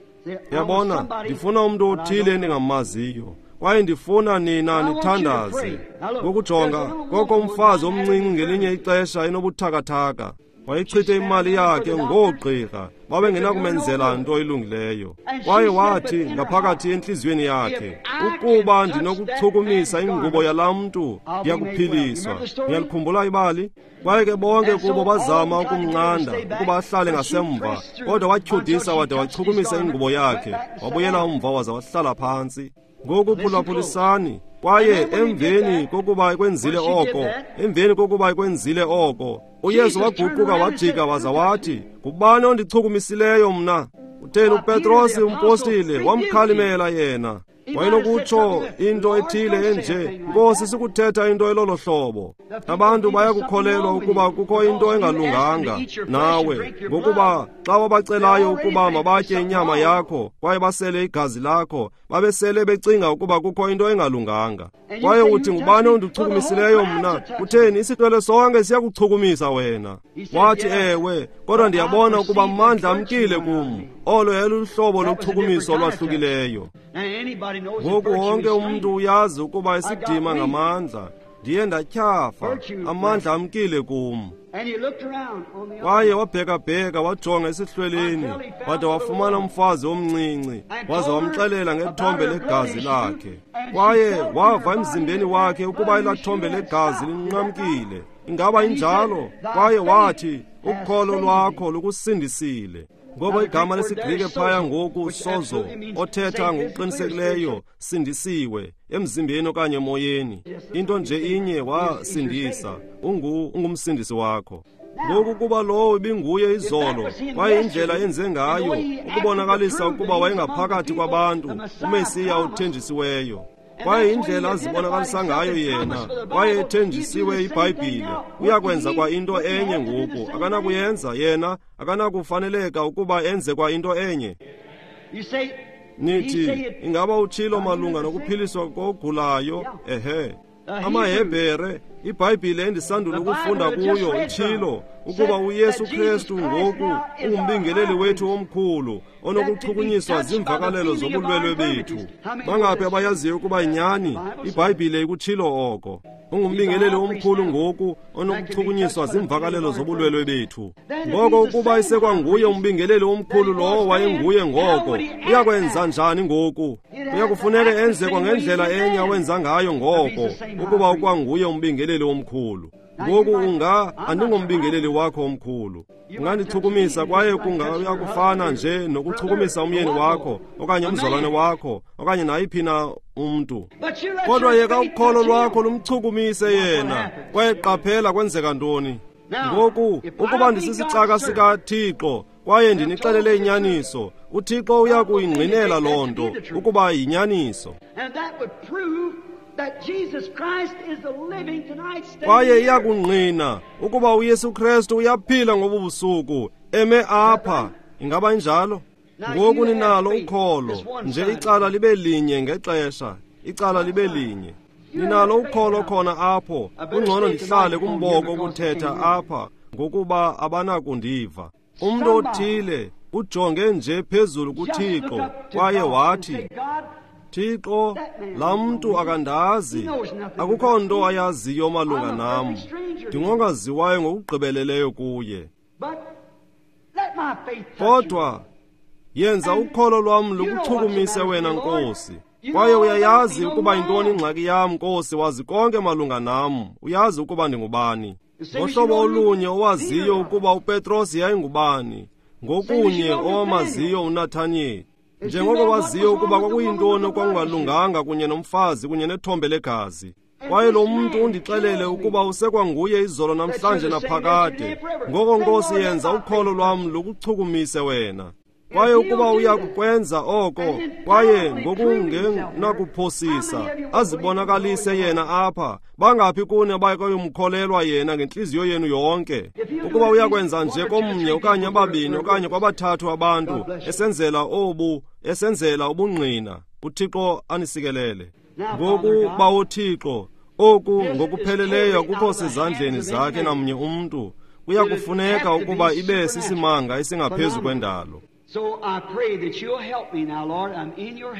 Yabona, ndifuna umntu othile endingamaziyo, kwaye ndifuna nina nithandaze. Ngokujonga koko umfazi omncinci ngelinye ixesha enobuthakathaka, wayichithe imali yakhe ngoogqirha, babengenakumenzela nto ilungileyo. Kwaye wathi ngaphakathi entliziyweni yakhe, ukuba ndinokuchukumisa ingubo yalaa mntu, ndiyakuphiliswa. Niyalikhumbula ibali? Kwaye ke bonke kubo bazama ukumnqanda ukuba ahlale ngasemva, kodwa watyhudisa wade wachukumisa ingubo yakhe, wabuyela umva waza wahlala phantsi. Ngoku phulaphulisani. Kwaye emveni kokuba kwenzile oko, emveni kokuba kwenzile oko, uYesu waguquka wajika waza wathi, ngubani ondichukumisileyo mna? Utheni uPetrosi umpostile wamkhalimela yena. Wayenokutsho into ethile enje, Nkosi, sikuthetha into elolo hlobo. Abantu bayakukholelwa ukuba kukho into engalunganga nawe, ngokuba xa wabacelayo ukuba mabatye inyama yakho kwaye basele igazi lakho, babesele becinga ukuba kukho into engalunganga. Kwaye uthi, ngubani ondichukumisileyo mna? Kutheni, isihlwele sonke siyakuchukumisa wena. Wathi, ewe, kodwa ndiyabona ukuba amandla amkile kum. Olo yayiluhlobo lochukumiso olwahlukileyo. Ngoku wonke umntu uyazi ukuba isidima ngamandla. Ndiye ndatyhafa, amandla amkile kum. Kwaye wabhekabheka wajonga esihlweleni, wade wafumana umfazi omncinci, waza wamxelela ngethombe legazi lakhe. Kwaye wava emzimbeni wakhe ukuba elathombe legazi linqamkile. Ingaba injalo? Kwaye wathi, ukholo lwakho lukusindisile. Ngoba igama lesiGrike phaya ngoku sozo, othetha ngokuqinisekileyo sindisiwe emzimbeni okanye emoyeni. Into nje inye, wasindisa, ungu ungumsindisi wakho. Ngoku kuba lowo ibinguye izolo, kwaye indlela enze ngayo ukubonakalisa ukuba wayengaphakathi kwabantu, uMesiya othenjisiweyo. Kwaye indlela azibonakalisa ngayo yena, kwaye ethenjisiwe iBhayibhile, uyakwenza kwa into enye ngoku. Akanakuyenza yena, akanakufaneleka ukuba enze kwa into enye. Nithi, ingaba utshilo malunga nokuphiliswa kogulayo? Ehe. AmaHebhere, iBhayibhile endisandula ukufunda kuyo itshilo ukuba uYesu Kristu ngoku ungumbingeleli wethu omkhulu onokuchukunyiswa ziimvakalelo zobulwelwe bethu. Bangaphi abayaziyo ukuba yinyani? iBhayibhile ikutshilo oko. Ungumbingeleli omkhulu ngoku onokuchukunyiswa ziimvakalelo zobulwelwe bethu. Ngoko ukuba isekwanguye umbingeleli omkhulu lowo wayenguye ngoko, uyakwenza njani ngoku? Uyakufuneka enze kwangendlela enye awenza ngayo ngoko, ukuba ukwanguye umbingeleli omkhulu. Ngoku unga andingombingeleli wakho omkhulu. Ungandichukumisa kwaye kungayakufana nje nokuchukumisa umyeni wakho okanye umzalwane wakho okanye nayiphi na umntu. Kodwa yeka ukholo lwakho lumchukumise yena, kwaye qaphela kwenzeka ntoni. Ngoku ukuba ndisisicaka sikaThixo kwaye ndinixelele inyaniso, uThixo uyakuyingqinela loo nto ukuba yinyaniso. Kwaye iyakungqina ukuba uYesu Kristu uyaphila ngobu busuku, eme apha. Ingaba injalo? Ngoku ninalo ukholo, nje icala libe linye ngexesha, icala libe linye. Ninalo ukholo khona apho. Kungcono ndihlale kumboko ukuthetha apha, ngokuba abanakundiva. Umntu othile ujonge nje phezulu kuThixo kwaye wathi, Thixo, laa mntu akandazi, akukho nto ayaziyo malunga nam, ndingongaziwayo ngokugqibeleleyo kuye. Kodwa yenza ukholo lwam lukuchukumise wena, Nkosi. Kwaye uyayazi ukuba yintoni ingxaki yam, Nkosi, wazi konke malunga nam, uyazi ukuba ndingubani. Ngohlobo olunye owaziyo ukuba uPetros yayingubani, ngokunye owamaziyo uNathaniyeli. Njengoko waziyo ukuba kwakuyintoni okwakungalunganga kunye nomfazi kunye nethombe legazi. Kwaye lo mntu undixelele ukuba usekwanguye izolo namhlanje naphakade. Ngoko Nkosi, yenza ukholo lwam lukuchukumise wena. Kwaye ukuba uyakukwenza oko, kwaye ngokungenakuphosisa azibonakalise yena apha, bangaphi kuni abayakuyumkholelwa yena ngentliziyo yenu yonke? Ukuba uyakwenza nje komnye okanye ababini okanye kwabathathu abantu, esenzela obu esenzela ubungqina, uThixo anisikelele. Ngoku Bawo Thixo, oku ngokupheleleyo akukho sezandleni zakhe namnye umntu. Kuyakufuneka ukuba ibe sisimanga esingaphezu kwendalo.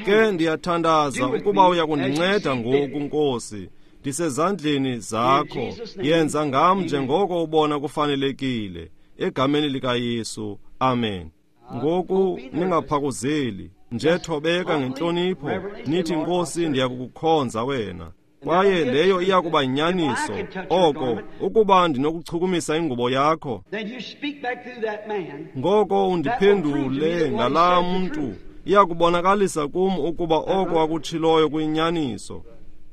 Ke ndiyathandaza ukuba uyakundinceda ngoku, Nkosi. Ndisezandleni zakho. Yenza ngam njengoko ubona kufanelekile. Egameni likaYesu, amen. Ngoku ningaphakuzeli, nje thobeka ngentlonipho, nithi, Nkosi, ndiyakukukhonza wena. Kwaye leyo iyakuba yinyaniso. Oko ukuba ndinokuchukumisa ingubo yakho, ngoko undiphendule ngalaa mntu. Iyakubonakalisa kum ukuba oko akutshiloyo kuyinyaniso.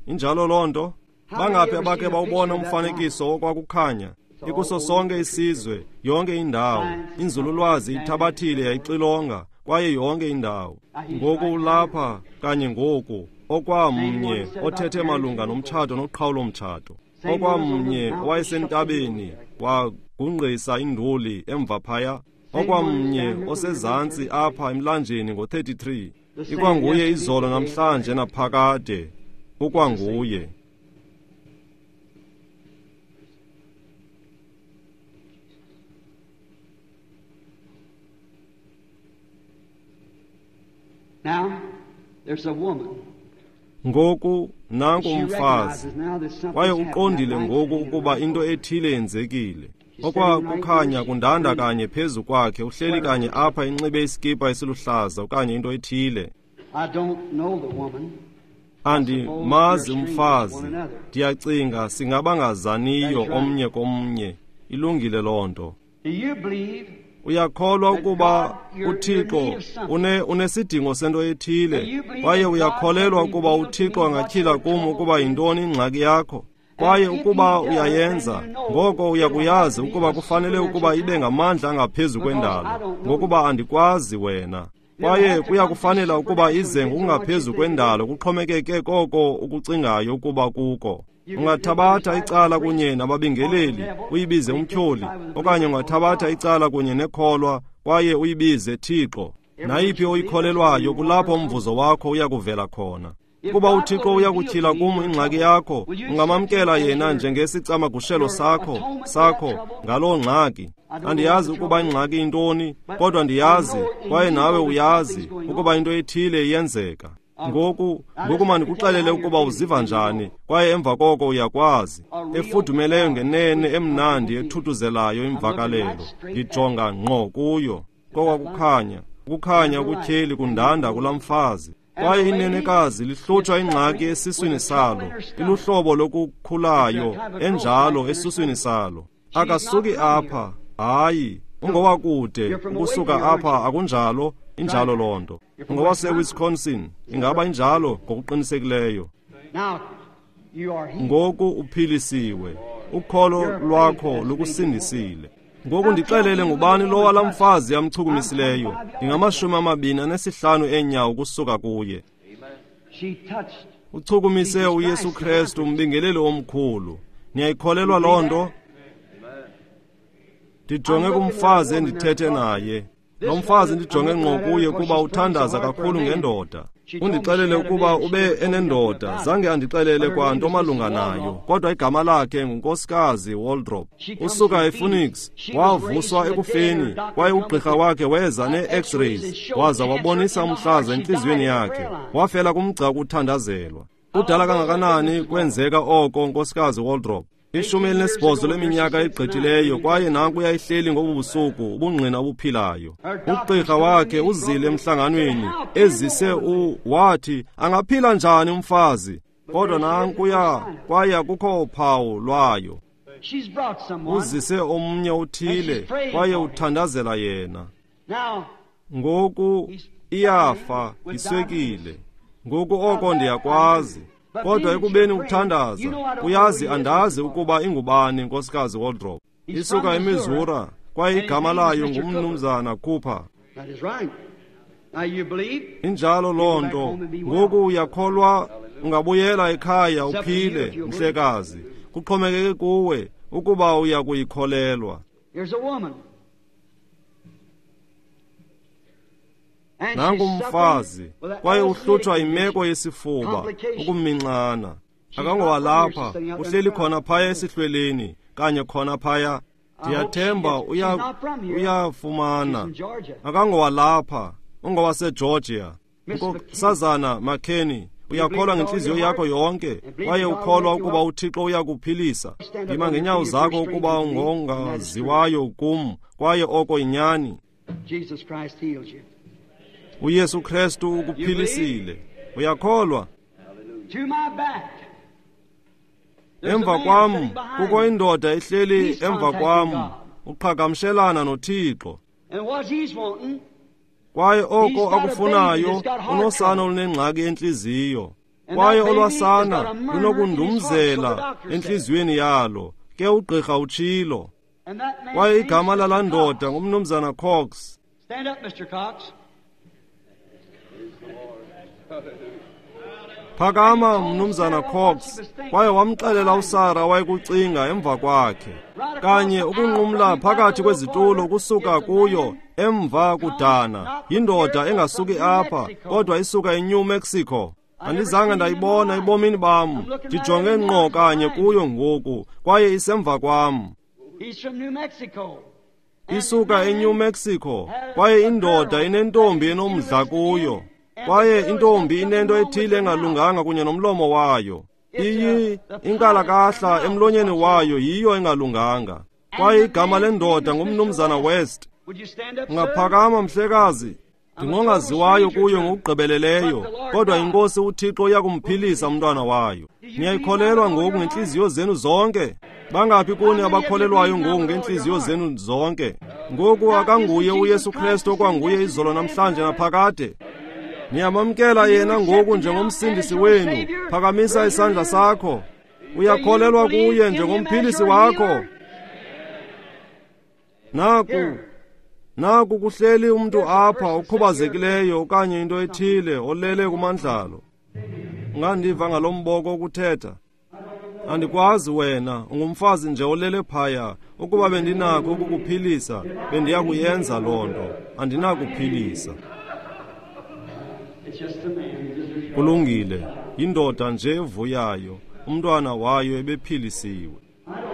Injalo loo nto? Bangaphi abakhe bawubona umfanekiso wokwakukhanya? Ikuso sonke isizwe, yonke indawo. Inzululwazi ithabathile yayixilonga, kwaye yonke indawo. Ngoku ulapha kanye ngoku, okwamnye othethe malunga nomtshato noqhawulo-mtshato. Okwamnye owayesentabeni wagungqisa induli emva phaya. Okwamnye osezantsi apha emlanjeni ngo thirty-three. Ikwanguye izolo namhlanje naphakade. Ukwanguye. Now, there's a woman. Ngoku nanku umfazi, kwaye uqondile ngoku ukuba into ethile yenzekile. Okwakukhanya kundanda kanye phezu kwakhe, uhleli kanye apha enxibe iskipa esiluhlaza okanye into ethile. I don't know the woman. Andimazi umfazi, ndiyacinga singabangazaniyo omnye komnye. Ilungile loo nto. Do you believe Uyakholwa ukuba uThixo une unesidingo sento ethile, kwaye uyakholelwa ukuba uThixo angatyhila kum ukuba yintoni ingxaki yakho? Kwaye ukuba uyayenza, ngoko uyakuyazi ukuba kufanele ukuba ibe ngamandla angaphezu kwendalo, ngokuba andikwazi wena. Kwaye kuyakufanela ukuba ize ngokungaphezu kwendalo, kuxhomekeke koko ukucingayo ukuba kuko. Ungathabatha icala kunye nababingeleli, uyibize umtyholi, okanye ungathabatha icala kunye nekholwa, kwaye uyibize Thixo. Nayiphi oyikholelwayo, kulapho umvuzo wakho uyakuvela khona. Ukuba uThixo uyakutyhila kum ingxaki yakho, ungamamkela yena njengesicamagushelo sakho, sakho ngaloo ngxaki. Andiyazi ukuba ingxaki intoni, kodwa ndiyazi, kwaye nawe uyazi, ukuba into ethile iyenzeka. Ngoku, ngoku mandikuxelele ukuba uziva njani, kwaye emva koko uyakwazi. Efudumeleyo ngenene, emnandi, ethuthuzelayo imvakalelo. Ndijonga ngqo kuyo. Kokwakukhanya, ukukhanya okutyheli kundanda kulaa mfazi. Kwaye inenekazi lihlutshwa ingxaki esiswini salo, iluhlobo lokukhulayo enjalo esiswini salo. Akasuki apha, hayi, ungowakude, ukusuka apha akunjalo, injalo loo nto. UngowaseWisconsin, ingaba injalo ngokuqinisekileyo. Now you are healed. Ngoku uphilisiwe, ukholo lwakho lukusindisile. Ngoku ndixelele ngubani lowa laa mfazi amchukumisileyo. Ndingamashumi amabini anesihlanu eenyawo ukusuka kuye. She touched. Uchukumise uYesu Kristu, umbingeleli omkhulu. Niyayikholelwa loo nto? Ndijonge kumfazi endithethe naye. Lo mfazi ndijonge ngqo kuye kuba uthandaza kakhulu ngendoda. Undixelele ukuba ube enendoda, zange andixelele kwanto malunga nayo, kodwa igama lakhe nguNkosikazi Waldrop. Usuka ePhoenix, wavuswa ekufeni, kwaye ugqirha wakhe weza nee-X-rays, waza wabonisa umhlaza entliziyweni yakhe. Wafela kumgca wokuthandazelwa. Kudala kangakanani kwenzeka oko, Nkosikazi Waldrop? Ishumi elinesibhozo leminyaka egqithileyo, kwaye nanku uyayihleli ngobu busuku, ubungqina obuphilayo. Ugqirha wakhe uzile emhlanganweni, ezise u wathi angaphila njani umfazi, kodwa nankuya, kwaye akukho phawu lwayo. She's brought someone. Uzise omnye uthile, kwaye uthandazela yena. Now, Ngoku iyafa iswekile. Ngoku oko ndiyakwazi. Kodwa ekubeni uthandaza, uyazi andazi ukuba ingubani, Nkosikazi Waldrop. Isuka eMissouri, kwaye igama layo ngumnumzana Cooper. That is right. Now you believe? Injalo loo nto. Ngoku uyakholwa, ungabuyela ekhaya uphile, mhlekazi. Kuxhomekeke kuwe ukuba uya kuyikholelwa. Here's a woman. And Nangu she's umfazi, suffering with an kwaye uhlutshwa asthmatic imeko yesifuba, ukuminxana. Akangowalapha, uhleli khona phaya esihlweleni, kanye khona phaya. Ndiyathemba uya uyafumana. She's from Georgia. Akangowalapha, ungowaseGeorgia. Nkosazana McKinney, uyakholwa ngentliziyo yakho yonke, kwaye ukholwa ukuba uThixo uyakuphilisa. Yima ngeenyawo zakho ukuba ungongaziwayo kum, kwaye oko yinyani. Jesus Christ heals you. uYesu Kristu ukuphilisile. Uyakholwa? To my back. There's a Emva man kwam sitting behind kukho me. indoda ehleli emva kwam, uqhagamshelana noThixo. And what he's wanting Kwaye oko akufunayo, unosana olunengxaki entliziyo. Kwaye olwasana lunokundumzela entliziyweni yalo, ke ugqirha utshilo. Kwaye igama lalaa ndoda ngumnumzana Cox. Stand up, Mister Cox. Phakama, mnumzana Cox. Kwaye wamxelela uSara wayekucinga emva kwakhe. Kanye ukunqumla phakathi kwezitulo kusuka kuyo emva kudana. Yindoda engasuki apha, kodwa isuka eNew Mexico. Andizange ndayibona ebomini bam. Ndijonge ngqo kanye kuyo ngoku, kwaye isemva kwam. Isuka eNew Mexico, kwaye indoda inentombi enomdla kuyo. Kwaye intombi inento ethile engalunganga kunye nomlomo wayo. Iyi inkalakahla emlonyeni wayo yiyo engalunganga. Kwaye igama lendoda ngumnumzana West. Ungaphakama, mhlekazi. Ndingongaziwayo kuyo ngokugqibeleleyo, kodwa inkosi uThixo uyakumphilisa umntwana wayo. Niyayikholelwa ngoku ngentliziyo zenu zonke? Bangaphi kuni abakholelwayo ngoku ngentliziyo zenu zonke? Ngoku akanguye uYesu Kristu okwanguye izolo namhlanje naphakade. Niyamamkela yena ngoku njengomsindisi wenu. Phakamisa isandla sakho. Uyakholelwa kuye njengomphilisi wakho? Naku, naku kuhleli umntu apha okhubazekileyo okanye into ethile olele kumandlalo. Ungandiva ngalo mboko ukuthetha? Andikwazi wena, ungumfazi nje olele phaya. Ukuba bendinakho ukukuphilisa, bendiyakuyenza loo nto. Andinakuphilisa. Kulungile, yindoda nje evuyayo, umntwana wayo ebephilisiwe.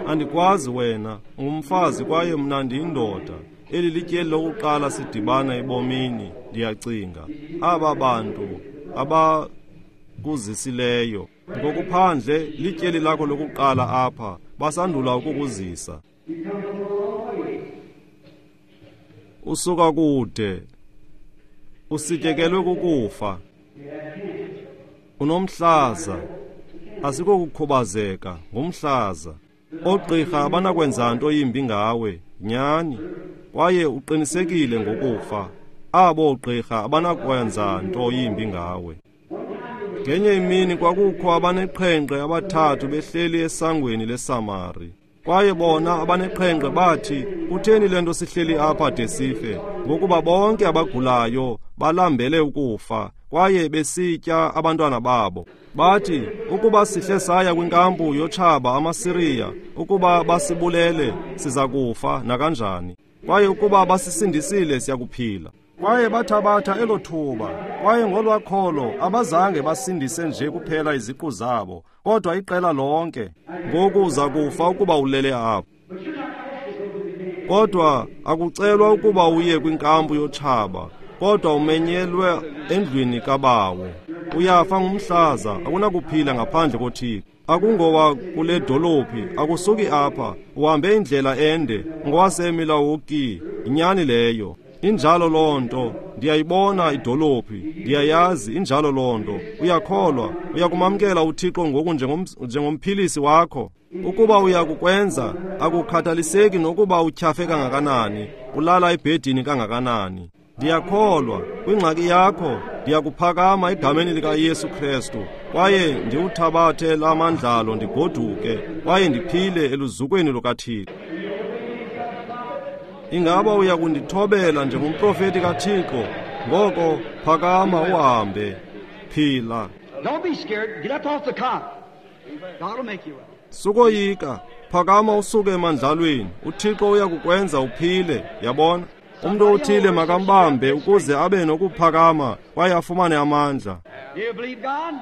Andikwazi wena, ungumfazi kwaye mna ndiyindoda. Eli lityeli lokuqala sidibana ebomini, ndiyacinga. Aba bantu abakuzisileyo ngokuphandle lityeli lakho lokuqala apha, basandula ukukuzisa. Usuka kude, usityekelwe kukufa. Unomhlaza, asikokukhubazeka, ngumhlaza. Oogqirha abanakwenza nto yimbi ngawe, nyani, kwaye uqinisekile ngokufa. Abo oogqirha abanakwenza nto yimbi ngawe. Ngenye imini kwakukho abaneqhenqe abathathu behleli esangweni leSamari. Kwaye bona abaneqhenqe bathi, kutheni le nto sihleli apha de sife? Ngokuba bonke abagulayo balambele ukufa, kwaye besitya abantwana babo. Bathi, ukuba sihle saya kwinkampu yotshaba amaSiriya, ukuba basibulele siza kufa nakanjani. Kwaye ukuba basisindisile siyakuphila. Kwaye bathabatha elo thuba, kwaye ngolwakholo abazange basindise nje kuphela iziqu zabo, kodwa iqela lonke. Ngoku uza kufa ukuba ulele apho. Kodwa akucelwa ukuba uye kwinkampu yotshaba, kodwa umenyelwe endlwini kabawo. Uyafa ngumhlaza, akunakuphila ngaphandle koThixo. Akungowa kule dolophi, akusuki apha, uhambe indlela ende, ngowaseMilwaukee. Inyani leyo. Injalo loo nto, ndiyayibona idolophi, ndiyayazi injalo loo nto. Uyakholwa, uyakumamkela uThixo ngoku njengomphilisi wakho. Ukuba uyakukwenza, akukhathaliseki nokuba utyhafe kangakanani, ulala ebhedini kangakanani. Ndiyakholwa, kwingxaki yakho, ndiyakuphakama egameni likaYesu Kristu, kwaye ndiwuthabathe la mandlalo ndigoduke, kwaye ndiphile eluzukweni lukaThixo. Ingaba uyakundithobela njengomprofeti kaThixo? Ngoko phakama uhambe, phila. Don't be scared. Get up off the cot. God will make you well. Sukoyika, phakama usuke emandlalweni. uThixo uyakukwenza uphile, yabona? Umntu othile makambambe ukuze abe nokuphakama kwaye afumane amandla. Do you believe God?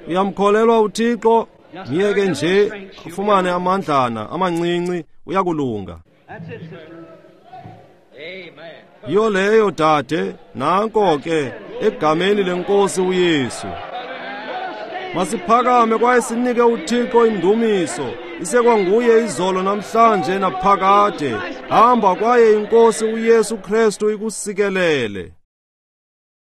Uyamkholelwa uThixo? Myeke nje afumane amandlana amancinci, uyakulunga. That's it, sister. Amen. Yiyo leyo dade, nanko ke egameni lenkosi uYesu. Masiphakame kwaye sinike uThixo indumiso. Isekwanguye izolo namhlanje naphakade. Hamba kwaye inkosi uYesu Kristu ikusikelele.